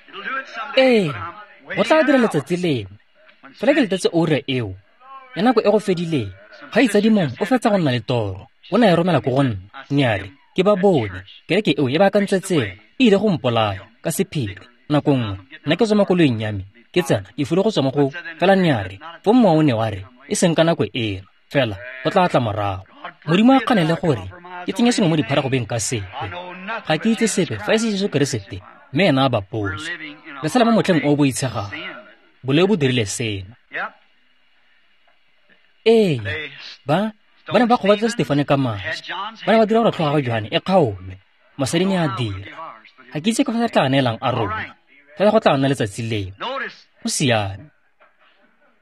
It'll do it someday. Ee, go tla dira letsatsi lengwe. Fela ke letetse oura eo, ya nako e go fedileng. Kgaitsadi mongwe o fetsa go nna le toro. O ne a e romela ko go nna, mme a re, ke ba bone, kereke eo e baakantse tsela, e ile go mpolaya, ka sephiri. Nako nngwe, nna ke tswa mo koloing ya me, ke tsena, ke fule go tswa mo go, fela ne a re, foo mowa o ne wa re, e seng ka nako eno, fela, go tla tla morago. Modimo a kganele gore, ke tsenye sengwe mo dipharagobeng ka sepe. Ga ke itse sepe fa e se Jesu Keresete, mme ena a bapotswe. Re tshela mo motlheng o o boitshegang. Boleo bo dirile sena. Ee, ba ba ne ba kgobatsa Stefane ka maje. Ba ne ba dira gore tlhogo ya ga Johane e kgaolwe. Mosadi ne a dira. Ga ke itse ka fa re tla neelang a rona. Fela go tla nna letsatsi leo. Go siame.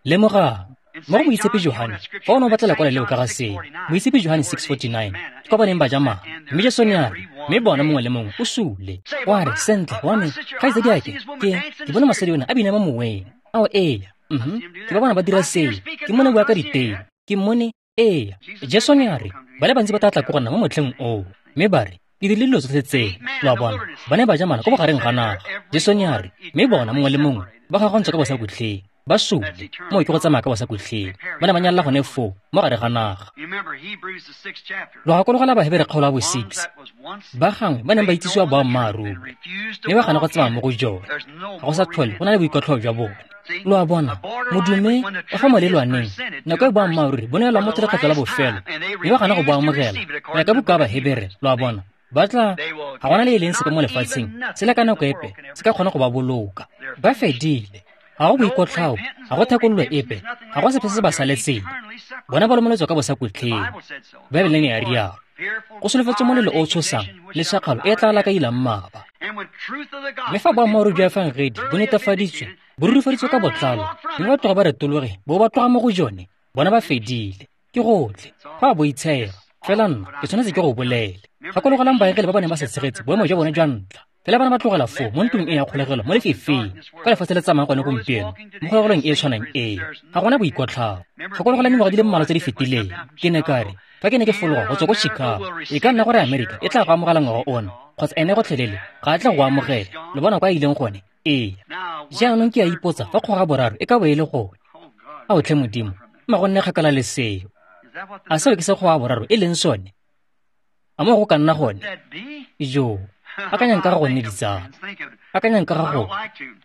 Lemogang, Mo go Moitshepi Johane, fa o ne o batla lekwalo leo ka ga seo, Moitshepi Johane six forty-nine, ke kwa ba neng ba ja mana. Mme Jesu ne a re, mme bona mongwe le mongwe o sule. Wa re, sentle, wa me, kgaitsadiake, ke, ke bone mosadi ona a bina mo moweng. Ao eya, mhm, ke ba bona ba dira seo, ke mmone bua ka diteme, ke mmone, eya. Jesu ne a re, ba le bantsi ba tla tla ko go nna mo motlheng oo, mme ba re, ke dirile dilo tsotlhe tseo, lo a bona, ba ne ba ja mana ko bogareng ga naga. Jesu ne a re, mme bona mongwe le mongwe ba gagontswe ka bosakutlheng, ba sule, moo ke go tsamaya ka bosakutlheng, ba ne ba nyalela gone foo mo gare ga naga. Lo gakologela Bahebere kgaolo ya bo six, ba gangwe ba neng ba itsisiwa boammaaruri, mme ba gana go tsamaya mo go jone, ga go sa tlhole go na le boikotlhao jwa bone. Lo a bona, modume o fa molelwaneng, nako e boammaaruri bo neelwa motho lekgetlo la bofelo, mme ba gana go bo amogela, go ya ka buka ya Bahebere, lo a bona. Ba tla, ga gona le e leng sepe mo lefatsheng, se le ka nako epe, se ka kgona go ba boloka. Ba fedile, ga go boikotlhao, ga go thekololo epe, ga go sepe se se ba saletseng. Bona ba lomeletswe ka bosakutlheng. Baebele ne ya rialo. Go solofetswe molelo o o tshosang le shakgalo e e tla lakailang mmaba. Mme fa boammaaruri jwa efangedi bo netefaditswe, bo rurifaditswe ka botlalo, mme ba tloga ba retologe bo ba tloga mo go jone, bona ba fedile. Ke gotlhe, go a boitshega. Fela nna ke tshwanetse ke go bolele. Gakologelang baengele ba ba neng ba se tshegetse boemo jwa bone jwa ntlha. Fela ba ne ba tlogela foo mo ntlong e ya kgolegelo mo lefifing, ka lefatshe le tsamayang gone gompieno, mo kgolegelong e e tshwanang eo. Ga gona boikotlhao. Gakologelang dingwaga di le mmalwa tse di fetileng, ke ne ka re, fa ke ne ke fologa go tswa ko Chicago, e ka nna gore Amerika e tla go amogela ngwaga ona, kgotsa ene gotlhelele ga a tla go amogela. Lo bona kwa a ileng gone? Ee. Jaanong ke a ipotsa fa kgoga boraro e ka bo e le gone. Ao tlhe Modimo, mma go nne kgakala le seo. A seo ke se kgoga boraro e leng sone? A mo go ka nna gone? Jo, akanyang ka ga gonne ditsala. Akanyang ka ga gone.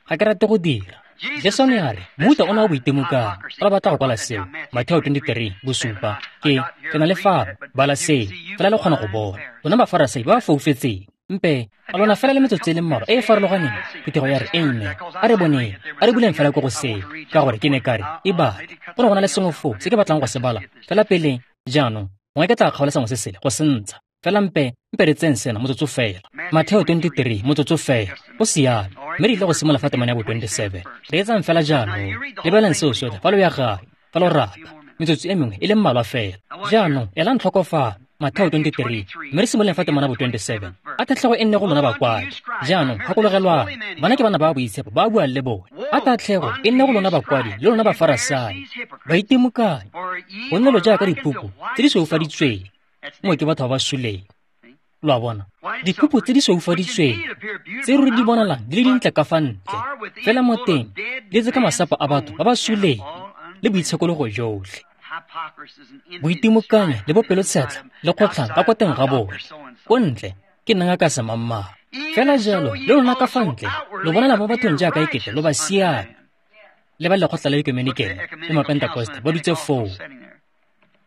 Ga ke rate go dira. Jesu ne a re, mohuta ona wa boitemokang, fa ba batla go kwala seo, Mateo twenty-three, bosupa, ke, ke na le fano, bala seo, fela le kgona go bona. Lona Bafarasai ba ba foufetseng, mpe, a lona fela le metsotso e le mmalwa e e farologaneng, phuthego ya re, amen, a re boneng, a re buleng fela ko go seo, ka gore ke ne ka re, e bale, go ne go na le sengwe foo se ke batlang go se bala, fela pele, jaanong, gongwe ke tla kgaola sengwe se sele, go se ntsha. Fela mpe, mpe re tseng sena motsotso fela. Mateo twenty-three, motsotso fela. Go siame, mme re ile go simolola fa temana ya bo twenty-seven. Re etsang fela jaanong. Lebelang seo sotlhe fa lo ya gae, fa lo rata. Metsotso e mengwe e le mmalwa fela. Jaanong, elang tlhoko fano, Mateo twenty-three, mme re simololeng fa temana bo twenty-seven. A tatlhego e nne go lona bakwadi. Jaanong, gakologelwang, bana ke bana ba boitshepo ba buang le bone. A tatlhego e nne go lona bakwadi le lona Bafarasai, baitimokanyi, gonne lo jaaka diphupu tse di sweufaditsweng, mo ke batho ba ba suleng. Lo a bona, diphupu tse di sweufaditsweng tse ruri di bonalang di le dintle ka fa ntle, fela mo teng di tletse ka masapo a batho ba ba suleng le boitshekologo jotlhe, boitimokanyo le bopelotshetlha le kgotlhang ka kwa teng ga bone. Ko ntle ke nna ngaka semangmang. Fela jalo le lona ka fa ntle lo bonala mo bathong jaaka ekete lo ba siame. Le ba lekgotla la ekumenikele le Mapentekoste ba dutse foo.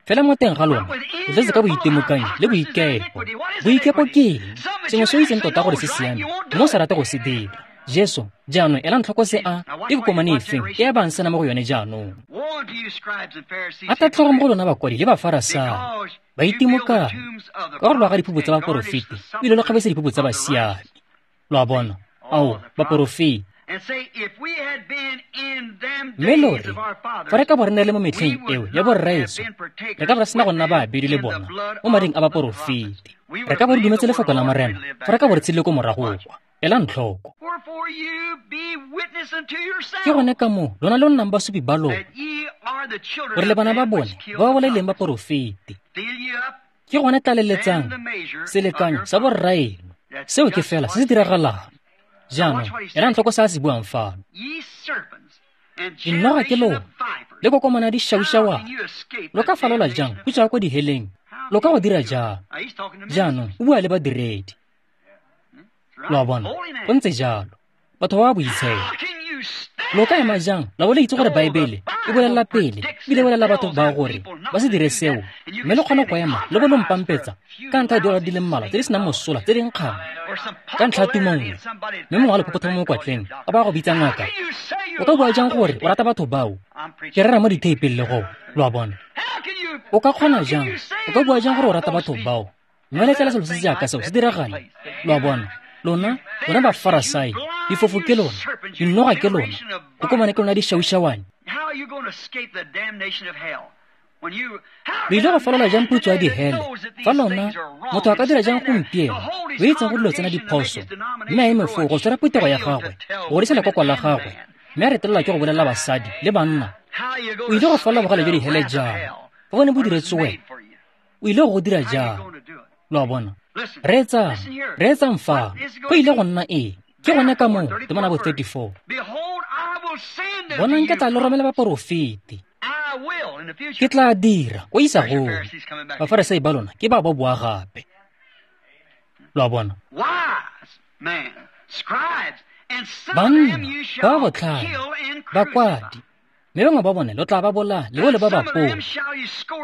Fela mo teng ga lona, lo tletse ka boitimokanyo le boikepo. Boikepo ke eng? Sengwe se o itseng tota gore se siame, mme o sa rate go se dira. Jesu, jaanong elang tlhoko se a, ke kokomane efeng e a bang sena mo go yone jaanong. A tatlhego mo go lona bakwadi le Bafarasai, baitimokanyi, ka gore lo aga diphupu tsa baporofeti, ebile lo kgabisa diphupu tsa basiami. Lo a bona, ao, baporofeti. Mme lo re, fa re ka bo re ne le mo metlheng eo ya borraetsho, re ka bo re sena go nna baabedi le bona mo mading a baporofeti. Re ka bo re dumetse lefoko la Morena, fa re ka bo re tshedile ko morago kwa. Elang tlhoko. Ke gone ka moo lona lo nnang basupi ba lona, gore le bana ba bone ba ba bolaileng baporofeti. Ke gone tlaleletsang selekanyo sa borraeno. Seo ke fela se se diragalang. Jaanong, elang tlhoko se a se buang fano. Dinoga ke lona, le kokomana di šaušawana. Lo ka falola jang go tswa ko diheleng? Lo ka go dira jang? Jaanong, o bua le badiredi. Lo a bona, go ntse jalo. Batho ba ba boitshepo. Lo ka ema jang la bo le itse gore Baebele e bolelela pele, ebile e bolelela batho ba gore ba se dire seo, mme le kgone go ema le bo lo mpampetsa ka ntlha ya diora di le mmalwa tse di senang mosola tse di nkgang, ka ntlha ya tumo nngwe, mme mongwe wa lephophothamo mo mokwatleng a ba go bitsa ngaka. O ka bua jang gore o rata batho bao? Ke rera mo ditheipeng le go, lo a bona. O ka kgona jang? O ka bua jang gore o rata batho bao? Mme letlela selo se se jaaka seo se diragale, lo a bona. Lona, lona Bafarasai, difofo ke lona, dinoga ke lona, kokomane ke lona di šaušawane. Lo ile go falola jang putso ya dihele fa lona motho a ka dira jang gompieno o itseng go dilo tsena diphoso mme a eme foo go tshwara phuthego ya gagwe go godisa lekoko la gagwe mme a retelelwa ke go bolelela basadi le banna o ile go falola bogale jwa dihele jang fa bone bo diretswe wena o ile go go dira jang lo a bona reetsang reetsang fa go ile go nna eng ke gone ka moo temana bo thirty-four bonang ke tla le romela baporofeti ke tla dira ko isagong bafarisai ba lona ke ba ba boa gape lo a bona banna ba ba botlhale bakwadi mme bangwe ba bone lo tla ba bolaya le bole ba ba pola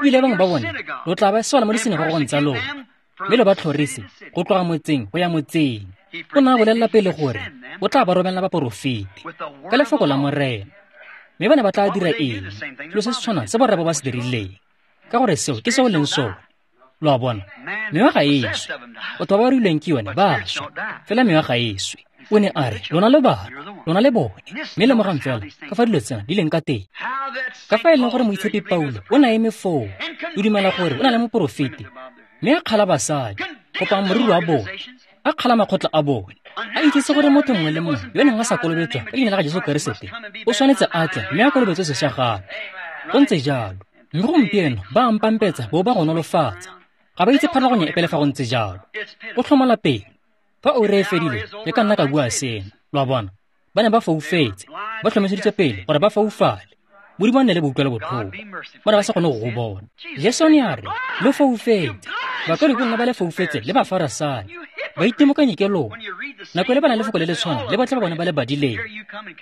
ebile bangwe ba bone lo tla ba swala mo disinagogong tsa lona mme lo ba tlhorise go tloga motseng go ya motseng o ne a bolelela pele gore o tla ba romelela baporofeti ka lefoko la Morena mme ba ne ba tla dira eng selo se se tshwanang se borra ba ba se dirileng ka gore seo ke se o leng sone lo a bona mewa ga e swe batho ba ba ruilweng ke yone ba swa fela mewa ga e swe o ne a re lona le bana lona le bone mme lemogang fela ka fa dilo tsena di leng ka teng ka fa e leng gore moitshepi Paulo o ne a eme foo o dumela gore o na le moporofeti mme a kgala basadi kopang moriri wa bone a kgala makgotla a bone a itsese gore motho mongwe le mongwe yo neng a sa kolobetswa ka leina la ga Jesu Keresete o tshwanetse a tle mme a kolobetswe sešwa gape go ntse jalo mme gompieno ba ampampetsa bo ba go nolofatsa ga ba itse pharologanyo epe le fa go ntse jalo go tlhomola pelo fa oura e fedile ke ka nna ka bua seno lo a bona ba ne ba foufetse ba tlhomeseditswe pele gore ba foufale Modimo a nne le boutlwelo botlhoko ba ne ba sa kgone go go bona Jesu ne a re lo foufetse bakwadi ke nna ba le foufetse le bafarasai ba itimokanye ke lona nako e le ba na lefoko le le tshwana le botlhe ba bone ba le badileng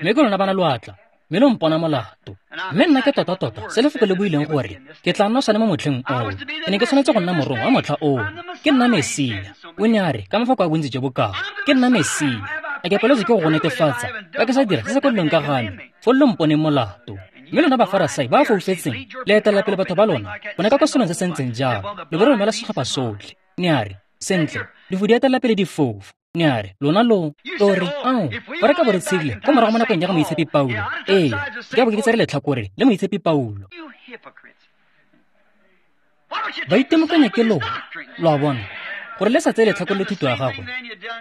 mme ke lona ba na loatla mme lo mpona molato mme nna ke tota-tota se lefoko le buileng gore ke tla nna sone mo motlheng oo ke ne ke tshwanetse go nna morongwa wa motlha oo ke nna Mesia o ne a re ka mafoko a bontsi jo bokao ke nna Mesia a ke paletswe ke go go netefatsa ka ke sa dira se se kwadilweng ka ga me foo lo mponeng molato mme lona bafarasai ba foufetseng le etelela pele batho ba lona bone ka kwa selong se se ntseng jalo lo bo romela setlhopha sotlhe ne a re sentle difu di etelela pele difofu ne a re lona lo lo re ao fa re ka bo re tshedile ko morago mo nakong ya ga moitshepi Paulo ee ke a bo ke tsere letlhakore le moitshepi Paulo ba itemokanya ke lona lo a bona gore le sa tseye letlhakore le thuto ya gagwe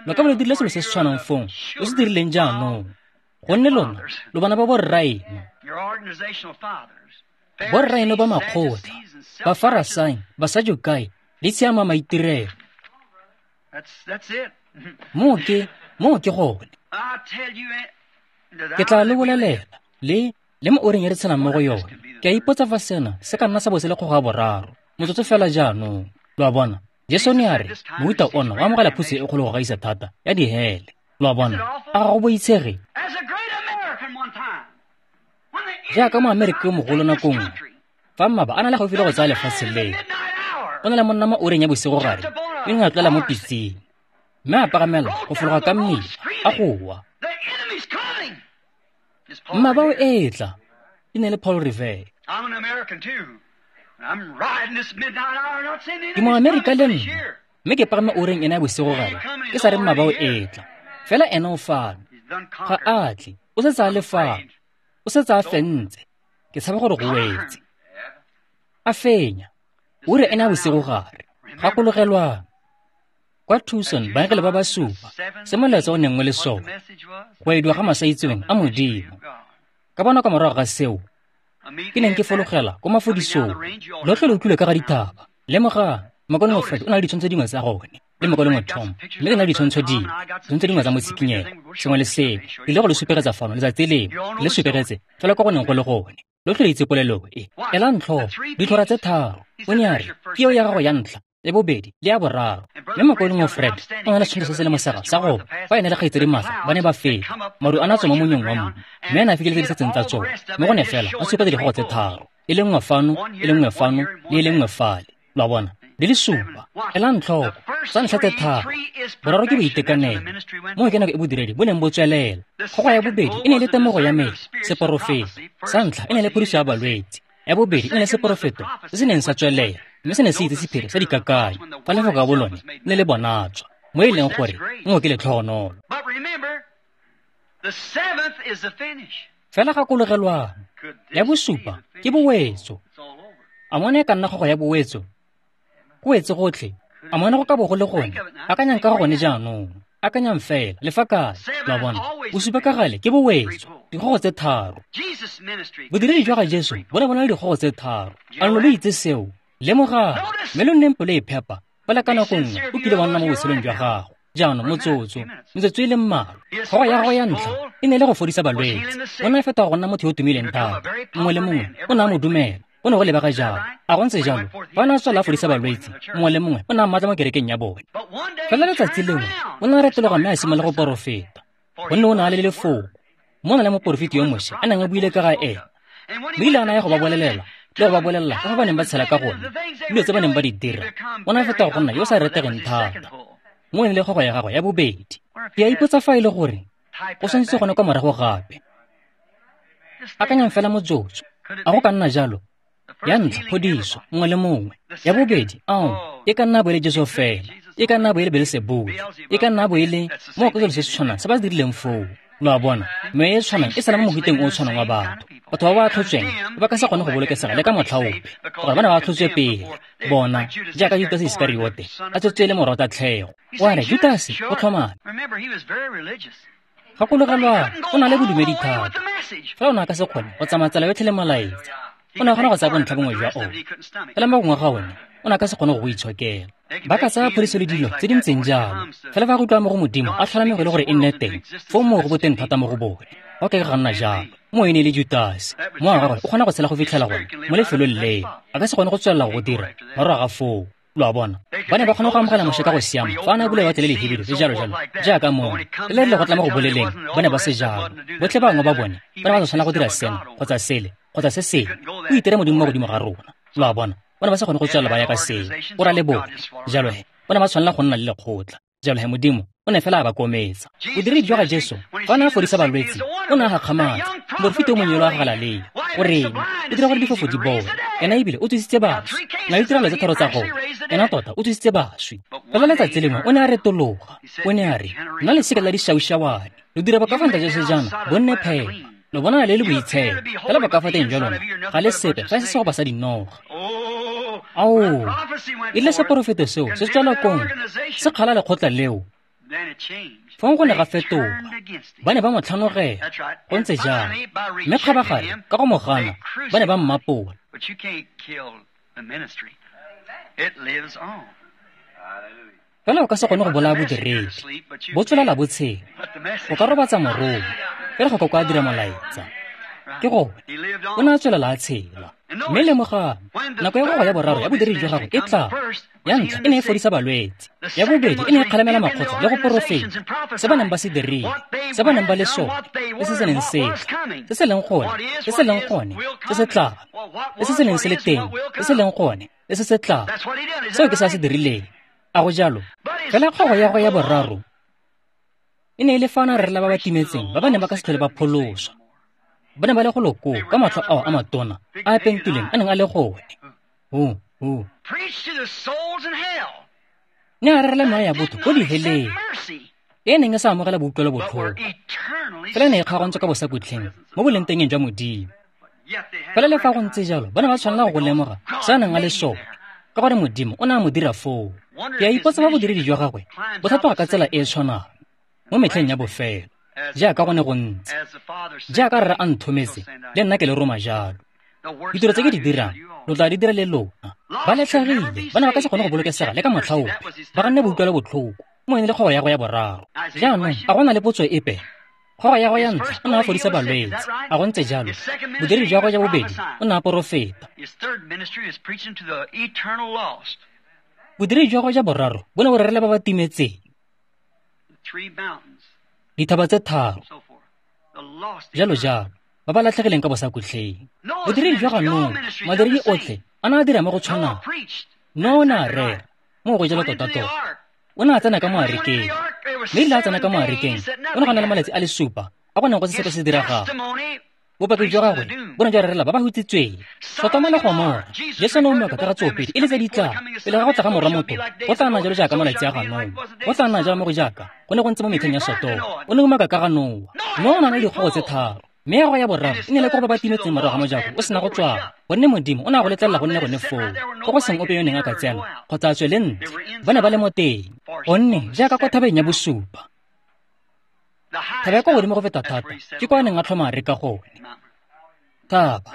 lo ka bo le dirile selo se se tshwanang fong lo se dirileng jaanong gonne lona lo bana ba borraeno borraeno ba makgotla bafarasai basadukai le tshiama maitirelo moo ke moo ke gone ke tla le bolelela le le mo oreng e re tshelang mo go yone ke a ipotsa fa sena se ka nna sa bo se le kgogo ya boraro motsotso fela jaanong lo a bona Jesu ne a re mohuta ona o amogela phuso e kgolo go gaisa thata ya dihele lo a bona a ga go boitshege jaaka moamerika yo mogolo nako nngwe fa mmaba a na le gaufi le go tsaya lefatshe leo o na le monna mo oreng ya bosigogare yo neng a tlola mo pitseng mme a pagamela go fologa ka mmila a goa mmaba o etla e ne le Paul Revere ke moamerika le nna mme ke pagame oreng ena ya bosigogare ke sa re mmaba o etla fela ena o fano ga a tle o setse a le fano o setse a fentse ke tshaba gore go wetse a fenya ura ena ya bosigogare gakologelwang kwa Tucson baengele ba ba supa se molaetsa o neng o le sone go ediwa ga masaitseweng a Modimo ka bona ka morago ga seo ke neng ke fologela ko mafodisong lotlhe lo utlwile ka ga dithaba lemogang mokaulengwe Fred o na le ditshwantsho dingwe tsa gone le mokaulengwe Tom mme ke na le ditshwantsho dingwe ditshwantsho dingwe tsa motshikinyego sengwe le sengwe ke ile go le supegetsa fano letsatsi lengwe le supegetse fela kwa go neng go le gone lotlhe le itse polelo e elang tlhoko ditlhora tse tharo o ne a re ke eo ya gago ya ntlha le bobedi le ya boraro mme mokaulengwe Fred o na le setshwantsho se se le mosega sa go fa ene le kgaitsedi Martha ba ne ba feta maru a na tswa mo monyong wa mmu mme ene a fitlheletse di setseng tsa tsone mme gone fela a supa dikgogo tse tharo e le nngwe fano e le nngwe fano le e le nngwe fale lo a bona di le supa elang tlhoko tsa ntlha tse tharo boraro ke boitekanelo moo ke nako e bodiredi bo neng bo tswelela kgogo ya bobedi e ne e le temogo ya mele seporofeto sa ntlha e ne e le phodiso ya balwetse ya bobedi e ne le seporofeto se se neng sa tswelela mme se ne se itse sephiri sa dikakanyo fa lefoko ka bolone le le bonatswa mo e leng gore moo ke letlhogonolo fela gakologelwang Ya bosupa ke bowetso. A mone e ka nna kgogo ya bowetso? Go wetse gotlhe. A mone go ka bo go le gone? Akanyang ka gone jaanong. Akanyang fela, le fa kae, lo a bona. Bosupa ka gale ke bowetso, dikgogo tse tharo. Bodiredi jwa ga Jesu bo ne bo na le dikgogo tse tharo. A lo lo itse seo? Lemogang, mme lo nneng pelo e phepa, fela ka nako nngwe o kile wa nna mo botshelong jwa gago. Jaanong motsotso, metsotso e le mmalwa. Kgogo ya gagwe ya ntlha e ne e le go fodisa balwetse. O ne a fetoga go nna motho yo o tumileng thata. Mongwe le mongwe o ne a mo dumela. O ne go lebega jalo. A go ntse jalo, fa a ne a tswela a fodisa balwetse, mongwe le mongwe o ne a mmatla mo kerekeng ya bone. Fela letsatsi lengwe o ne a retologa mme a simolola go porofeta, gonne o ne a le lefoko. Mo na le moporofeti yo Moshe a neng a buile ka ga ena. Mme ile a naya go ba bolelela le go ba bolelela ka fa ba neng ba tshela ka gone, dilo tse ba neng ba di dira. O ne a fetoga go nna yo o sa retegeng thata. Mo e ne le kgogo ya gagwe ya bobedi. Ke a ipotsa fa e le gore go tshwanetse gone kwa morago gape. Akanyang fela motsotso. A go ka nna jalo? Ya ntlha, phodiso, mongwe le mongwe. Ya bobedi, ao, e ka nna bo e le Jesu fela, e ka nna bo e le Beelsebule, e ka nna bo e le mo go selo se se tshwanang se ba se dirileng foo. Lo a bona, meya e tshwanang e sala mo mohuteng o o tshwanang wa batho. Batho ba ba atlhotsweng ba ka se kgone go bolokesega le ka motlha ope, gore ba ne ba atlhotswe pele. Bona, jaaka Judase Iskariote a tswetswe e le morwa tatlhego. O a re, Judase, o tlhomame. Gakologelwang, o na le bodumedi thata. Fela o ne a ka se kgone go tsamaya tsela yotlhe le molaetsa. O ne a kgona go tsaya bontlha bongwe jwa one, fela mo gongwe ga one o ne a ka se kgone go go itshokela. Ba ka tsaya phodiso le dilo tse di ntseng jalo, fela fa go utlwa mo go Modimo a tlhola megwe le gore e nne teng, foo moo go boteng thata mo go bone. Go ka ga nna jalo. Mo e ne e le Judase. Mo wa gagwe o kgona go tshela go fitlhela gone mo lefelong leo. A ka se kgone go tswelela go dira morago ga foo. Lo a bona, ba ne ba kgona go amogela Moshe ka go siama fa a ne a bula lewatle le lehibidu le jalo jalo, jaaka moo. Le le rile go tla mo go boleleng, ba ne ba se jalo. Botlhe bangwe ba bone ba ne ba sa tshwanela go dira sena kgotsa sele kgotsa se sengwe. O itere Modimo mo godimo ga rona. Lo a bona, ba ne ba sa kgone go tswelela ba ya ka seo. O ra le bone. Jalo he, ba ne ba tshwanela go nna le lekgotla. Jalo he Modimo o ne fela a ba kometsa. Bodiredi jwa ga Jesu fa a ne a fodisa balwetse, o ne a gakgamatsa. Moporofeti o monnye yo a Galalea, o reng? O dira gore difofo di bone. Ena ebile o tsositse baswi. Na le ditiragalo tse tharo tsa gone. Ena tota o tsositse baswi. Fela letsatsi lengwe o ne a retologa. O ne a re, nna lesika la dišaušawane. Lo dira bokafantle jwa sejana bo nne phepa. Lo bonala le le boitshepo. Fela bokafateng jwa lona ga le sepe fa e se segopa sa dinoga. Ao, e rile seporofeto seo se tswela kong, se kgala lekgotla leo. Fong go ne ga fetoga. Ba ne ba mo tlhanogela. Go ntse jalo. Mme kgabagare, ka go mo gana, ba ne ba mmapola. Fela o ka se kgone go bolaya bodiredi. Bo tswelela bo tshela. O ka robatsa morongwa, fela go ka kwa dira molaetsa. Ke gone, o ne a tswelela a tshela. Mme lemogang, nako ya gogo ya boraro ya bodiredi jwa gagwe e tla. Ya ntlha e ne e fodisa balwetse. Ya bobedi e ne e kgalemela makgotla le go porofeta. Se ba neng ba se dirile, se ba neng ba le sone, le se se neng se tla, se se leng gone, se se leng gone, se se tlang, le se se neng se le teng, se se leng gone, le se se tlang. Seo ke se a se dirileng. A go jalo? Fela kgogo ya gagwe ya boraro e ne e le fa a ne a rerela ba ba timetseng ba ba neng ba ka se tlhole ba pholoswa. Ba ne ba le go lo koo ka matlho ao a matona a a pentileng a neng a le gone. Ho, ho. Ne a rerela meya ya botho ko diheleng e neng e sa amogela boutlwelo botlhoko, fela e ne e kgaogantswe ka bosakhutleng mo bolengtengeng jwa Modimo. Fela le fa go ntse jalo, ba ne ba tshwanela go lemoga se a neng a le sone, ka gore Modimo o ne a mo dira foo. Ke a ipotsa fa bodiredi jwa gagwe bo tlhatloga ka tsela e e tshwanang mo metlheng ya bofelo, jaaka go ne go ntse. Jaaka rre a nthometse, le nna ke le roma jalo. Ditiro tse ke di dirang, lo tla di dira le lona. Ba latlhegile, ba ne ba ka se kgone go bolokesega le ka motlha ope. Ba ganne boutlwelo botlhoko, mo e ne le kgogo ya go ya boraro. Jaanong, a go na le potso epe? Kgogo ya go ya ntlha, o ne a fodisa balwetse. A go ntse jalo? Bodiredi jwa gagwe jwa bobedi, o ne a porofeta. Bodiredi jwa gagwe jwa boraro bo ne bo rerela ba ba timetseng. Dithaba tse tharo, jalo jalo, ba ba latlhegileng ka bosakhutleng. Bodiredi jwa ga Noa, madiredi otlhe a ne a dira mo go tshwanang. Noa o ne a rera, mo go jalo tota-tota. O ne a tsena ka mo arekeng. Mme erile a tsena ka mo arekeng, o ne go na le malatsi a le supa a go neng go se sepe se diregang. Bopaki jwa gagwe bo ne jwa rerela ba ba hutsitsweng. Sotoma le Gomora, Jesu ne o umaka ka ga tsoopedi e le tse di tlang. Pele ga go tla ga Morwa Motho, go tla nna jalo jaaka malatsi a ga Noa. Go tla nna jalo mo go jaaka go ne go ntse mo metlheng ya Sotoma. O ne umaka ka ga Noa. Noa o ne a na le dikgogo tse tharo. Mme ya go ya boraro e ne le ko go ba ba timetseng morago ga mojako o sena go tswalwa, gonne Modimo o ne a go letlelela go nne gone foo, ko go seng ope yo neng a ka tsena kgotsa a tswe le ntle. Ba ne ba le mo teng, gonne jaaka kwa thabeng ya bosupa, thaba ya kwa godimo go feta thata ke kwa a neng a tlhoma areka gone. Thaba,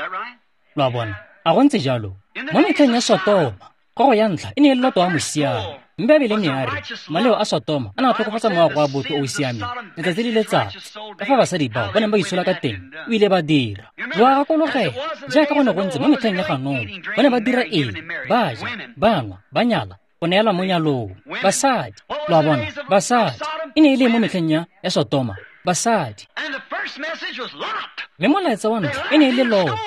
lo a bona, a go ntse jalo. Mo metlheng ya Sotoma, gogo ya ntlha e ne e le Loto wa mosiami. Mme Baebele ne ya re maleo a Sotoma a ne a tlhokofatsa moago wa botho o o siameng letsatsi le letsatsi. Ka fa basadi bao ba neng ba itshola ka teng, o ile ba dira. Lo a gakologela, jaaka go ne go ntse mo metlheng ya ga Noa, ba ne ba dira eng? Ba ja, ba nwa, ba nyala, go neelwa mo nyalong. Basadi, lo a bona, basadi. E ne e le mo metlheng ya ya Sotoma, basadi. Mme molaetsa wa ntlha e ne e le Loto.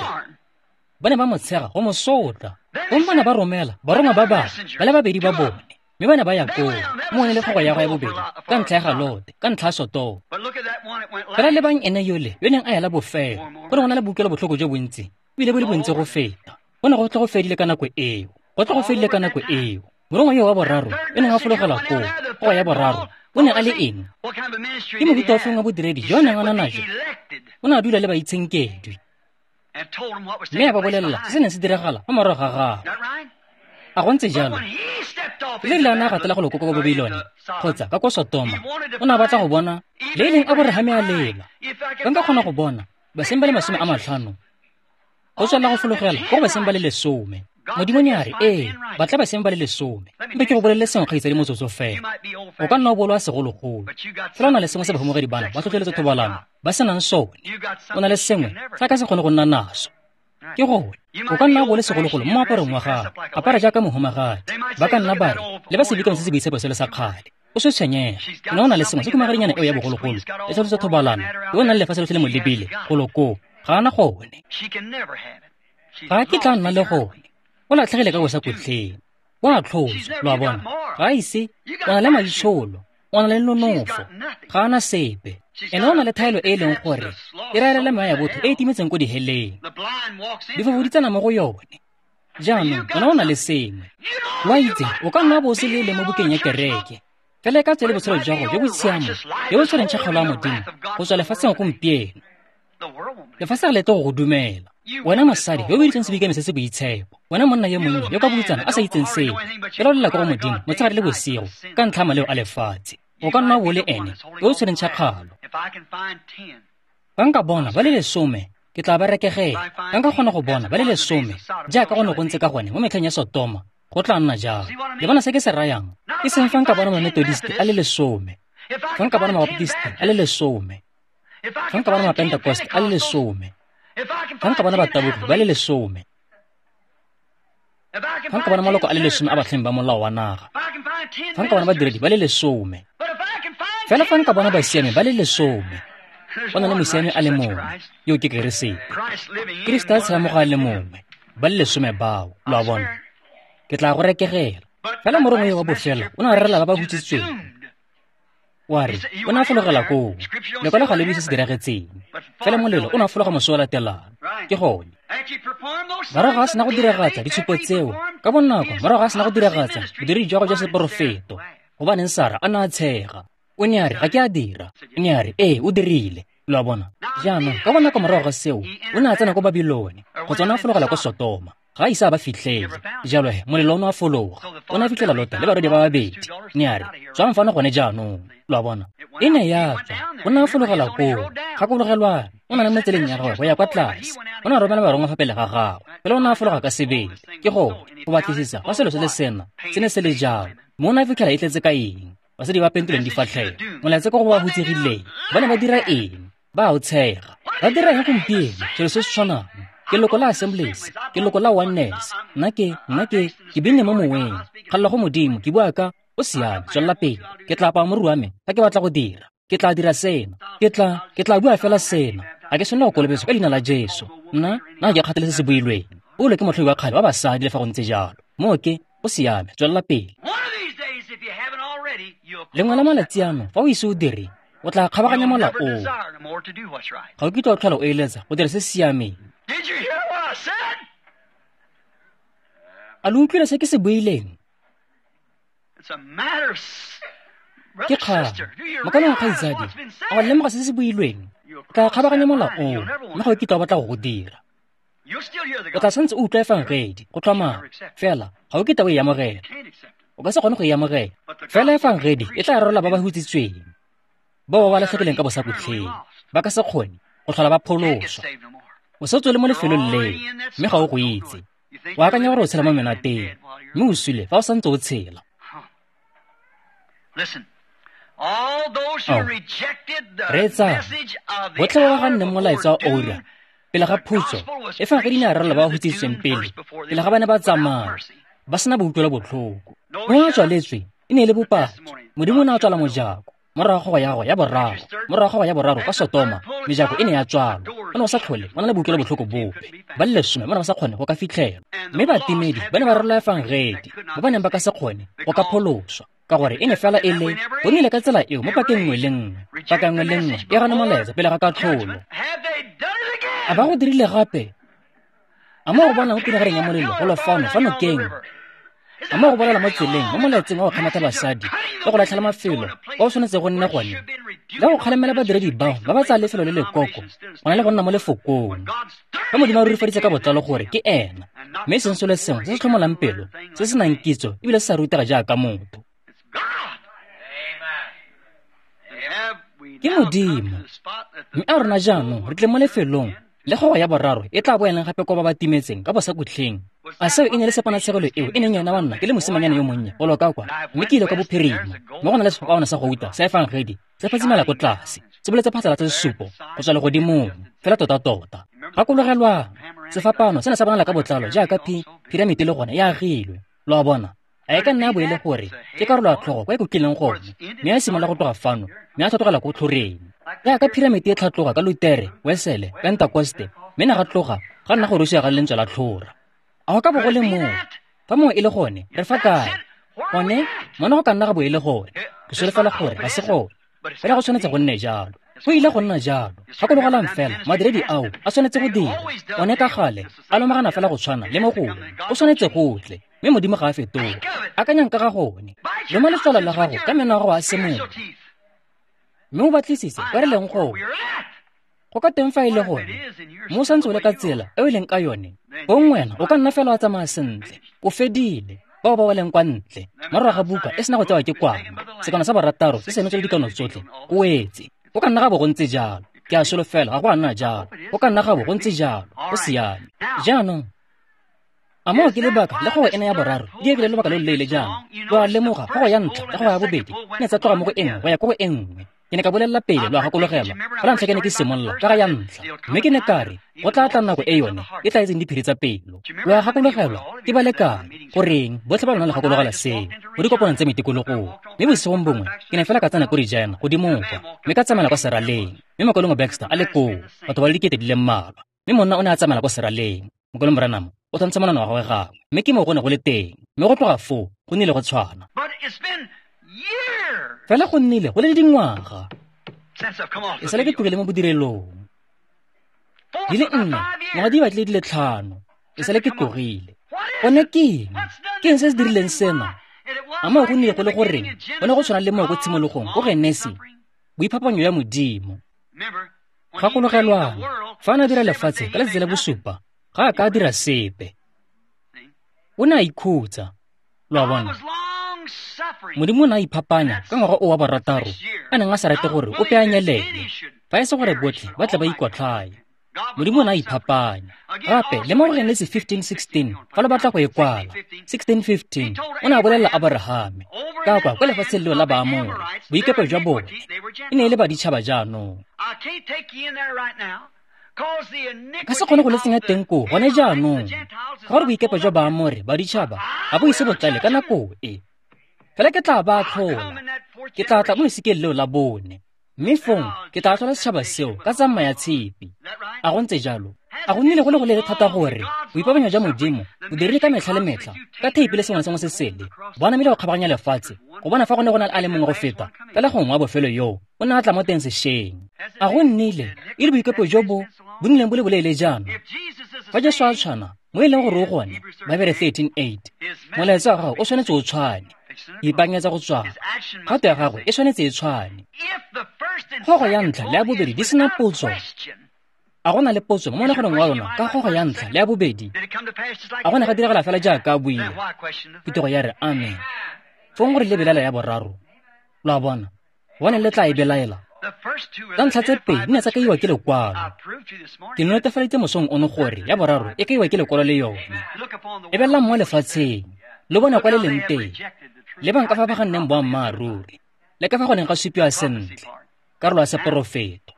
Ba ne ba mo tshega go mo sotla. Gomme ba ne ba romela barongwa ba bangwe ba le babedi ba bone, mme ba ne ba ya koo mo ne le kgogo ya go ya bobedi ka ntlha ya ga Lote, ka ntlha ya Sotoma. Fela lebang ene yole yo neng a ela bofelo, go ne go na le boutlwelo botlhoko jo bontsi, ebile bo le bontsi go feta. Go ne go tle go fedile ka nako eo, go tle go fedile ka nako eo. Morongwa yo wa boraro yo neng a fologela koo, kgogo ya boraro, o ne a le eng? Ke mohuta ofeng wa bodiredi jo a neng a na najo? O ne a dula le baitshenkedwi mme a ba bolelela se se neng se diragala fa morago ga gagwe. A go ntse jalo? Le rile a ne a gatela go loko ko Babilone kgotsa ka ko Sotoma, o ne a batla go bona le e leng Aborahame a lela. Ba nka kgona go bona baseng ba le masome a matlhano go tswelela go fologela ko go baseng ba le lesome. Modimo ne a re, ee, batla baseng ba le lesome. Mpe ke go bolelele sengwe kgaitsadi motsotso fela. O ka nna o bolwa segologolo, fela o na le sengwe se bahumagadi bana ba tlhotlheletsa thobalano ba senang sone. O na le sengwe se a ka se kgone go nna naso. Ke gone, o ka nna o bole segologolo mo moaparong wa gago, apara jaaka mohumagadi. Ba ka nna ba re, le ba sebikang se se boitshepo sele sa kgale. O se tshwenyega, ene o na le sengwe se khumagadinyana eo ya bogologolo e tlhotlheletsa thobalano, yo o nang le lefatshe lotlhe le mo lebile golo koo, ga a na gone. Ga a kitla a nna le gone. O latlhegile ka bosakutleng. O a tlhotswa, lo a bona. Ga a ise, o na le maitsholo, o na le nonofo, ga a na sepe. Ene o na le thaelo e e leng gore e raelele meya ya botho e e timetseng ko diheleng. Difofo di tsena mo go yone. Jaanong wena o na le sengwe. Lo a itse, o ka nna wa bo o se le mo bukeng ya kereke, fela e ka tswa e le botshelo jwa gago jo bo tshiamo jo bo tshwereng tšhakgalo ya Modimo go tswa lefatsheng gompieno. Lefatshe ga le tle go go dumela. Wena mosadi yo o biditsweng sebikane se se boitshepo, wena monna yo monnye yo ka boutsana a sa itseng sepe, fela o lela ko go Modimo motshegare le bosigo ka ntlha ya maleo a lefatshe. O ka nna wa bo le ene yo o tshwereng tšhakgalo. Fa nka bona ba le lesome, ke tla ba rekegela. Fa nka kgona go bona ba le lesome jaaka go ne go ntse ka gone mo metlheng ya Sotoma, go tla nna jalo. Le bona se ke se rayang? E seng fa nka bona Mamethodiste a le lesome, fa nka bona Mabaptiste a le lesome, fa nka bona Mapentekoste a le lesome, fa nka bona batabogi ba le lesome, fa nka bona maloko a le lesome a batlhami ba molao wa naga, fa nka bona badiredi ba le lesome, fela fa nka bona basiami ba le lesome. Go na le mosiami a le mongwe, yo ke Keresete. Kriste a tshela mo go a le mongwe, ba le lesome bao, lo a bona. Ke tla go rekegela. Fela morongwa yo wa bofelo o ne a rerela ba ba hutsitsweng. Wa re, o ne a fologela koo. Lekwalo ga le bue se se diragetseng. Fela molelo o ne a fologa moso o latelang. Ke gone. Morago ga a sena go diragatsa ditshupo tseo, ka bonako morago ga a sena go diragatsa bodiredi jwa gagwe jwa seporofeto, gobaneng Sara a ne a tshega. O ne a re, ga ke a dira. O ne a re, ee, o dirile. Lo a bona? Jaanong, ka bonako morago ga seo, o ne a tsena ko Babilone, kgotsa o ne a fologela ko Sotoma. Ga a ise a ba fitlhele. Jalo he, molelo o ne a fologa. O ne a fitlhela Lota le barwedi ba babedi. Ne a re, tswang fano gone jaanong. Lo a bona? E ne ya tswa. O ne a fologela koo. Gakologelwang, o na le mo tseleng ya gagwe go ya kwa tlase. O ne a romela barongwa fa pele ga gagwe. Fela o ne a fologa ka sebele. Ke gone, go batlisisa fa selo se le sena se ne se le jalo. Mme o ne a fitlhela e tletse ka eng? Basadi ba pentoleng difatlhego. Molaetsa ko go ba hutsegileng. Ba ne ba dira eng? Ba a o tshega. Ba dira eng gompieno? Selo se se tshwanang. Ke leloko la Assemblies, ke leloko la Oneness. Nna ke, nna ke, ke binne mo moweng. Kgalela go Modimo, ke bua ka, o siame, tswelela pele. Ke tla apaya moriri wa me fa ke batla go dira. Ke tla dira sena. Ke tla, ke tla bua fela sena. Ga ke tshwanela go kolobetswa ka leina la Jesu. Nna, nna ga ke kgathale se se builweng. Paulo ke motlhoi wa kgale wa basadi le fa go ntse jalo. Moo ke, o siame, tswelela pele. Lengwe la malatsi ano, fa o ise o dire, o tla kgabaganya mola oo. Ga o kitla o tlhola o eletsa go dira se se siameng. A lo utlwile se ke se buileng? Ke kgang. Mokaulengwe kgaitsadi, a wa lemoga se se builweng? O tla kgabaganya mola oo, mme ga o kitla o batla go go dira. O tla santse o utlwa efangedi, go tlhomama, fela ga o kitla o e amogela. O ka se kgone go e amogela. Fela efangedi e tla rorola ba ba hutsitsweng, bao ba ba latlhegileng ka bosakutlheng, ba ka se kgone go tlhola ba pholoswa. O setse o le mo lefelong leo, mme ga o go itse. O akanya gore o tshela mo menateng, mme o sule fa o santse o tshela. Ao, reetsa, botlhe ba ba ganneng molaetsa wa oura pele ga phutso, efangedi ne ya rorola ba ba hutsitsweng pele, pele ga ba ne ba tsamaya, ba sena boutlwelo botlhoko. Mo a tswaletswe e ne e le bopaki. Modimo o ne a tswala mojako. Morago ga ya gagwe ya boraro, morago ga ya boraro ka Sotoma, mejako e ne ya tswalwa. Ba ne ba sa tlhole ba na le boutlwelo botlhoko bope. Ba le lesome ba ne ba sa kgone go ka fitlhelwa. Mme batimedi ba ne ba rorola efangedi, ba ba neng ba ka se kgone go ka pholoswa, ka gore e ne fela e le go nnile ka tsela eo mo pakeng nngwe le nngwe. Paka nngwe le nngwe e gana molaetsa pele ga katlholo. A ba go dirile gape? A mo go bona mo pinagareng ya molelo go lo fano fa nokeng? A mo go bolela mo tseleng mo molaetseng wa go kgamatha basadi le go latlhela mafelo kwa o tshwanetse go nne gone, le go kgalemela badiredi bao ba ba tsaya lefelo le lekoko go na le go nna mo lefokong. Fa Modimo a rurifaditse ka botlalo gore ke ena, mme e seng selo sengwe se se tlhomolang pelo, se se nang kitso ebile se sa rutega jaaka motho. Ke Modimo. Mme a rona jaanong re tle mo lefelong le kgogo ya boraro e tla boelang gape kwa ba ba timetseng ka bosakutlheng. A seo e ne le seponatshegelo eo e neng yona wa nna ke le mosimanyana yo monnye go loka kwa, mme ke ile kwa bophirima, mme go na le sefapaano sa gouta sa efangedi se phatsimela ko tlase, se boletse phatlalatsa sesupo go tswa legodimong fela tota-tota. Gakologelwang, sefapaano se ne sa bonala ka botlalo jaaka pi piramite le gone e agilwe. Lo a bona? A e ka nna ya bo e le gore ke karolo ya tlhogo kwa e kokileng gone, mme a simolola go tloga fano mme a tlhatlogela ko tlhoreng. Jaaka piramite e tlhatloga ka Lutere, Wesele, Pentekoste, mme ne ga tloga ga nna go rosiwa ga lentswe la tlhora. A go ka bo go le moo? Fa mongwe e le gone, re fa kae? Gone, mona go ka nna ga bo e le gone. Ke solofela gore ga se gone, fela go tshwanetse go nne jalo. Go ile go nna jalo. Gakologelang fela, madiredi ao a tshwanetse go dira. One ka gale a lomagana fela go tshwana le mo gongwe. O tshwanetse go tle, mme Modimo ga a fetoge. Akanyang ka ga gone. Loma letswalo la gago ka meno a gago a semoya, mme o batlisise kwa re leng gone. Go ka teng fa e le gone, mo o santse o le ka tsela e o leng ka yone, bong wena o ka nna fela wa tsamaya sentle, o fedile. Bao ba weleng kwa ntle, morago ga buka e sena go tsewa ke kwana, sekano sa barataro se senotswe le dikano tsotlhe, o wetse. Go ka nna ga bo go ntse jalo. Ke a solofela ga go a nna jalo. Go ka nna ga bo go ntse jalo. Go siame. Jaanong, a moo ke lebaka le kgogo ena ya boraro di ebile lobaka lo loleele jaana? Lo a lemoga, kgogo ya ntlha le kgogo ya bobedi ne tsa tloga mo go e nngwe go ya ko go e nngwe. Ke ne ka bolelela pele, lo a gakologelwa, fa la ntlha ke ne ke simolola ka ga ya ntlha, mme ke ne ka re go tla tla nako e yone e tla etseng diphiri tsa pelo. Lo a gakologelwa, ke ba lekane goreng botlhe ba lona le gakologelwa seo mo dikopanong tse metikologong. Mme bosigong bongwe ke ne fela ka tsena ko Regina godimo kwa, mme ka tsamaela kwa seraleng, mme mokalengwe Baxter a le koo, batho ba le dikete di le mmalwa. Mme monna o ne a tsamaela kwa seraleng, mokalengwe Branham o tshwantsha monwana wa gagwe gangwe, mme ke mo go ne go le teng, mme go tloga foo go nnile go tshwana. Fela go nnile go le dingwaga e sale ke tlogile mo bodirelong, di le nne, ngwaga di batlile di le tlhano e sale ke tlogile. Gone ke eng? Ke eng se se dirileng sena? A moo go nnile go le goreng go ne go tshwana le moo ko tshimologong ko Genesi, boiphapanyo ya Modimo. Gakologelwang, fa a ne a dira lefatshe ka letsatsi la bosupa, ga a ka a dira sepe. O ne a ikhutsa. Lo a bona? Modimo o ne a iphapanya ka ngwaga o wa barataro, a neng a sa rate gore ope a nyelele, fa e se gore botlhe ba tle ba ikwatlhaye. Modimo o ne a iphapanya. Gape le mo go Genesi fifteen sixteen, fa lo batla go e kwala, sixteen fifteen, o ne a bolelela Aborahame ka kwa kwa lefatsheng leo la Baamore, boikepo jwa bone e ne e le baditšhaba jaanong. Ka se kgone go le tsenya teng koo gone jaanong, ka gore boikepo jwa Baamore baditšhaba ga bo ise bo tlale ka nako e. Fela ke tla ba atlhola, ke tla tla mo lesikeng leo la bone, mme fong ke tla atlhola setšhaba seo ka tsamaya tshipi. A go ntse jalo? A go nnile go le go leele thata gore boipabanyo jwa Modimo bo dirile ka metlha le metlha ka theipi le sengwe le sengwe se sele, bo anamile go kgabaganya lefatshe go bona fa go ne go na le a le mongwe go feta fela gongwe wa bofelo yoo o ne a tla mo teng sešweng. A go nnile e le boikepo jo bo bo nnileng bo le boleele jaana? Fa Jesu a tshwana mo e leng gore o gone, Babere thirteen eight, molaetsa wa gago o tshwanetse o tshwane. Ipaakanyetsa go tswala, kgato ya gagwe e tshwanetse e tshwane. Kgogo ya ntlha le ya bobedi di sena potso. A go na le potso mo monaganong wa lona ka kgogo ya ntlha le ya bobedi? A go ne ga diragala fela jaaka a buile? Phuthego ya re amen. Fong gore le belaela ya boraro. Lo a bona? Bone le tla e belaela. Tsa ntlha tse pedi di ne tsa kaiwa ke lekwalo. Ke netefaditse mosong ono gore ya boraro e kaiwa ke lekwalo le yone. Lebelelang mo lefatsheng, lo bone kwa le leng teng. Lebang ka fa ba ganneng boammaaruri, le ka fa go neng ga supiwa sentle, karolo ya seporofeto.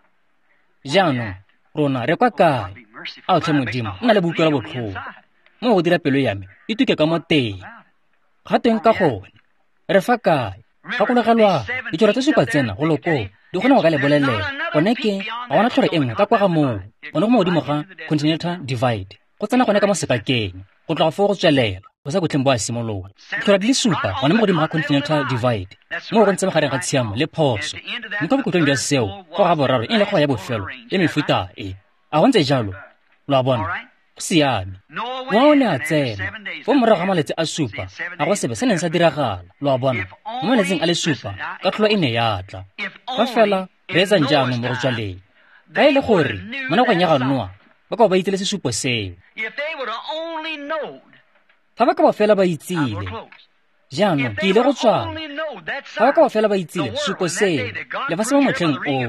Jaanong, rona re kwa kae? Ao tlhe Modimo, nna le boutlwelo botlhoko. Mo go dira pelo ya me, e tuke ka mo teng. Ga teng ka gone, re fa kae? Gakologelwang, ditlhora tse supa tsena go lokoo di kgona go ka le bolelela. Gone ke, ga gona tlhoro e nngwe ka kwa ga moo, gone go mo godimo ga Continental Divide, go tsena gone ka mo sekakeng, go tloga foo go tswelela, go sa botlheng bo a simolola. Ditlhora di le supa gone mo godimo ga Continental Divide, mo go ntse magareng ga tshiamo le phoso. Mme kwa bokhutlong jwa seo, go ga boraro e le kgogo ya bofelo le mefuta e. A go ntse jalo? Lo a bona? Go siame. Noa o ne a tsena fo morago ga malatsi a supa, ga go sebe se neng sa diragala. Lo a bona? Mo malatsing a le supa, katlholo e ne ya tla. Fa fela re etsang jaanong mo go tswaleng. Fa e le gore mo nakong ya ga Noa ba ka bo ba itsile sesupo seo. Fa ba ka bo fela ba itsile. Jaanong ke ile go tswala. Fa ba ka bo fela ba itsile sesupo seo, lefatshe mo motlheng oo,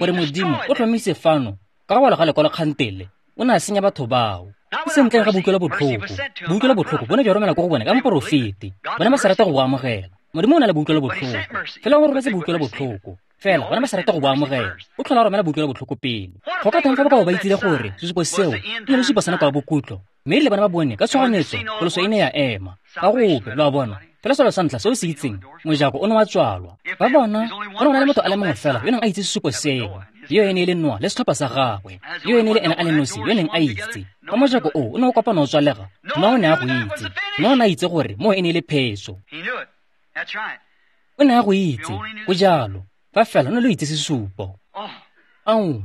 gore Modimo o tlhomise fano ka go bala ga lekwalo kgantele, o ne a senya batho bao. E se ntleng ga boutlwelo botlhoko. Boutlwelo botlhoko bo ne jwa romela ko go bone ka moporofeti. Bone ba sa rata go bo amogela. Modimo o na le boutlwelo botlhoko. Fela o rometse boutlwelo botlhoko. Fela bone ba sa rata go bo amogela. O tlhola a romela boutlwelo botlhoko pele. Go ka teng fa ba ka bo ba itsile gore sesupo seo e ne le sesupo sa nako ya bokutlo. Mme erile bana ba bone ka tshoganyetso pholoso e ne ya ema. Ga gope, lo a bona. Fela selo sa ntlha se o se itseng, mojako o ne wa tswalwa. Ba bona, go ne go na le motho a le mongwe fela yo neng a itse sesupo seo. Yo e ne e le Noa le setlhopha sa gagwe. Yo e ne e le ene a le nosi yo neng a itse. Fa mojako o o ne o kopana o tswalega, Noa o ne a go itse. Noa o ne a itse gore moo e ne e le phetso. O ne a go itse, go jalo. Fa fela o ne lo itse sesupo. Ao,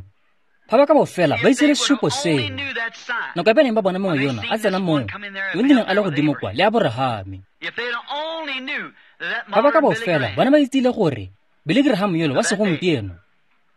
fa ba ka bo fela ba itse le sesupo seo. Nako e ba neng ba bona mongwe yona a tsena moo, yo neng a le godimo kwa le Aborahame. Fa ba ka bo fela ba ne ba itsile gore Billy Graham yolo wa segompieno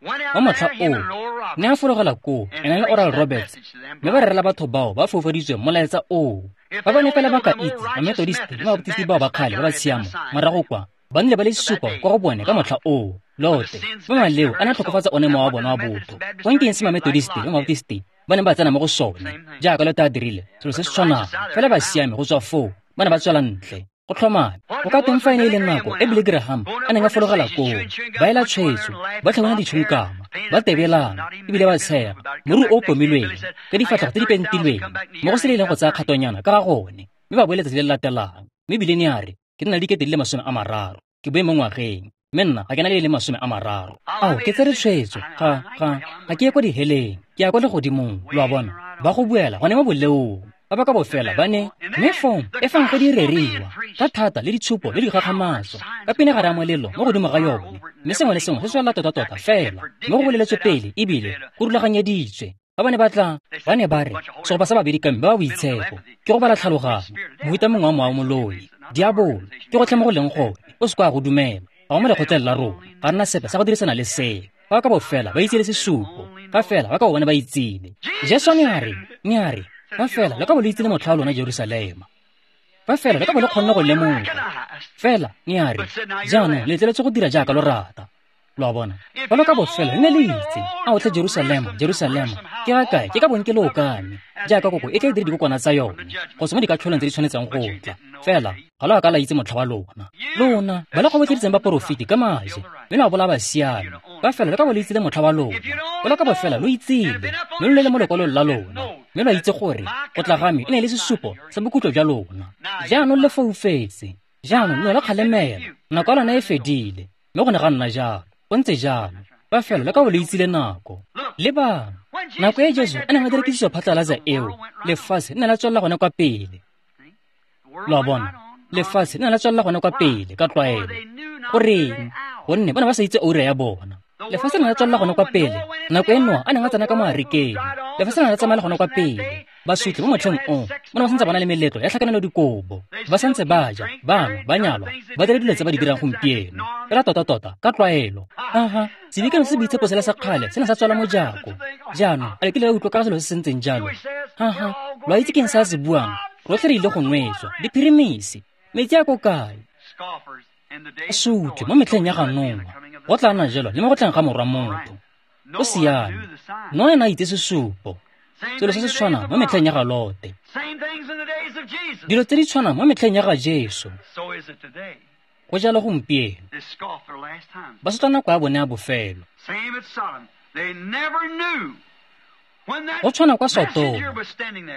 wa motlha oo ne a fologela koo ena le Oral Roberts, mme ba rerela batho bao ba foufaditsweng molaetsa oo. Ba ba ne fela ba ka itse ba-Methodist le ba-Baptist bao ba kgale ba ba tshiamo morago kwa ba nnile ba le sesupo kwa go bone ka motlha oo. Lote ba maleo a ne a tlhokofatsa one mowa wa bona wa botho. Gong ke eng se ma-Methodist le ma-Baptist ba neng ba tsena mo go sone jaaka Lote a dirile selo se se tshwanang, fela ba siame go tswa foo ba ne ba tswela ntle. Go tlhomame, go ka teng fa e ne e le nako e Billy Graham a neng a fologela koo, ba ela tshwetso, ba tlhabana ditšhonkama, ba tebelana, ebile ba tshega, moriri o o pomilweng, ka difatlhego tse di pentilweng, mo go se le leng go tsaya kgatonyana ka ga gone, mme ba boe letsatsi le le latelang. Mme ebile ne a re, ke nna le dikete di le masome a mararo, ke boe mo ngwageng, mme nna ga ke na le le masome a mararo. Ao, ke tsere tshwetso, ga, ga, ga ke ye kwa diheleng, ke ya kwa legodimong, lo a bona, ba go buela gone mo boleong. Ba ba ka bo fela ba ne, mme fong e fang go di reriwa ka thata le ditshupo le dikgakgamatso ka pine gare ya molelo mo godimo ga yone, mme sengwe le sengwe se tswelela tota-tota fela mme go boleletswe pele ebile go rulaganyeditswe. Ba ba ne ba tla, ba ne ba re segopa sa babedi ka mme ba ba boitshepo ke go bala tlhaloganyo, mohuta mongwe wa mowa moloi, diabolo ke gotlhe mo go leng gone, o se kwa go dumela, ga go mo lekgotleng la rona, ga rena sepe sa go dirisana le seo. Ba ka bo fela ba itsile sesupo, fa fela ba ka bo bone ba itsile. Jesu ne a re, ne a re, fa fela le ka bo le itsile motlha wa lona Jerusalema, fa fela le ka bo le kgonne go lemoga. Fela ne a re, jaanong le letleletswe go dira jaaka lo rata. Lo a bona? Fa lo ka bo fela le ne le itse, ao tlhe Jerusalema, Jerusalema, ke ga kae ke ka bong ke le okame, jaaka koko e tla e dire dikokwana tsa yone, go tswa mo dikatlholong tse di tshwanetseng go tla. Fela ga lo a ka la itse motlha wa lona. Lona ba le kgobotleditseng baporofeti ka maje, mme la bolaya basiami. Fa fela le ka bo le itsile motlha wa lona, fa lo ka bo fela lo itsile, mme lo le mo lekwalong la lona, mme lo itse gore go tla ga me e ne e le sesupo sa bokhutlo jwa lona. Jaanong le foufetse, jaanong lo la kgalemela, nako ya lona e fedile, mme go ne ga nna jalo. Go ntse jalo, fa fela le ka bo le itsile nako. Lebang, nako e Jesu a neng a dira kitsiso phatlalatsa eo, lefatshe le ne la tswelela gone kwa pele. Lo a bona? Lefatshe le ne la tswelela gone kwa pele ka tlwaelo. Goreng? Gonne ba ne ba sa itse oura ya bona. Lefatshe le ne la tswelela gone kwa pele nako e Noa a neng a tsena ka mo arekeng. Lefatshe le ne la tsamaela gone kwa pele. Basotli mo motlheng o, ba ne ba santse ba na le meletlo ya tlhakanelo dikobo. Ba santse ba ja, ba nwa, ba nyalwa, ba dira dilo tse ba di dirang gompieno. Fela tota-tota, ka tlwaelo. Aha, sedikano se se boitshepo sela sa kgale se ne sa tswala mojako. Jaanong, a le kile la utlwa ka selo se se ntseng jalo? Haha, lo a itse ke eng se a se buang? Rotlhe re ile go nwetswa, diphirimisi, metsi a ko kae? Basotli mo metlheng ya ga Noa, go tla nna jalo le mo go tleng ga Morwa Motho. Go siame. Noa ene a itse sesupo. Selo se se tshwanang mo metlheng ya ga Lote. Dilo tse di tshwanang mo metlheng ya ga Jesu. Go jalo gompieno. Ba sotla nako ya bone ya bofelo. Go tshwana kwa Sotoma.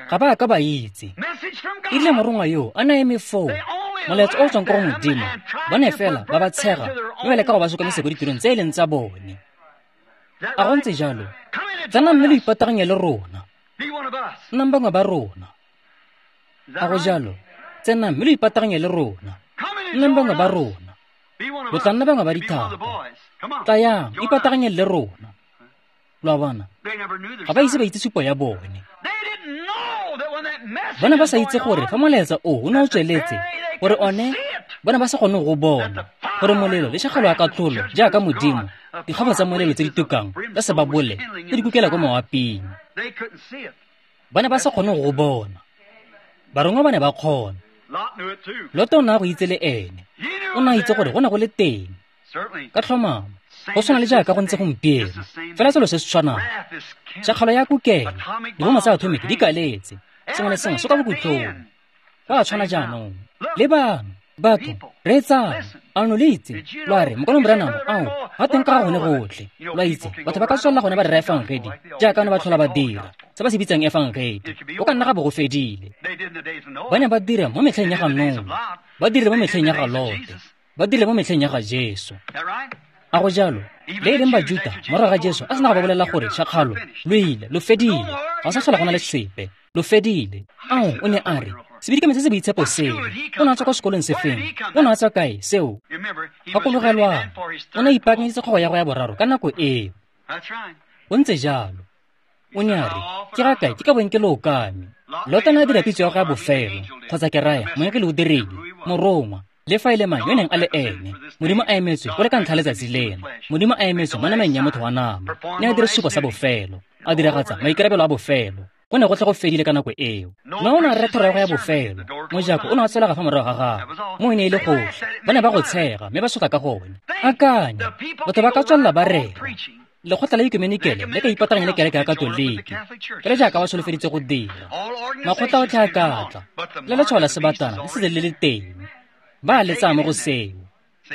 Ga ba a ka ba itse. E rile morongwa yo a ne a eme foo, molaetsa o o tswang ko go Modimo, ba ne fela ba ba tshega mme ba leka go ba sokamisa ko ditirong tse e leng tsa bone. A go ntse jalo? Tsenang mme lo ipataganye le rona. Nnang bangwe ba rona. A go jalo? Tsenang mme lo ipataganye le rona. Nnang bangwe ba rona. Lo tla nna bangwe ba dithata. Tlayang, ipataganyeng le rona. Lo a bona? Ga ba ise ba itse tshupo ya bone. Ba ne ba sa itse gore fa molaetsa o o ne o tsweletse, gore one ba ne ba sa kgone go bona, gore molelo le tšhakgalo ya katlholo jaaka Modimo, dikgabo tsa molelo tse di tukang tsa sebabole tse di kukela kwa mawaping. Ba ne ba sa kgone go bona. Barongwa ba ne ba kgona. Lote o ne a go itse le ene. O ne a itse gore go ne go le teng. Ka tlhomamo, go tshwana le jaaka go ntse gompieno, fela selo se se tshwanang. Tšhakgalo ya kukela, dibomo tsa atomic di kaletse, sengwe le sengwe se kwa bokhutlong. Go a tshwana jaanong. Lebang, batho, reetsang, a lo le itse, lo a re, Mokaulengwe Branham, ao, ga teng ka ga gone gotlhe. Lo a itse, batho ba ka tswelela gone ba rera efangedi, jaaka ne ba tlhola ba dira, se ba se bitsang efangedi. Go ka nna ga bo go fedile. Ba ne ba dira mo metlheng ya ga Noa, ba dirile mo metlheng ya ga Lote, ba dirile mo metlheng ya ga Jesu. A go jalo? Le e leng Bajuta, morago ga Jesu a sena go ba bolelela gore tšhakgalo, lo ile, lo fedile, ga sa tlhola go na le sepe, lo fedile. Ao, o ne a re, sebidikame se se boitshepo seo, o ne a tswa kwa sekolong sefeng, o ne a tswa kae seo? Gakologelwang, o ne a ipaakanyeditse kgogo ya go ya boraro ka nako eo. Go ntse jalo. O ne a re, ke ga kae ke ka bong ke lo okame. Lote ne a dira pitso ya go ya bofelo, kgotsa ke raya, moengele o dirile, morongwa, le fa e le mang yo neng a le ene. Modimo a emetswe go le ka ntlha letsatsi lena. Modimo a emetswe mo nameng ya motho wa nama. Ne a dira sesupo sa bofelo, a diragatsa maikarabelo a bofelo. Go ne gotlhe go fedile ka nako eo. Noa o ne a rera thero ya go ya bofelo. Mojako o ne a tswelega fa morago ga gagwe. Mo e ne e le gotlhe. Ba ne ba go tshega mme ba sotla ka gone. Akanya, batho ba ka tswelela ba rera. Lekgotla la ekumenikele le ka ipataganya le kereke ya Katoliki, fela jaaka ba solofeditse go dira. Makgotla otlhe a ka tla, le letshwao la sebatana le setse le le teng. Ba a le tsaya mo go seo.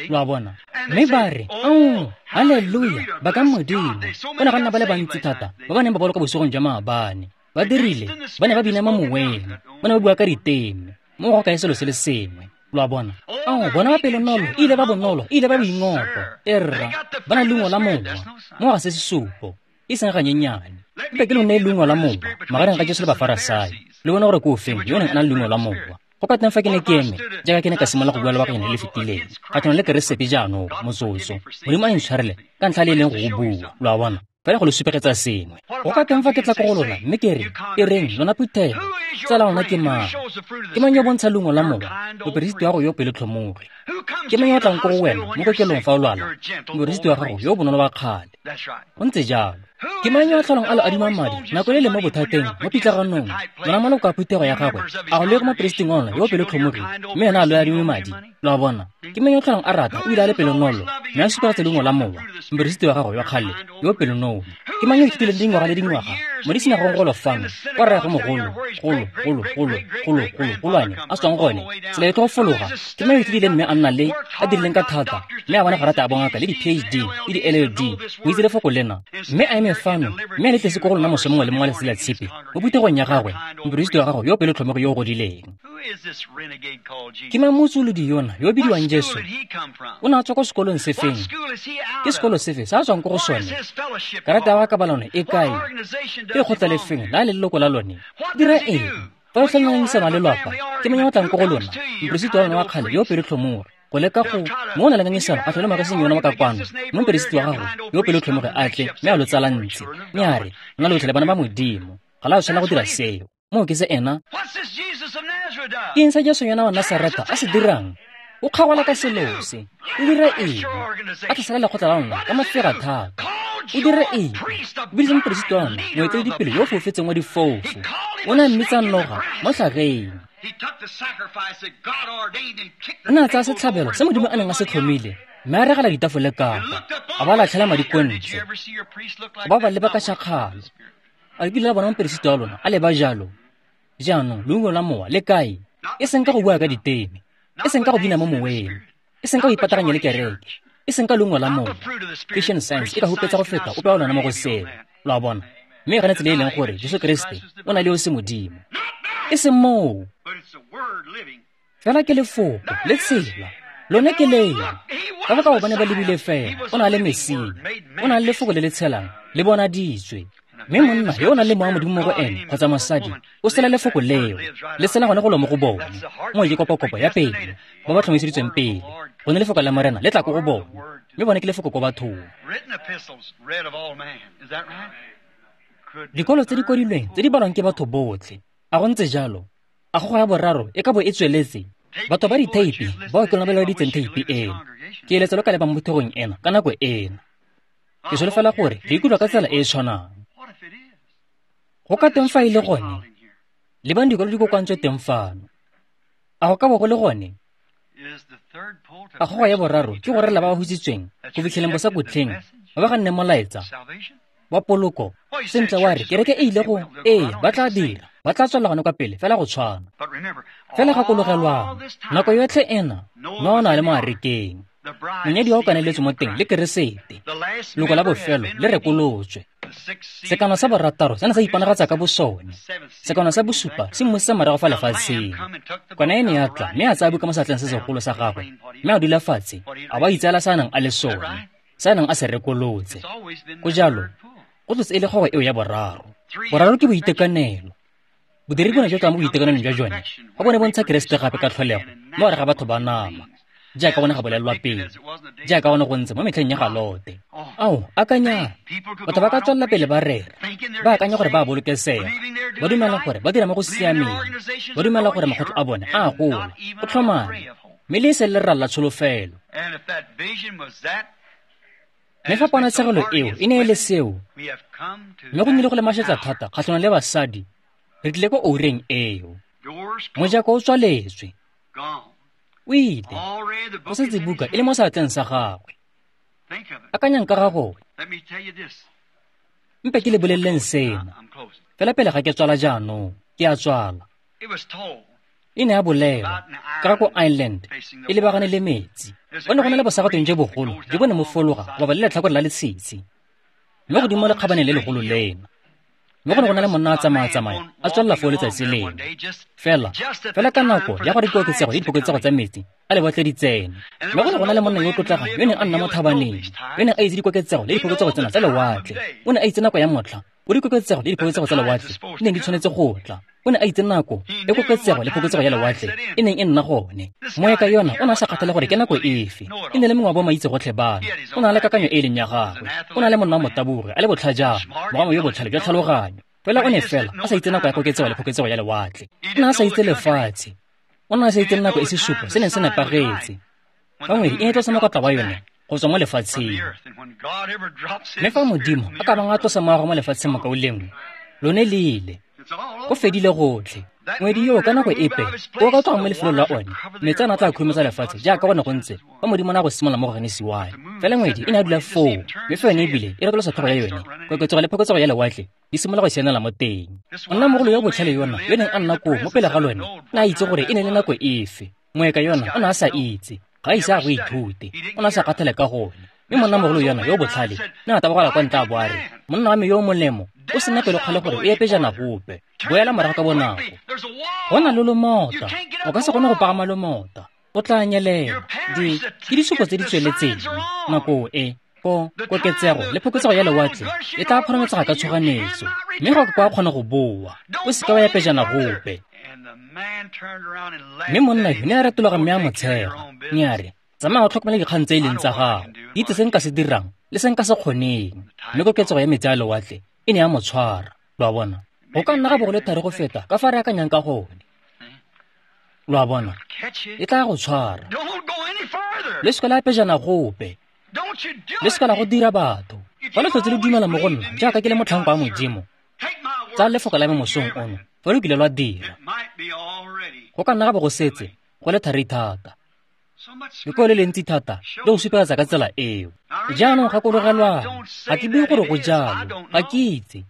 Lo a bona? Mme ba re, ao, haleluya, bakang Modimo. Go ne ga nna ba le bantsi thata ba ba neng ba boloka bosigong jwa maabane. Ba dirile, ba ne ba bina mo moweng, ba ne ba bua ka diteme, mo go kae selo se le sengwe. Lo a bona? Ao, bona ba pelonolo, e ile ba bonolo, e ile ba boingotlo. Erra, ba na le leungo la mowa, mo ga se sesupo, e seng ganyenyane. Mpe ke lo neye leungo la mowa, magareng ga Jesu le Bafarasai. Le bone gore ke ofeng yo neng a na le leungo la mowa. Go ka teng fa ke ne ke eme, jaaka ke ne ka simolola go bua lebakanyana le le fetileng, kgatlhanong le Keresete jaanong, motsotso. Modimo a intshwarele ka ntlha le e leng go go bua, lo a bona? Fela go lo supegetsa sengwe. Go ka teng fa ke tla ko go lona mme ke re, e reng lona phuthego, tsala lona ke mang? Ke mang yo bontsha leungo la mowa? Moperesiti wa gago yo pelotlhomogi. Ke mang yo tlang ko go wena mo kokelong fa o lwala? Moperesiti wa gago yo bonolo wa kgale. Go ntse jalo. Ke mang yo a tlholang a lo adima madi nako le le mo bothateng, mo pitlaganong? Lona maloko a phuthego ya gagwe, a go le go moperesiti wa lona yo pelotlhomogi, mme ena a lo adime madi. Lo a bona? Ke mang yo tlholang a rata o ile a le pelonolo, mme a supegetsa leungo la mowa? Moperesiti wa gago yo kgale, yo pelonolo. Ke mang yo ithutileng dingwaga le dingwaga mo disinagogong golo fano, kwa rraagwe mogolo, golo, golo, golo, golo, golo, golwane, a tswang gone, tsela e tlo go fologa? Ke mang yo ithutileng mme a nna le, a dirileng ka thata, mme a bona garata a bongaka le di-P H D le di-L L D, go itse lefoko lena, mme a eme fano, mme a le tlese ko go lona moso mongwe le mongwe wa letsatsi la tshipi, mo phuthegong ya gagwe, moperesiti wa gago yo pelotlhomogi yo o godileng. Ke mang motsoolodi yona yo o bidiwang Jesu? O ne a tswa ko sekolong sefeng? Ke sekolo sefe se a tswang ko go sone? Karata ya kabalano e kae? Ke lekgotla lefeng la le leloko la lone? Dira eng? Fa o tlhanganyisana le lwapa, ke mang yo o tlang ko go lona? Moperesiti wa lona wa kgale yo pelotlhomogi. Go leka go mo o na le ngangisano a tlhole magaseng yona wa ka kwano, mme moperesiti wa gago yo pelotlhomogi a tle mme a lo tsalantse, mme a re, lona lotlhe le bana ba Modimo, ga la tshwanela go dira seo. Moo ke se ena. Ke eng se Jesu yona wa Nasaretha a se dirang? O kgagola ka selo se. O dira eng? A tlhasela lekgotla la lona ka mafega thata. O dira eng? O biditse moperesiti wa lona moeteledipele yo o foufetseng wa difofu. O ne a mmitsa noga mo tlhageng. O ne a tsaya setlhabelo se Modimo a neng a se tlhomile mme a regela ditafole kapa, a ba latlhela madi ko ntle. Ba ba leba ka tšhakgalo. A le kile la bona moperesiti wa lona a leba jalo? Jaanong leungo la mowa le kae? E seng ka go bua ka diteme, e seng ka go bina mo moweng, e seng ka go ipataganya le kereke, e seng ka leungo la mowa. Christian Science e ka hupetsa go feta ope wa lona mo go seo. Lo a bona? Mme e ganetse le e leng gore Jesu Kriste o na le yo se Modimo. E seng moo. Fela ke lefoko le tsela. Lone ke leo. Ka baka gobane ba lebile fela, o na le Mesia, o na le lefoko le le tshelang, le bonaditswe. Mme monna yo o nang le mowa Modimo mo go ene kgotsa mosadi o sela lefoko leo, le sela gone go lo mo go bone. Mo ke kopokopo ya pele, ba ba tlhomiseditsweng pele. Gone lefoko la Morena le tla ko go bone, mme bone ke lefoko ko bathong. Dikolo tse di kwadilweng tse di balwang ke batho botlhe. A go ntse jalo? A gogo ya boraro e ka bo e tsweletse? Batho ba ditheipi bao ke lona ba laeditseng theipi eno. Ke eletsa lo ka lebang mo phuthegong ena ka nako ena. Ke solofela gore re ikutlwa ka tsela e e tshwanang. Go ka teng fa e le gone, lebang dikolo di kokoantswe teng fano. A go ka bo go le gone? A gogo ya boraro ke go rela ba ba hutsitsweng go fitlheleng bosakhutleng ba ba ganneng molaetsa wa poloko. Sentle wa re kereke e ile go, ee, ba tla dira, ba tla tswelela gone kwa pele fela go tshwana. Fela gakologelwang, nako yotlhe ena Noa o ne a le mo arekeng. Monyadiwa o kaneletswe mo teng le Keresete. Loko la bofelo le rekolotswe. Sekano sa borataro se ne sa iponagatsa ka bosone. Sekano sa bosupa se mmusitse morago fa lefatsheng. Kwana e ne ya tla mme a tsaya buka mo seatleng se segolo sa gagwe, mme a dula fatshe, a ba itseela se a neng a le sone, se a neng a se rekolotse. Go jalo, go tlotse e le kgogo eo ya boraro. Boraro ke boitekanelo. Bodiri bone jwa tswa mo boitekanelong jwa jone, ba bone bontsha Keresete gape ka tlholego mo gare ga batho ba nama, jaaka bone ga bolelelwa pele, jaaka gone go ntse mo metlheng ya ga Lote. Ao, akanya, batho ba ka tswelela pele ba rera, ba akanya gore ba a bolokesega, ba dumela gore ba dira mo go siameng, ba dumela gore makgotlo a bone a a gola, go tlhomame, mme le e seng lerala la tsholofelo. Mme fa ponatshegelo eo e ne e le seo, mme go nnile go le mašetla thata kgatlhanong le basadi, re tlile ko oureng eo. Mojako o tswaletswe. O ile, go setse buka e le mo seatleng sa gagwe. Akanyang ka ga gone. Mpe ke le boleleleng sena. Fela pele ga ke tswala jaanong, ke a tswala. E ne ya bolelwa ka ga ko Ireland e lebagane le metsi. Go ne go na le bosagatong jo bogolo jo bo ne mo fologa go bapa le letlhakore la letshitshi, mme godimo mo lekgabaneng le legolo lena. Mme go ne go na le monna a tsamaya-tsamaya a tswelela foo letsatsi lengwe. Fela, fela ka nako ya gore dikoketsego le diphoketsego tsa metsi a lewatle di tsene. Mme go ne go na le monna yo o tlotlegang yo neng a nna mo thabaneng, yo neng a itse dikoketsego le diphoketsego tsena tsa lewatle. O ne a itse nako ya motlha o dikoketsego le diphoketsego tsa lewatle di neng di tshwanetse go tla. O ne a itse nako e koketsego le phoketsego ya lewatle e neng e nna gone. Moeka yona o ne a sa kgathale gore ke nako efe. E ne le mongwe wa bomaitse gotlhe bano. O ne a le kakanyo e e leng ya gagwe. O ne a le monna wa motabogi, a le botlhajana, mogamo yo botlhale jwa tlhaloganyo. Fela o ne fela a sa itse nako ya koketsego le phoketsego ya lewatle. O ne a sa itse lefatshe. O ne a sa itse nako e sesupo se neng se nepagetse. Fa ngwedi e ne tlosa mokotla wa yone go tswa mo lefatsheng. Mme fa Modimo a ka bang a tlosa moago mo lefatsheng mokaulengwe, lone le ile. Go fedile gotlhe. Ngwedi yo ka nako epe o ka tloga mo lefelong la one, metsi a ne a tla khurumetsa lefatshe jaaka go ne go ntse fa Modimo a ne a go simolola mo go Genesi one. Fela ngwedi e ne a dula foo, mme fa yone ebile e retolosa tlhogo ya yone, koketsego le phoketsego ya lewatle di simolola go sianela mo teng. Monnamogolo yo botlhale yona yo neng a nna koo mo pele ga lone o ne a itse gore e ne le nako efe. Moeka yona o ne a sa itse, ga a ise a go ithute, o ne a sa kgathale ka gone. Mme monnamogolo yona yo botlhale ne a tabogela kwa ntle a bo a re, monna wa me yo o molemo o sena pelokgale gore o ye pejana gope, boela morago ka bonako. Go na le lomota, o ka se kgone go pagama lomota, o tla nyelela. Di ke disupo tse di tsweletseng nako e ko koketsego le phoketsego ya lewatle e tla kgorometsega ka tshoganyetso, mme ga o ka kgona go boa, o seka wa ya pejana gope. Mme monna yo ne a retologa mme a mo tshega, mme a re, tsamaya o tlhokomele dikgang tse e leng tsa gago, itse se nka se dirang le se nka se kgoneng. Mme koketsego ya metsi a lewatle e ne ya mo tshwara. Lo a bona? Go ka nna ga bo go le thari go feta ka fa re akanyang ka gone. Lo a bona? E tla go tshwara. Le seka la pejana gope. Le seka la go dira batho. Fa le tlhotse le dumela mo go nna jaaka ke le motlhanka wa Modimo, tsaya lefoko la me mosong ono, fa lo kile lwa dira. Go ka nna ga bo go setse go le thari thata. Lekwalo le le ntsi thata le go supegetsa ka tsela eo. Jaanong gakologelwang, ga ke bue gore go jalo, ga ke itse.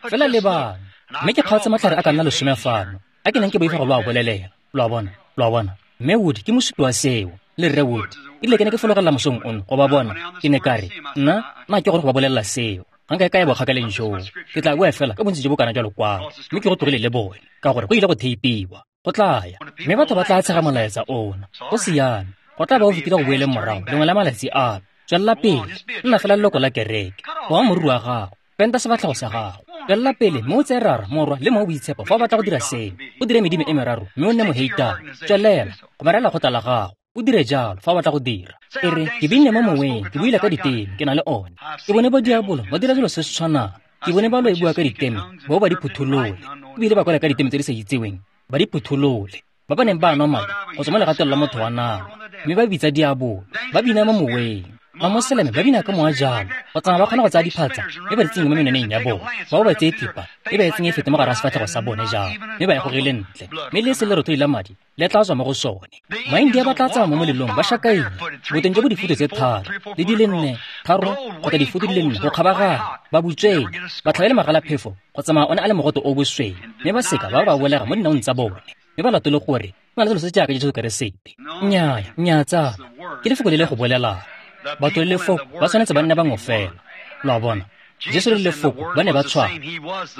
Fela lebang, mme ke kgaotse matlhare a ka nna lesome fano, a ke neng ke boifa go lo a bolelela. Lo a bona, lo a bona. Mme Wood ke mosupi wa seo, le Rre Wood. Erile ke ne ke fologelela mosong ono go ba bona, ke ne ka re, nna, nna ke gore go ba bolelela seo. Ga nka e ka ya bokgakaleng joo. Ke tla bua fela ka bontsi jo bo kana jwa lokwalo, mme ke go tlogile le bone, ka gore go ile go theipiwa. Go tla ya, mme batho ba tla tshega molaetsa ona. Go siame, go tla ba o fetile go boeleng morago lengwe la malatsi ano. Tswelela pele, nna fela leloko la kereke, goa moriri wa gago, penta sefatlhego sa gago. Tswelela pele mme o tseye Rara, Morwa le Mowa o Boitshepo fa o batla go dira seo. O dire medimo e meraro mme o nne moheitane. Tswelela, gomarela lekgotla la gago. O dire jalo fa o batla go dira. E re, ke binne mo moweng, ke buile ka diteme, ke na le one. Ke bone ba diabolo ba dira dilo se se tshwanang. Ke bone ba lo e bua ka diteme, bao ba di phutholole. Ebile ba kwala ka diteme tse di sa itseweng, ba di phutholole. Ba ba neng ba nwa madi go tswa mo legatong la motho wa nama, mme ba bitsa diabolo, ba bina mo moweng. Mamoseleme ba bina ka mowa jalo, go tsamaya ba kgona go tsaya diphatsa mme ba di tsenye mo menwaneng ya bone. Bao ba tseye thipa mme ba e tsenye e fete mo gare ga sefatlhego sa bone jalo, mme ba e gogele ntle, mme le se lerothodi la madi le tla tswa mo go sone. Maindia ba tla tsamaya mo molelong ba shakaile, boteng jo bo difuto tse tharo le di le nne, tharo kgotsa difuto di le nne go kgabaganya, ba butswele, ba tlhabele magalaphefo go tsamaya one a le mogote o bosweu, mme ba seka ba ba bolega mo dinaong tsa bone, mme ba latole gore go na le selo se jaaka Jesu Keresete. Nnyaya, nnyaa tsala, ke lefoko le le go bolelang. Batho le lefoko ba tshwanetse ba nne bangwe fela. Lo a bona? Jesu le lefoko ba ne ba tshwana.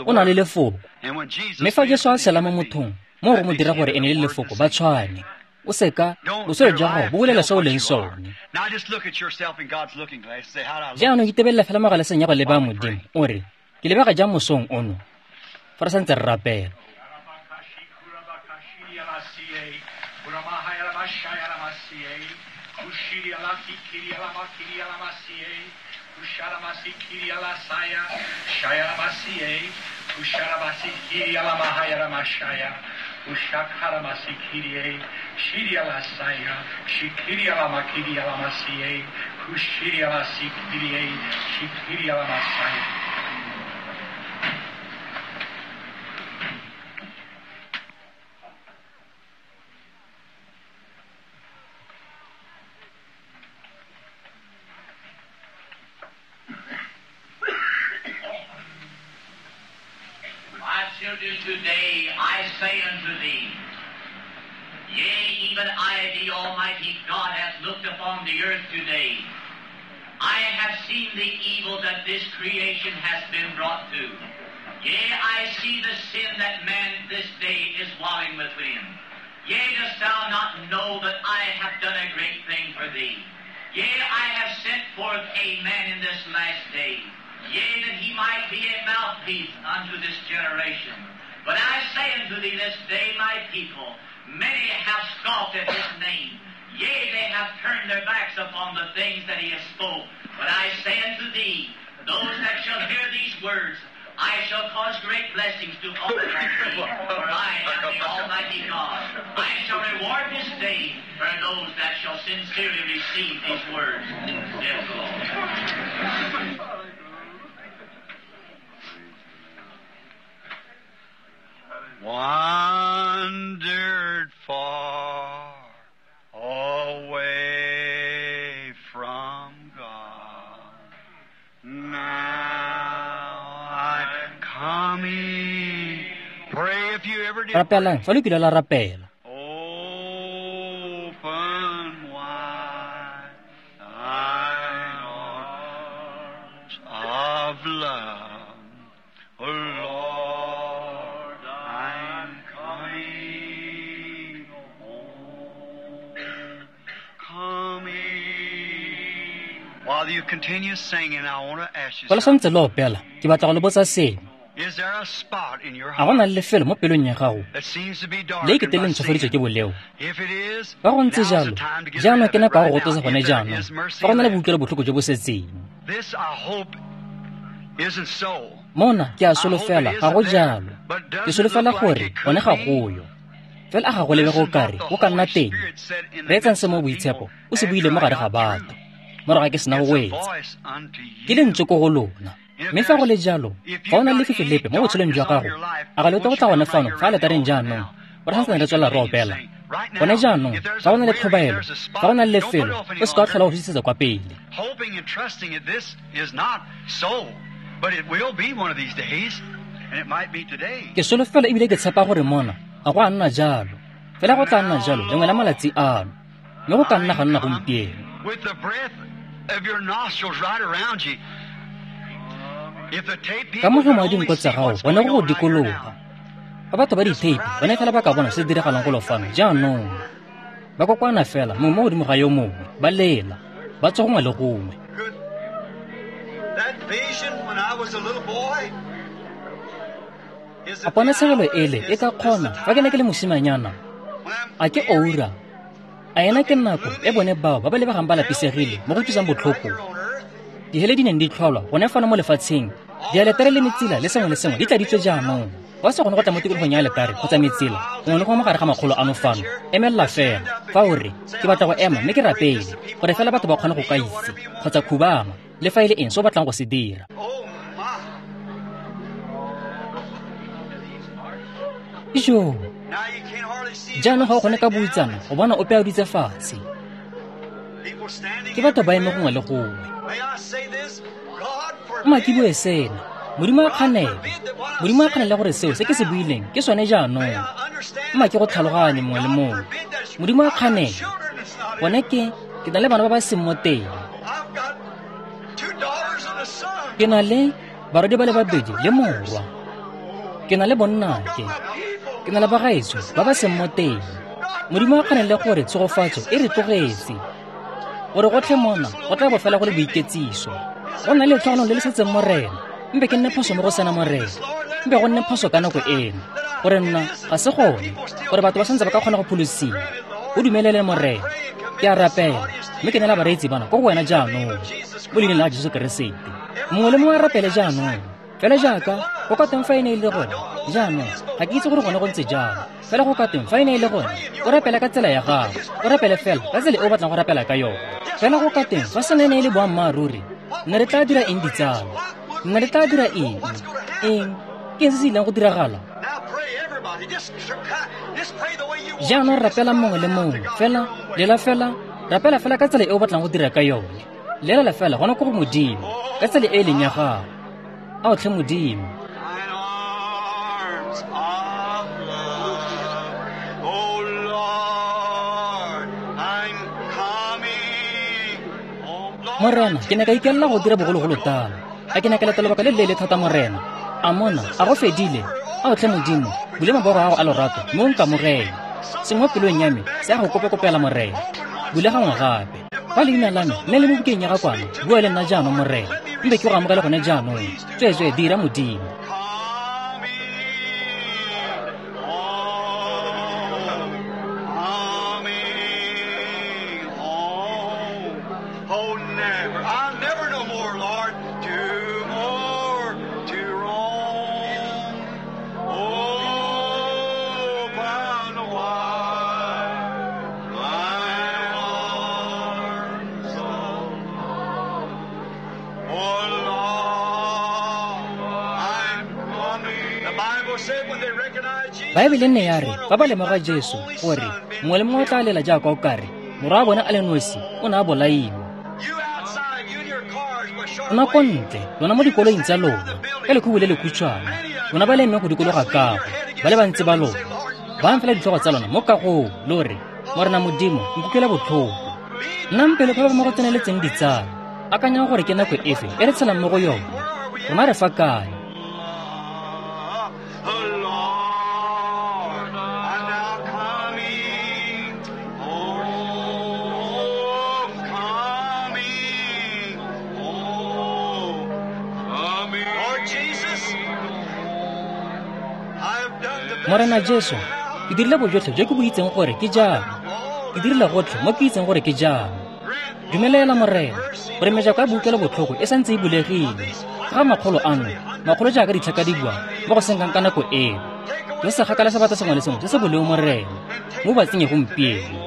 O na le lefoko. Mme fa Jesu a tshela mo mothong, mo go mo dira gore ene le lefoko ba tshwane. O seka, botshelo jwa gago bo bolela se o leng sone. Jaanong itebelela fela mo galeseng ya go leba Modimo, o re, ke lebega jang mosong ono, fa re santse re rapela. Children, today I say unto thee, yea, even I, the Almighty God, hath looked upon the earth today. I have seen the evil that this creation has been brought to. Yea, I see the sin that man this day is wallowing within. Yea, dost thou not know that I have done a great thing for thee? Yea, I have sent forth a man in this last day. Yea, that he might be a mouthpiece unto this generation. But I say unto thee this day, my people, many have scoffed at his name. Yea, they have turned their backs upon the things that he has spoke. But I say unto thee, those that shall hear these words, I shall cause great blessings to fall upon thee, for I am the Almighty God. I shall reward this day for those that shall sincerely receive these words, saith the Lord. Wandered far away from God. Now I'm coming. Pray if you ever did. Rapelang, fa lo kile la rapela. Open wide thine arms of love, O Lord, I'm coming home, coming. While you continue singing, I want to ask you Fa lo something. santse lo opela, ke batla go le botsa sengwe. Is there a spot in your A go heart na le lefelo mo pelong ya gago that seems to be le darkened ekete le by ntshofaditswe sin? ke boleo? If it is, Fa go ntse now's the jalo, time to get rid jaanong of ke it nako ya go right now. gotlosa gone If there jaanong. is mercy Fa go na le left. boutlwelo botlhoko jo bo setseng. This, I hope, Mona ke a solofela ga go jalo. Ke solofela gore gone ga goyo. Fela a ga go lebe go kare go ka nna teng. Reetsang se mo boitshepo o se buile mo gare ga batho. Morago ga ke sena go wetsa. Ke lentswe ko go lona. Mme fa go le jalo, ga o na le lefifi lepe mo botshelong jwa gago, a ga le go tla gone fano fa aletareng jaanong, gore ga santse re tswelela re opela. Gone jaanong, fa go na le tlhobaelo, fa go na le lefelo, o se ka wa tlhola go fetisetsa kwa pele. Ke solofela ebile ke tshepa gore mona ga go a nna jalo, fela go tla nna jalo lengwe la malatsi ano, mme go ka nna ga nna gompieno. Ka mogomo wa dinko tsa gago gone go go dikologa. Fa batho ba ditheipi bone fela ba ka bona se se diragalang golo fano jaanong. Ba kokwana fela mongwe mo godimo ga yo mongwe, ba lela, ba tswa gongwe le gongwe. A ponatshegelo ele e ka kgona fa ke ne ke le mosimanyana? A ke oura? A ena ke nako e bone bao ba ba lebegang ba lapisegile mo go utlwisang botlhoko? Dihele di neng di tlholwa gone fano mo lefatsheng, dialetare le metsila le sengwe le sengwe di tladitswe jaanong. Fa o sa kgone go tla mo tikologong ya aletare kgotsa metsila gongwe le gongwe mo gare ga makgolo ano fano, emelela fela. Fa o re, ke batla go ema mme ke rapele, gore fela batho ba kgone go ka itse, kgotsa khubama, le fa e le eng se o batlang go se dira. Ijo, jaanong ga o kgone ka buitsana go bona ope a dutse fatshe. Ke batho ba eme gongwe le gongwe. Mma ke bue sena, Modimo a kganele. Modimo a kganele gore seo se ke se buileng ke sone jaanong. Mma ke go tlhaloganye mongwe le mongwe. Modimo a kganele. Gone ke, ke na le bana ba ba seng mo teng. Ke na le barwadi ba le babedi le morwa. Ke na le bonnake. Ke na le bagaetsho ba ba seng mo teng. Modimo a kganele gore tshegofatso e re tlogetse. Gore gotlhe mona go tla bo fela go le boiketsiso. Go nna le letlhogonolo le le setseng Morena. Mpe ke nne phoso mo go sena Morena. Mpe go nne phoso ka nako eno. Gore nna ga se gone, gore batho ba santse ba ka kgona go pholosiwa. O dumelele Morena. Ke a rapela, mme ke neela bareetsi bana ko go wena jaanong, mo leineng la Jesu Keresete. Mongwe le mongwe a rapele jaanong. Fela jaaka go ka teng fa e ne e le gone jaanong, ga ke itse gore gone go ntse jang. Fela go ka teng fa e ne e le gone, o rapela ka tsela ya gago, o rapele fela ka tsela e o batlang go rapela ka yone. Fela go ka teng fa sena e ne e le boammaaruri, nne re tla dira eng ditsala? Nne re tla dira eng? Eng? Ke eng se se ileng go diragala? Jaanong rapela mongwe le mongwe, fela, lela fela, rapela fela ka tsela e o batlang go dira ka yone. Lelela fela gona ko go Modimo, ka tsela e e leng ya gago. Ao tlhe Modimo. Morena, ke ne ka ikelela go dira bogologolo tala. A ke ne ka leta lebaka le leele thata Morena. A mona, a go fedile. Ao tlhe Modimo, bule mabogo a gago a lorato mme o nkamogele. Sengwe mo pelong ya me se a go kopekopela Morena. Bule gangwe gape. Fa leina la me le le mo bukeng ya ga kwana, bua le nna jaanong Morena. Mpe ke go amogele gone jaanong. Tsweetswee dira Modimo. Baebele nne ya re fa ba lemoga Jesu gore mongwe le mongwe o tla lela jaaka o kare morwa wa bone a le nosi o ne a bolaiwa. Lona ko ntle, lona mo dikoloing tsa lona, ka lekhubu le lekhutshwane, lona ba le emeng go dikologa kago, ba le bantsi ba lona, ba fela ditlhogo tsa lona mo kagong, lo re, Morena Modimo, nkutlwela botlhoko. Nnang pelo phepa mo go tseneletseng ditsala, akanyang gore ke nako efe e re tshelang mo go yone, rona re fa kae. Morena Jesu, ke dirile bojotlhe jo ke bo itseng gore ke jang. Ke dirile gotlhe mo ke itseng gore ke jang. Dumelela Morena, gore mejako ya boutlwelo botlhoko e santse e bulegile. Ka ga makgolo ano, makgolo jaaka ditlhaka di bua mo go senkang ka nako eo. Le se kgakala sebata sengwe le sengwe se se boleo Morena, mo ba tsenye gompieno.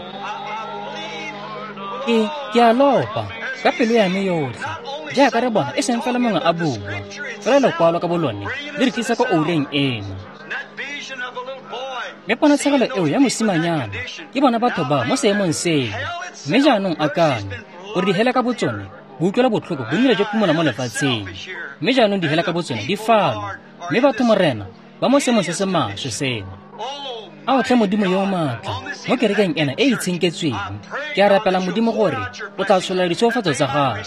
Ke, ke a lopa, ka pelo ya me yotlhe, jaaka re bona e seng fela mongwe a bua, fela lekwalo ka bolone le re tlisa ko oureng eno. Mme ponatshegelo eo ya mosimanyana ke bona batho ba mo seemong seno, mme jaanong akanya gore dihele ka botsone bo utlwela botlhoko bo nnile jo phumola mo lefatsheng, mme jaanong dihele ka botsone di fano, mme batho Morena ba mo seemong se se maswe seno. A o tlhe Modimo yo o maatla mo kerekeng ena e e itshenketsweng, ke a rapela Modimo gore o tla tsholela ditshegofatso tsa gagwe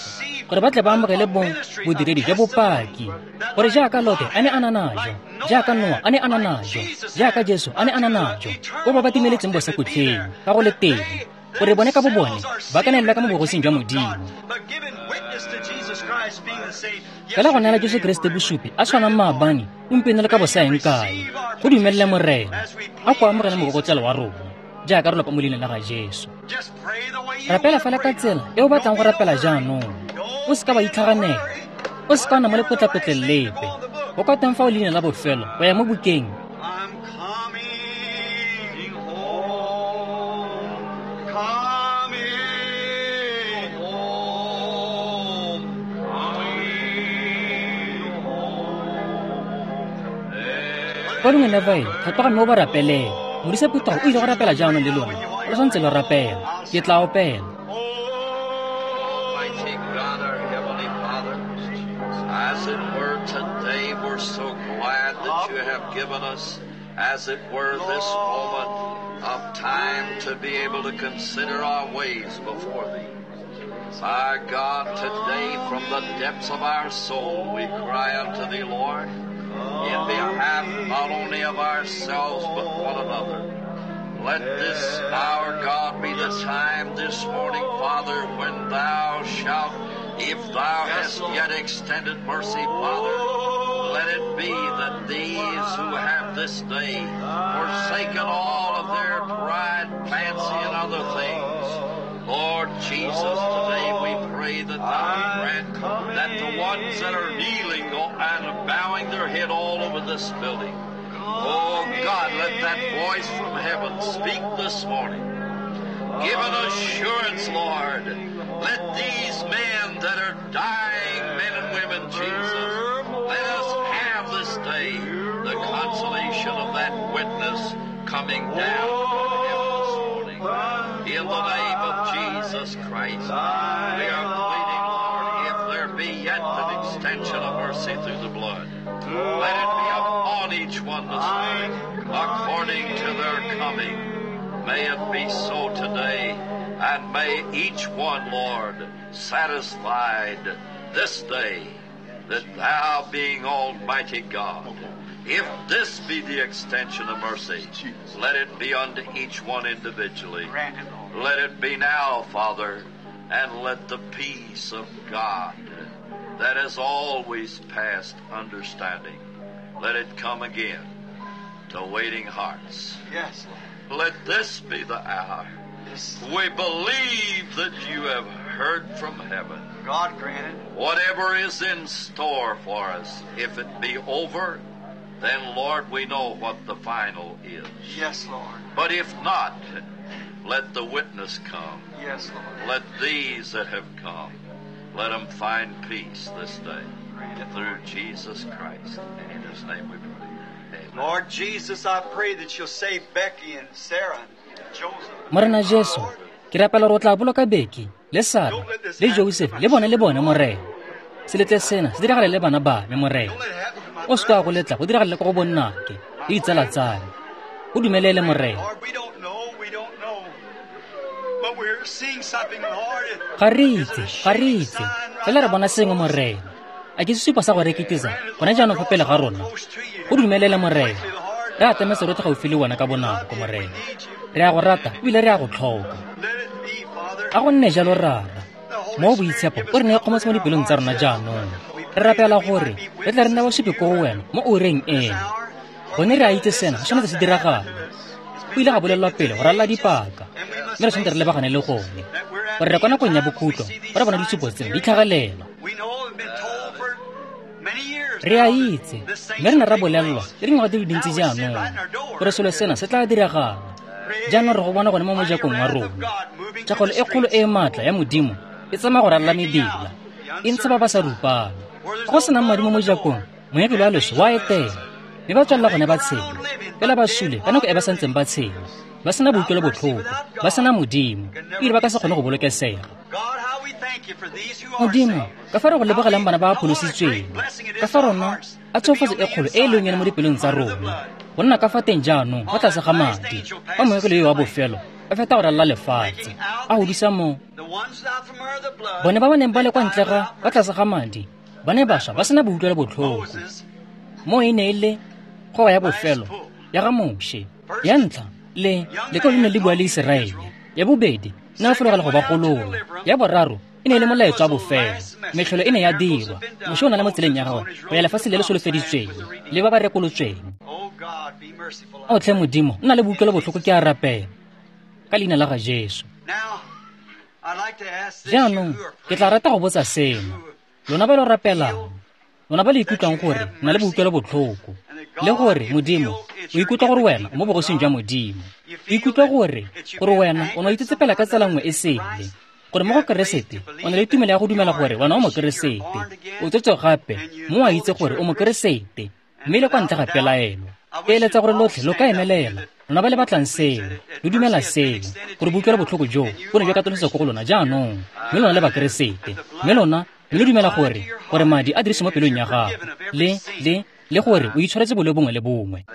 gore ba tle ba amogele bong bodiredi jwa bopaki, gore jaaka Lote a ne a na najo, jaaka Noa a ne a na najo, jaaka Jesu a ne a na najo, ko ba ba timeletseng bosakutleng ka go le teng, gore bone ka bo bone ba ka neelwa ka mo bogosing jwa Modimo. Fela go neela Jesu Keresete bosupi a tshwanang maabane, gompieno le ka bosaeng kae, go dumelele Morena a ko amogele mokokotlelo wa rona jaaka re lopa mo leineng la ga Jesu. Rapela fela ka tsela e o batlang go rapela jaanong, o seka wa itlhaganela, o seka wa nna mo lepotlapotleng lepe. Go ka teng fa o leina la bofelo go ya mo bukeng. Kwa lengwe la bae, tlhatloga mme o ba rapelele. Modisa phuthego o ile go rapela jaanong le lona, lo santse lo rapela, ke tla opela. Almighty God, our Heavenly Father, as it were today, we're so glad that you have given us, as it were, this moment of time to be able to consider our ways before thee. Our God, today from the depths of our soul we cry unto thee, Lord, in behalf not only of ourselves but one another. Let this, our God, be the time this morning, Father, when thou shalt, if thou hast yet extended mercy, Father, let it be that these who have this day forsaken all of their pride, fancy, and other things, Lord Jesus, today we pray that thou grant that the ones that are kneeling and bowing their head all over this building, oh God, let that voice from heaven speak this morning. Give an assurance, Lord. Let these men that are dying, men and women, Jesus, let us have this day the consolation of that witness coming down from heaven this morning. In the name of Jesus Christ, we are pleading, Lord, if there be yet an extension of mercy through the blood, let it be upon each one this morning, according to their coming. May it be so today, and may each one, Lord, satisfied this day that thou being Almighty God, if this be the extension of mercy, let it be unto each one individually. Let it be now, Father, and let the peace of God that has always passed understanding, let it come again to waiting hearts. Yes, Lord. Let this be the hour. We believe that you have heard from heaven. God grant it. Whatever is in store for us, if it be over, then, Lord, we know what the final is. Yes, Lord. But if not, let the witness come. Yes, Lord. Let these that have come, let them find peace this day. Through Jesus Christ. And in His name we pray. Amen. Lord Jesus, I pray that you'll save Becky and Sarah and Joseph. Morena Jesu, ke rapela gore o tla boloka Becky le Sarah le Joseph le bone le bone Morena. Se letle sena se diragale le bana ba me Morena. O se ka go letla go diragale ko go bonnake le ditsala tsa me. O dumelele Morena. Lord, we don't know, we don't know. But we're seeing something, Lord. Ga re itse, ga re itse. Fela re bona sengwe Morena. A ke sesupo sa go reketisa gone jaanong fa pele ga rona. Go dumelele Morena. Re atametse rotlhe gaufi le wena ka bonako Morena. Re a go rata ebile re a go tlhoka. Let it be, Father. A go nne jalo Rara. Mo boitshepo o re neye kgomotso mo dipelong tsa rona jaanong. Re rapela gore re tla re nna basupi ko go wena mo oureng eno. Gone re a itse sena se tshwanetse se diragala. Go ile ga bolelelwa pele go ralala dipaka, mme re tshwanetse re lebagane le gone. Gore re kwa nakong ya bokhutlo, re bona ditshupo tseno di tlhagelela. We know we've been told for many Re a itse, mme re ne ra bolelelwa le dingwaga di le dintsi jaanong gore selo sena se tla diragala. Jaanong re go bona gone mo mojakong wa rona. Tšhakgalo e kgolo e e maatla ya Modimo e tsamaya go ralala mebila, e ntsha ba ba sa rupang. Fa go senang madi mo mojakong, moengele wa loso wa etela, mme ba tswelela gone ba tshela. Fela ba sule ka nako e ba santseng ba tshela, ba sena boutlwelobotlhoko, ba sena Modimo, ebile ba ka se kgone go bolokesega. Modimo, ka fa re go lebogelang bana ba ba pholositsweng, ka fa rona a tshofatso e kgolo e e leng yone mo dipelong tsa rona, go nna ka fa teng jaanong fa tlase ga madi, fa moengele yo wa bofelo a feta go ralala lefatshe, a godisa mo bone ba ba neng ba le kwa ntle ga fa tlase ga madi, ba ne ba swa ba sena boutlwelobotlhoko. Mo e ne e le kgoba ya bofelo ya ga Moshe. Ya ntlha, le lekao le ne le bua le Iseraele. Ya bobedi, ne a fologela go ba golola. Ya boraro, e ne e le molaetsa wa bofelo. Metlholo e ne ya dirwa. Moshe o na le mo tseleng ya gagwe go ya lefatsheng le le solofeditsweng le ba ba rekolotsweng. Ao tlhe Modimo, nna le boutlwelobotlhoko ke a rapela ka leina la ga Jesu. Jaanong ke tla rata go botsa seno. Lona ba lo rapelang, lona ba le ikutlwang gore nna le boutlwelobotlhoko, le gore Modimo o ikutlwa gore wena o mo bogosing jwa Modimo, o ikutlwa gore gore wena o ne o itsetsepela ka tsela nngwe e sele, gore mo go Keresete o na le tumelo ya go dumela gore wena o Mokeresete, o tsetswe gape mo a itse gore o Mokeresete, mme le kwa ntle ga pelaelo. Ke eletsa gore lotlhe lo ka emelela, lona ba le batlang seo, lo dumela seo, gore boutlwelobotlhoko joo bo ne jwa katolosetsa ko go lona jaanong, mme lona le Bakeresete, mme lona mme lo dumela gore gore madi a dirise mo pelong ya gago, le le le gore o itshwaretse boleo bongwe le bongwe.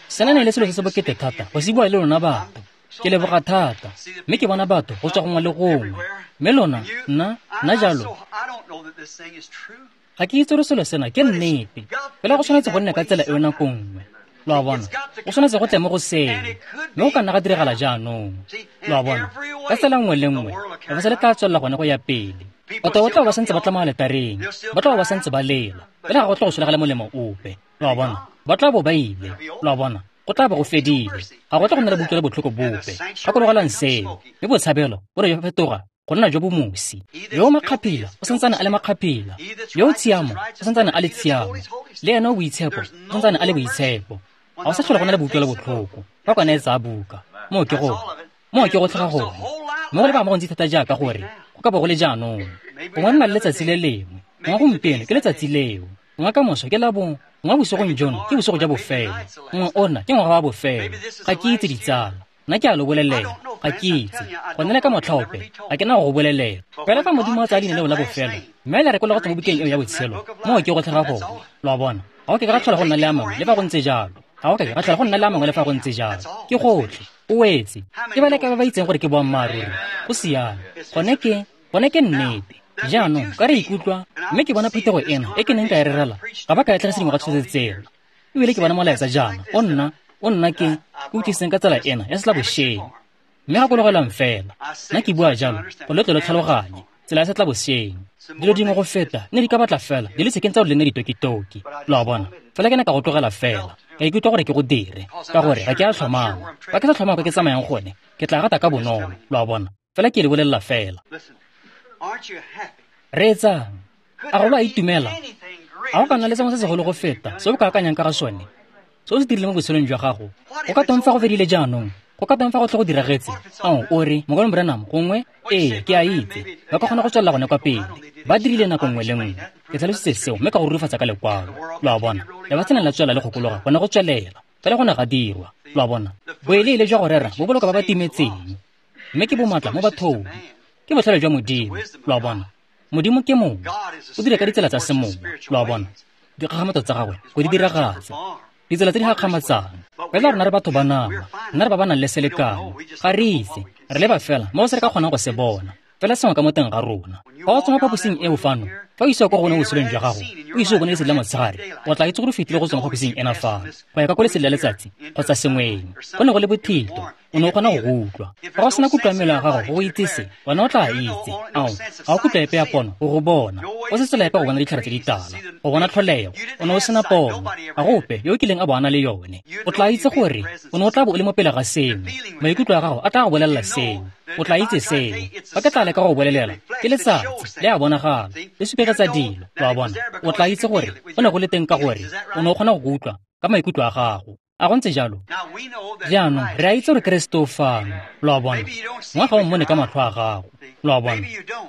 Sena ne e le selo se se bokete thata go se bua le lona batho. Ke leboga thata, mme ke bona batho go tswa gongwe le gongwe. Mme lona, nna, nna jalo, ga ke itse gore selo sena ke nnete, fela go tshwanetse go nne ka tsela eo nako nngwe. Lo a bona, go tshwanetse go tle mo go seo, mme go ka nna ga diragala jaanong. Lo a bona, ka tsela nngwe le nngwe, lefatshe le tla tswelela gone go ya pele. Batho ba tla ba santse ba tla mo aletareng, ba tla ba santse ba lela, fela ga go tla go solegela molemo ope. Lo a bona, ba tla bo ba ile. Lo a bona, go tla bo go fedile, ga go tla go nna le boutlwelobotlhoko bope. Gakologelang seo, mme botshabelo bo re fetoga go nna jo bo mosi. Yo o makgaphila o santsane a le makgaphila, yo o tshiamo o santsane a le tshiamo, le ene o boitshepo o santsane a le boitshepo. Ga o sa tlhola go na le boutlwelobotlhoko fa kwana e tsaya buka. Moo ke go moo ke go tlhaga gone. Mme go lebega mo gontsi thata jaaka gore go ka bo go le jaanong. Gongwe nna le letsatsi le lengwe, gongwe gompieno ke letsatsi leo, gongwe kamoso ke la bongwe, gongwe bosigong jono ke bosigo jwa bofelo, gongwe ona ke ngwaga wa bofelo. Ga ke itse ditsala, nna ke a lo bolelela, ga ke itse. Gone le ka motlhaope, ga ke na go go bolelela. Fela fa Modimo a tsaya leina leo la bofelo, mme le rekologa go tswa mo bukeng eo ya botshelo, moo ke go tlhaga gone. Lo a bona, ga go ke ga tlhola go nna le a mangwe le fa go ntse jalo. Ga go ke ga tlhola go nna le a mangwe le fa go ntse jalo. Ke gotlhe, o wetse. Ke ba le ka ba ba itseng gore ke boammaaruri. Go siame. Gone ke, gone ke nnete. Jaanong ka re ikutlwa, mme ke bona phuthego ena e ke neng ka e rerela, ga ba ka e tlhagisa dingwaga tsotlhe tseo. Ebile ke bona molaetsa jaana, o nna, o nna ke, ke utlwisitseng ka tsela ena ya setlabošeng. Mme gakologelang fela, nna ke bua jalo gore lo tle lo tlhaloganye tsela ya setlabošeng. Dilo dingwe go feta ne di ka batla fela di le sekeng tsa gore le nne ditokitoki. Lo a bona, fela ke ne ka go tlogela fela, ka ikutlwa gore ke go dire, ka gore ga ke a tlhomama. Fa ke sa tlhomama kwa ke tsamayang gone, ke tla rata ka bonolo. Lo a bona, fela ke le bolelela fela. Reetsang, a go lo a itumela? A go ka nna le sengwe se segolo go feta se o ka akanyang ka ga sone, se o se dirileng mo botshelong jwa gago? Go ka tong fa go fedile jaanong? Go ka tong fa go tle go diragetse? Ao, o re, Mokaulengwe Branham, gongwe, ee, ke a itse, ba ka kgona go tswelela gone kwa pele. Ba dirile nako nngwe le nngwe. Ke tlhalositse seo mme ka go rurifatsa ka lekwalo. Lo a bona, lefatshe ne la tswelela le kgokologa gone go tswelela, fela go ne ga dirwa. Lo a bona, boeleele jwa go rera bo boloka ba ba timetseng, mme ke bomatla mo bathong. Ke botlhale jwa Modimo. Lo a bona, Modimo ke mongwe, o dira ka ditsela tsa semowa. Lo a bona, dikgakgamatso tsa gagwe go di diragatsa, ditsela tse di gakgamatsang. Fela rona re batho ba nama, nna re ba ba nang le selekano, ga re itse, re leba fela mo se re ka kgonang go se bona, fela sengwe ka mo teng ga rona. Fa o tswa mo phaposing eo fano, fa o isiwa kwa go bone botshelong jwa gago, o ise o bone lesedi la motshegare, o tla itse gore o fetile go tswa mo phaposing ena fano, go ya ka ko lesedi la letsatsi kgotsa sengweng. Go ne go le bothito, O ne o kgona go go utlwa. Fa go sena kutlo ya mmele wa gago go go itsese, wena o tla itse. Ao, ga o kutlo epe ya pono go go bona. O se tsela epe go bona ditlhare tse ditala, go bona tlholego. O ne o sena pono. Ga go ope yo o kileng a bo a na le yone. O tla itse gore o ne o tla bo o le mo pele ga sengwe. Maikutlo a gago a tla go bolelela sengwe. O tla itse seo. Fa ke tla leka go bolelela, ke letsatsi, le a bonagala, le supegetsa dilo, lo a bona. O tla itse gore go ne go le teng ka gore o ne o kgona go go utlwa ka maikutlo a gago. A go ntse jalo? Jaanong re a itse gore Keresete o fano, lo a bona. Ngwe ga o mmone ka matlho a gago, lo a bona.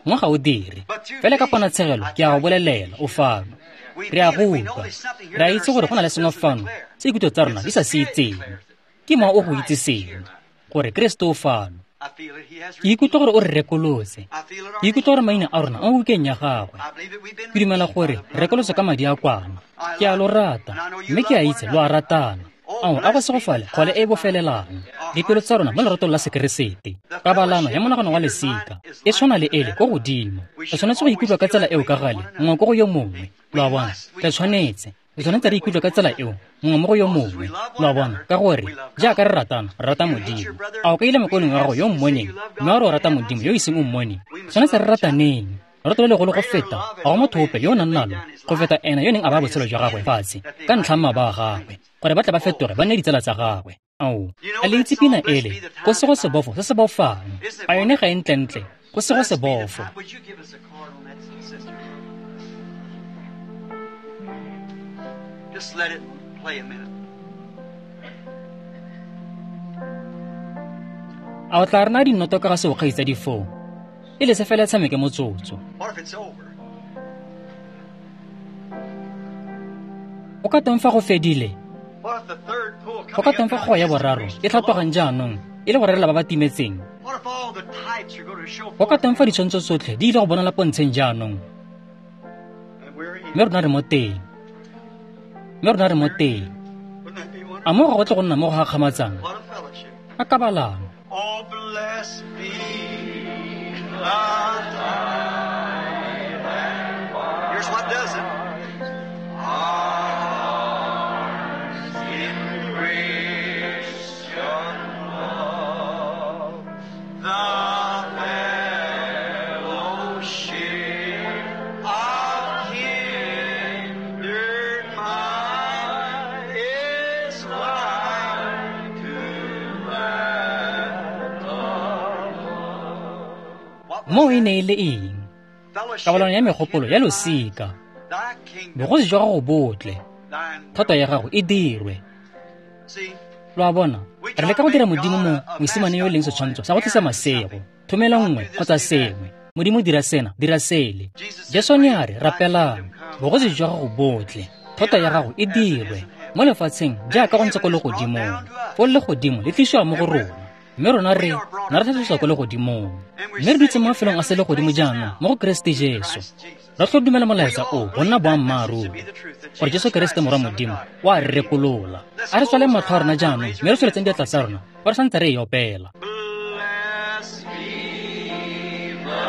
Ngwe ga o dire. Fela ka ponatshegelo ke a go bolelela, o fano. Re a go utlwa. Re a itse gore go na le sengwe fano se dikutlo tsa rona di sa se itseng. Ke mowa o go itse sengwe, gore Keresete o fano. Ke ikutlwa gore o re rekolotse. Ke ikutlwa gore maina a rona a mo bukeng ya gagwe. Ke dumela gore re rekolotse ka madi a kwana. Ke a lo rata, mme ke a itse lo a ratana. Ao, a go segofale kgole e e bofelelang. Dipelo tsa rona mo leratong la Sekeresete. Kabalano ya monagano wa lesika e tshwana le ele ko godimo. Re tshwanetse go ikutlwa ka tsela eo ka gale, mongwe ko go yo mongwe. Lo a bona? Re tshwanetse. Re tshwanetse re ikutlwe ka tsela eo, mongwe mo go yo mongwe. Lo a bona? Ka gore jaaka re ratana, re rata Modimo. A o kaile mokolong wa gago yo o mmoneng, mme wa re o rata Modimo yo o iseng o mmone? Tshwanetse re rataneng. Lorato le legolo go feta ga go motho ope yo o nang nalo go feta ena yo neng a baya botshelo jwa gagwe fatshe ka ntlha ya mmaba wa gagwe, gore ba tle ba fetoge ba nne ditsala tsa gagwe. Ao, a le itse pina ele, go se go sebofo se se bofang. A yone ga e ntlentle, go se go sebofo. Just let it play a minute. A o tla rena dinoto ka ga seo kgaitsa difoo? E le se fela e tshameke motsotso. What if it's over? O ka teng fa go fedile? What if the third pull Go ka teng fa go ya boraro e tlhatlogang jaanong e le go rerela ba ba timetseng? What if all the types are going to show Go ka teng fa ditshwantsho tsotlhe di ile go bonala pontsheng jaanong? And we're in. Mme rona re mo teng. Mme rona re mo teng. Wouldn't that be A wonderful? mo ga go tle go nna mo go gakgamatsang? What a fellowship. A kabalano. Oh, blessed be the tie that binds. Here's what does it. Hearts in Christian love, the fellowship of kindred minds is like to that above. Mo e ne e le eng? Kabalano ya megopolo ya losika. Bogosi jwa gago bo tle, thato ya gago e dirwe. Lo a bona? Re leka go dira Modimo mo mosimane yo e leng setshwantsho sa go tlisa masego, thomela nngwe kgotsa sengwe. Modimo dira sena, dira sele. Jesu ne a re, rapelang, bogosi jwa gago bo tle, thato ya gago e dirwe mo lefatsheng jaaka go ntse ko legodimong. Foo legodimo le tlisiwa mo go rona, mme rona re na re tlhatlosiwa ko legodimong. Mme re dutse mo mafelong a selegodimo jaanong mo go Keresete Jesu. Re tlo dumela molaetsa o go nna boammaaruri, gore Jesu Keresete Morwa Modimo o a re rekolola. A re tswaleng matlho a rona jaanong mme re tsweletseng diatla tsa rona fa re santse re e opela. Blessed be the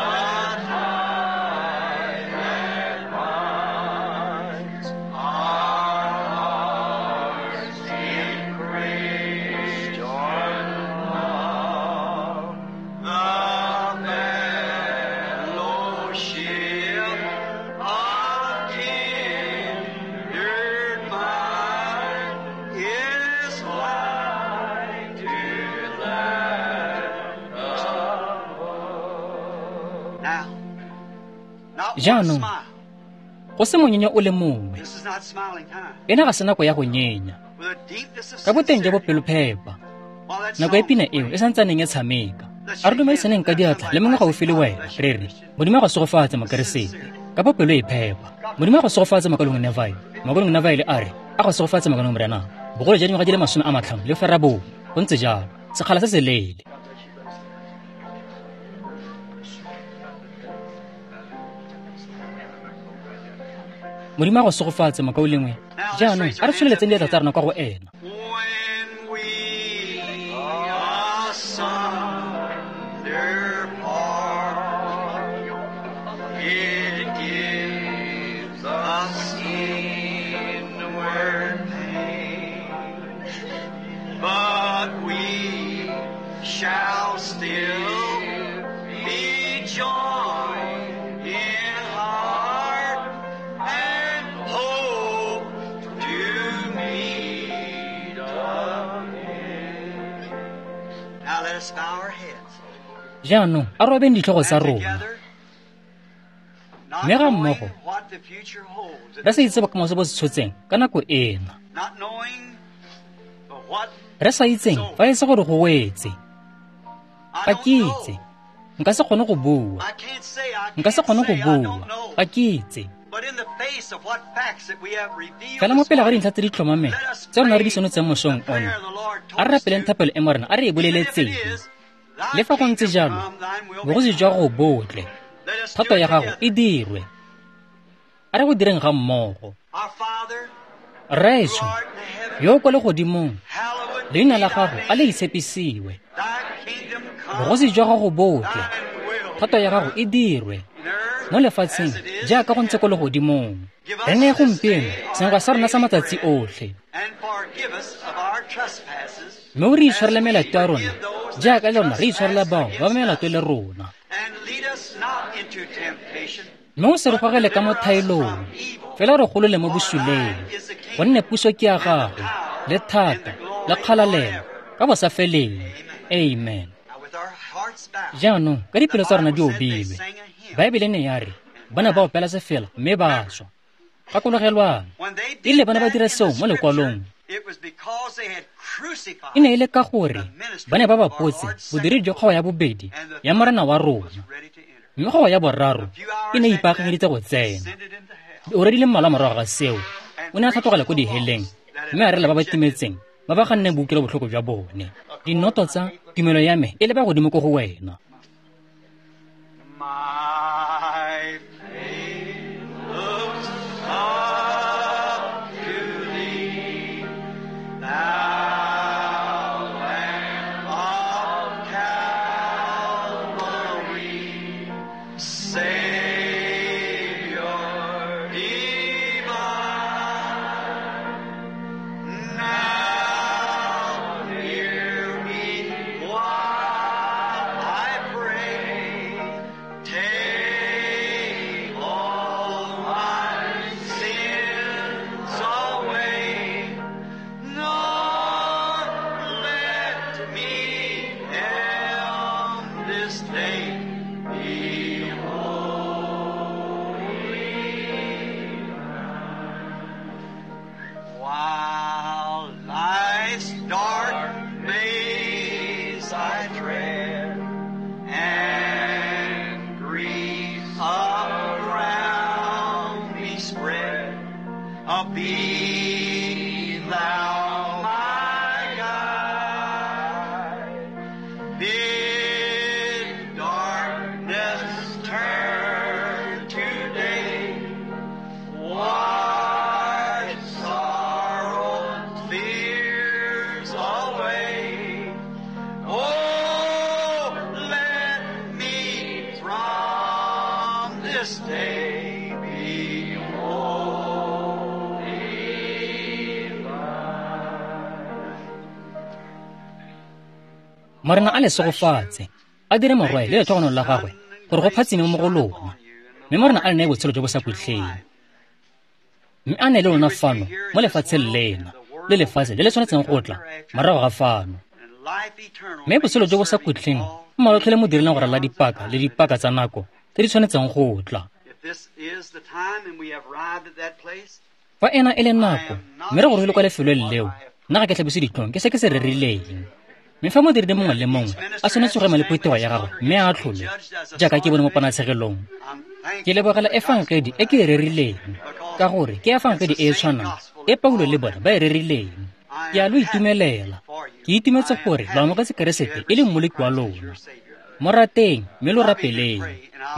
tie that binds our hearts in Christian love, the fellowship of kindred minds is like to that above. Now, not one Jaanong, smile. go se monyenyo o le mongwe. This is not smiling time. Ena ga se nako ya go nyenya. With a deepness of Ka boteng jo bo sincerity, pelophepa, while that nako e song pina eo e santsaneng e tshameka. A re dumedisaneng ka diatla le mongwe gaufi le wena, re re, Modimo a go segofatse Mokeresete, ka bopelo e phepa. Modimo a go segofatse Mokaulengwe Neville. Mokaulengwe Neville a re, a go segofatse Mokaulengwe Branham. Bogolo jwa dingwaga di le masome a matlhano le ferabongwe. Go ntse jalo, sekgala se se leele. Modimo a go segofatse mokaulengwe. Jaanong a re tsholeletseng diatla tsa rona kwa go ena. When we asunder part, it gives us inward pain, but we joined in heart and hope to meet again. Now let us bow our heads. Jaanong a robeng ditlhogo tsa And rona together, not Mme ga knowing mmogo, what the future holds, re sa itse bokamoso bo se tshotseng ka nako ena not knowing what re sa itseng fa e se gore go wetse I ga don't ke itse know. nka se kgone go bua I can't say I nka se can't kgone go say I bua don't know. ga ke itse But in the face of what facts that we have revealed fela mo this pele ga morning, dintlha tse di tlhomameng let us tse rona re di pray senotseng mosong the prayer ono the Lord a taught re us rapeleng to. thapelo e morena a re e Even if it boleletseng is, thy le fa go ntse kingdom jalo come, thine will be bogosi done. jwa go botle Let us do thato it ya gago together. e dirwe a re go direng ga mmogo Our Father, who rraetsho art in heaven, yo o kwa legodimong hallowed leina be la thy gago a le name. itshepisiwe Thy kingdom come, bogosi jwa gago botle thine will thato be ya gago done e dirwe in earth mo lefatsheng as it is jaaka in go ntse heaven. ko legodimong Give us re neye this gompieno day our senkgwa sa rona sa daily matsatsi bread, otlhe and forgive us of our trespasses, mme o re as itshwarele we melato ya rona forgive those that jaaka le rona re itshwarela trespass bao ba ba against melato us. le rona And lead us not into temptation, mme o se re but gogele ka mo deliver us thaelong from evil. fela re golole mo For bosuleng thine is the gonne kingdom, puso ke ya and the gago power, le and thata the le glory kgalalelo forever. ka bosafeleng Amen. amen Now with our hearts bowed, jaanong ka the dipelo tsa rona Bible di said they obilwe sang a hymn baebele ne ya re ba ne ba opela sefela mme ba swa gakologelwang When they e rile did ba ne ba that dira in the seo mo scripture, lekwalong it was because they had crucified e ne e le ka gore the ministry ba ne ba of our bapotse Lord's bodiredi second jwa kgogo ya bobedi and the ya morena wa third was rona ready to enter. mme kgogo ya boraro A few e hours ne e after that, ipaakanyeditse go tsena descended into hell diura di le mmalwa morago ga seo and o ne a preached tlhatlogela to ko the diheleng lost that mme a had rela ba ba rejected timetseng ba ba ganneng boutlwelo botlhoko jwa bone dinoto tsa tumelo ya me e leba godimo ko go wena My faith looks up to thee, thou Lamb of Calvary, Savior divine. Now hear me while I pray. Take all my sins away, nor let me end this day be holy. While life's dark maze I tread, and grief around me spread, uh, be thou my guide. Bid darkness turn to day, wash sorrow, fears away. Oh, let me from this day be wholly thine. Morena a le segofatse a dire morwae le letlhogonolo la gagwe gore go phatsime mo go lona mme morena a le neye botshelo jo bo sa khutleng mme a ne le lona fano mo lefatsheng lena le lefatshe le le tshwanetseng go tla morago ga fano And life eternal mme botshelo jo bo sa khutleng mmalotlhe le mo dirileng go ralala dipaka le dipaka tsa nako tse di tshwanetseng go tla If this is the time and we have arrived at that place, fa ena e le nako mme re gorogile kwa lefelong leo nna ga ke tlhabise ditlhong ke se ke se rerileng mme fa modiredi mongwe le mongwe a tshwanetse go ema le phutego ya gagwe mme a atlholwe jaaka ke bone mo ponatshegelong I'm ke thankful lebogela efangedi e ke e rerileng ka gore ke efangedi e e tshwanang e paulo le bona ba e rerileng ke a lo itumelela ke itumetse gore lo amogetse keresete e le mmoloki wa lona mo rateng mme lo rapeleng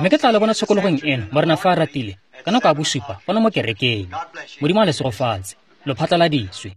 mme ke tla le bona tshokologong eno morena fa a ratile ka nako ya bosupa fano mo kerekeng modimo a le segofatse lo phatlaladitswe.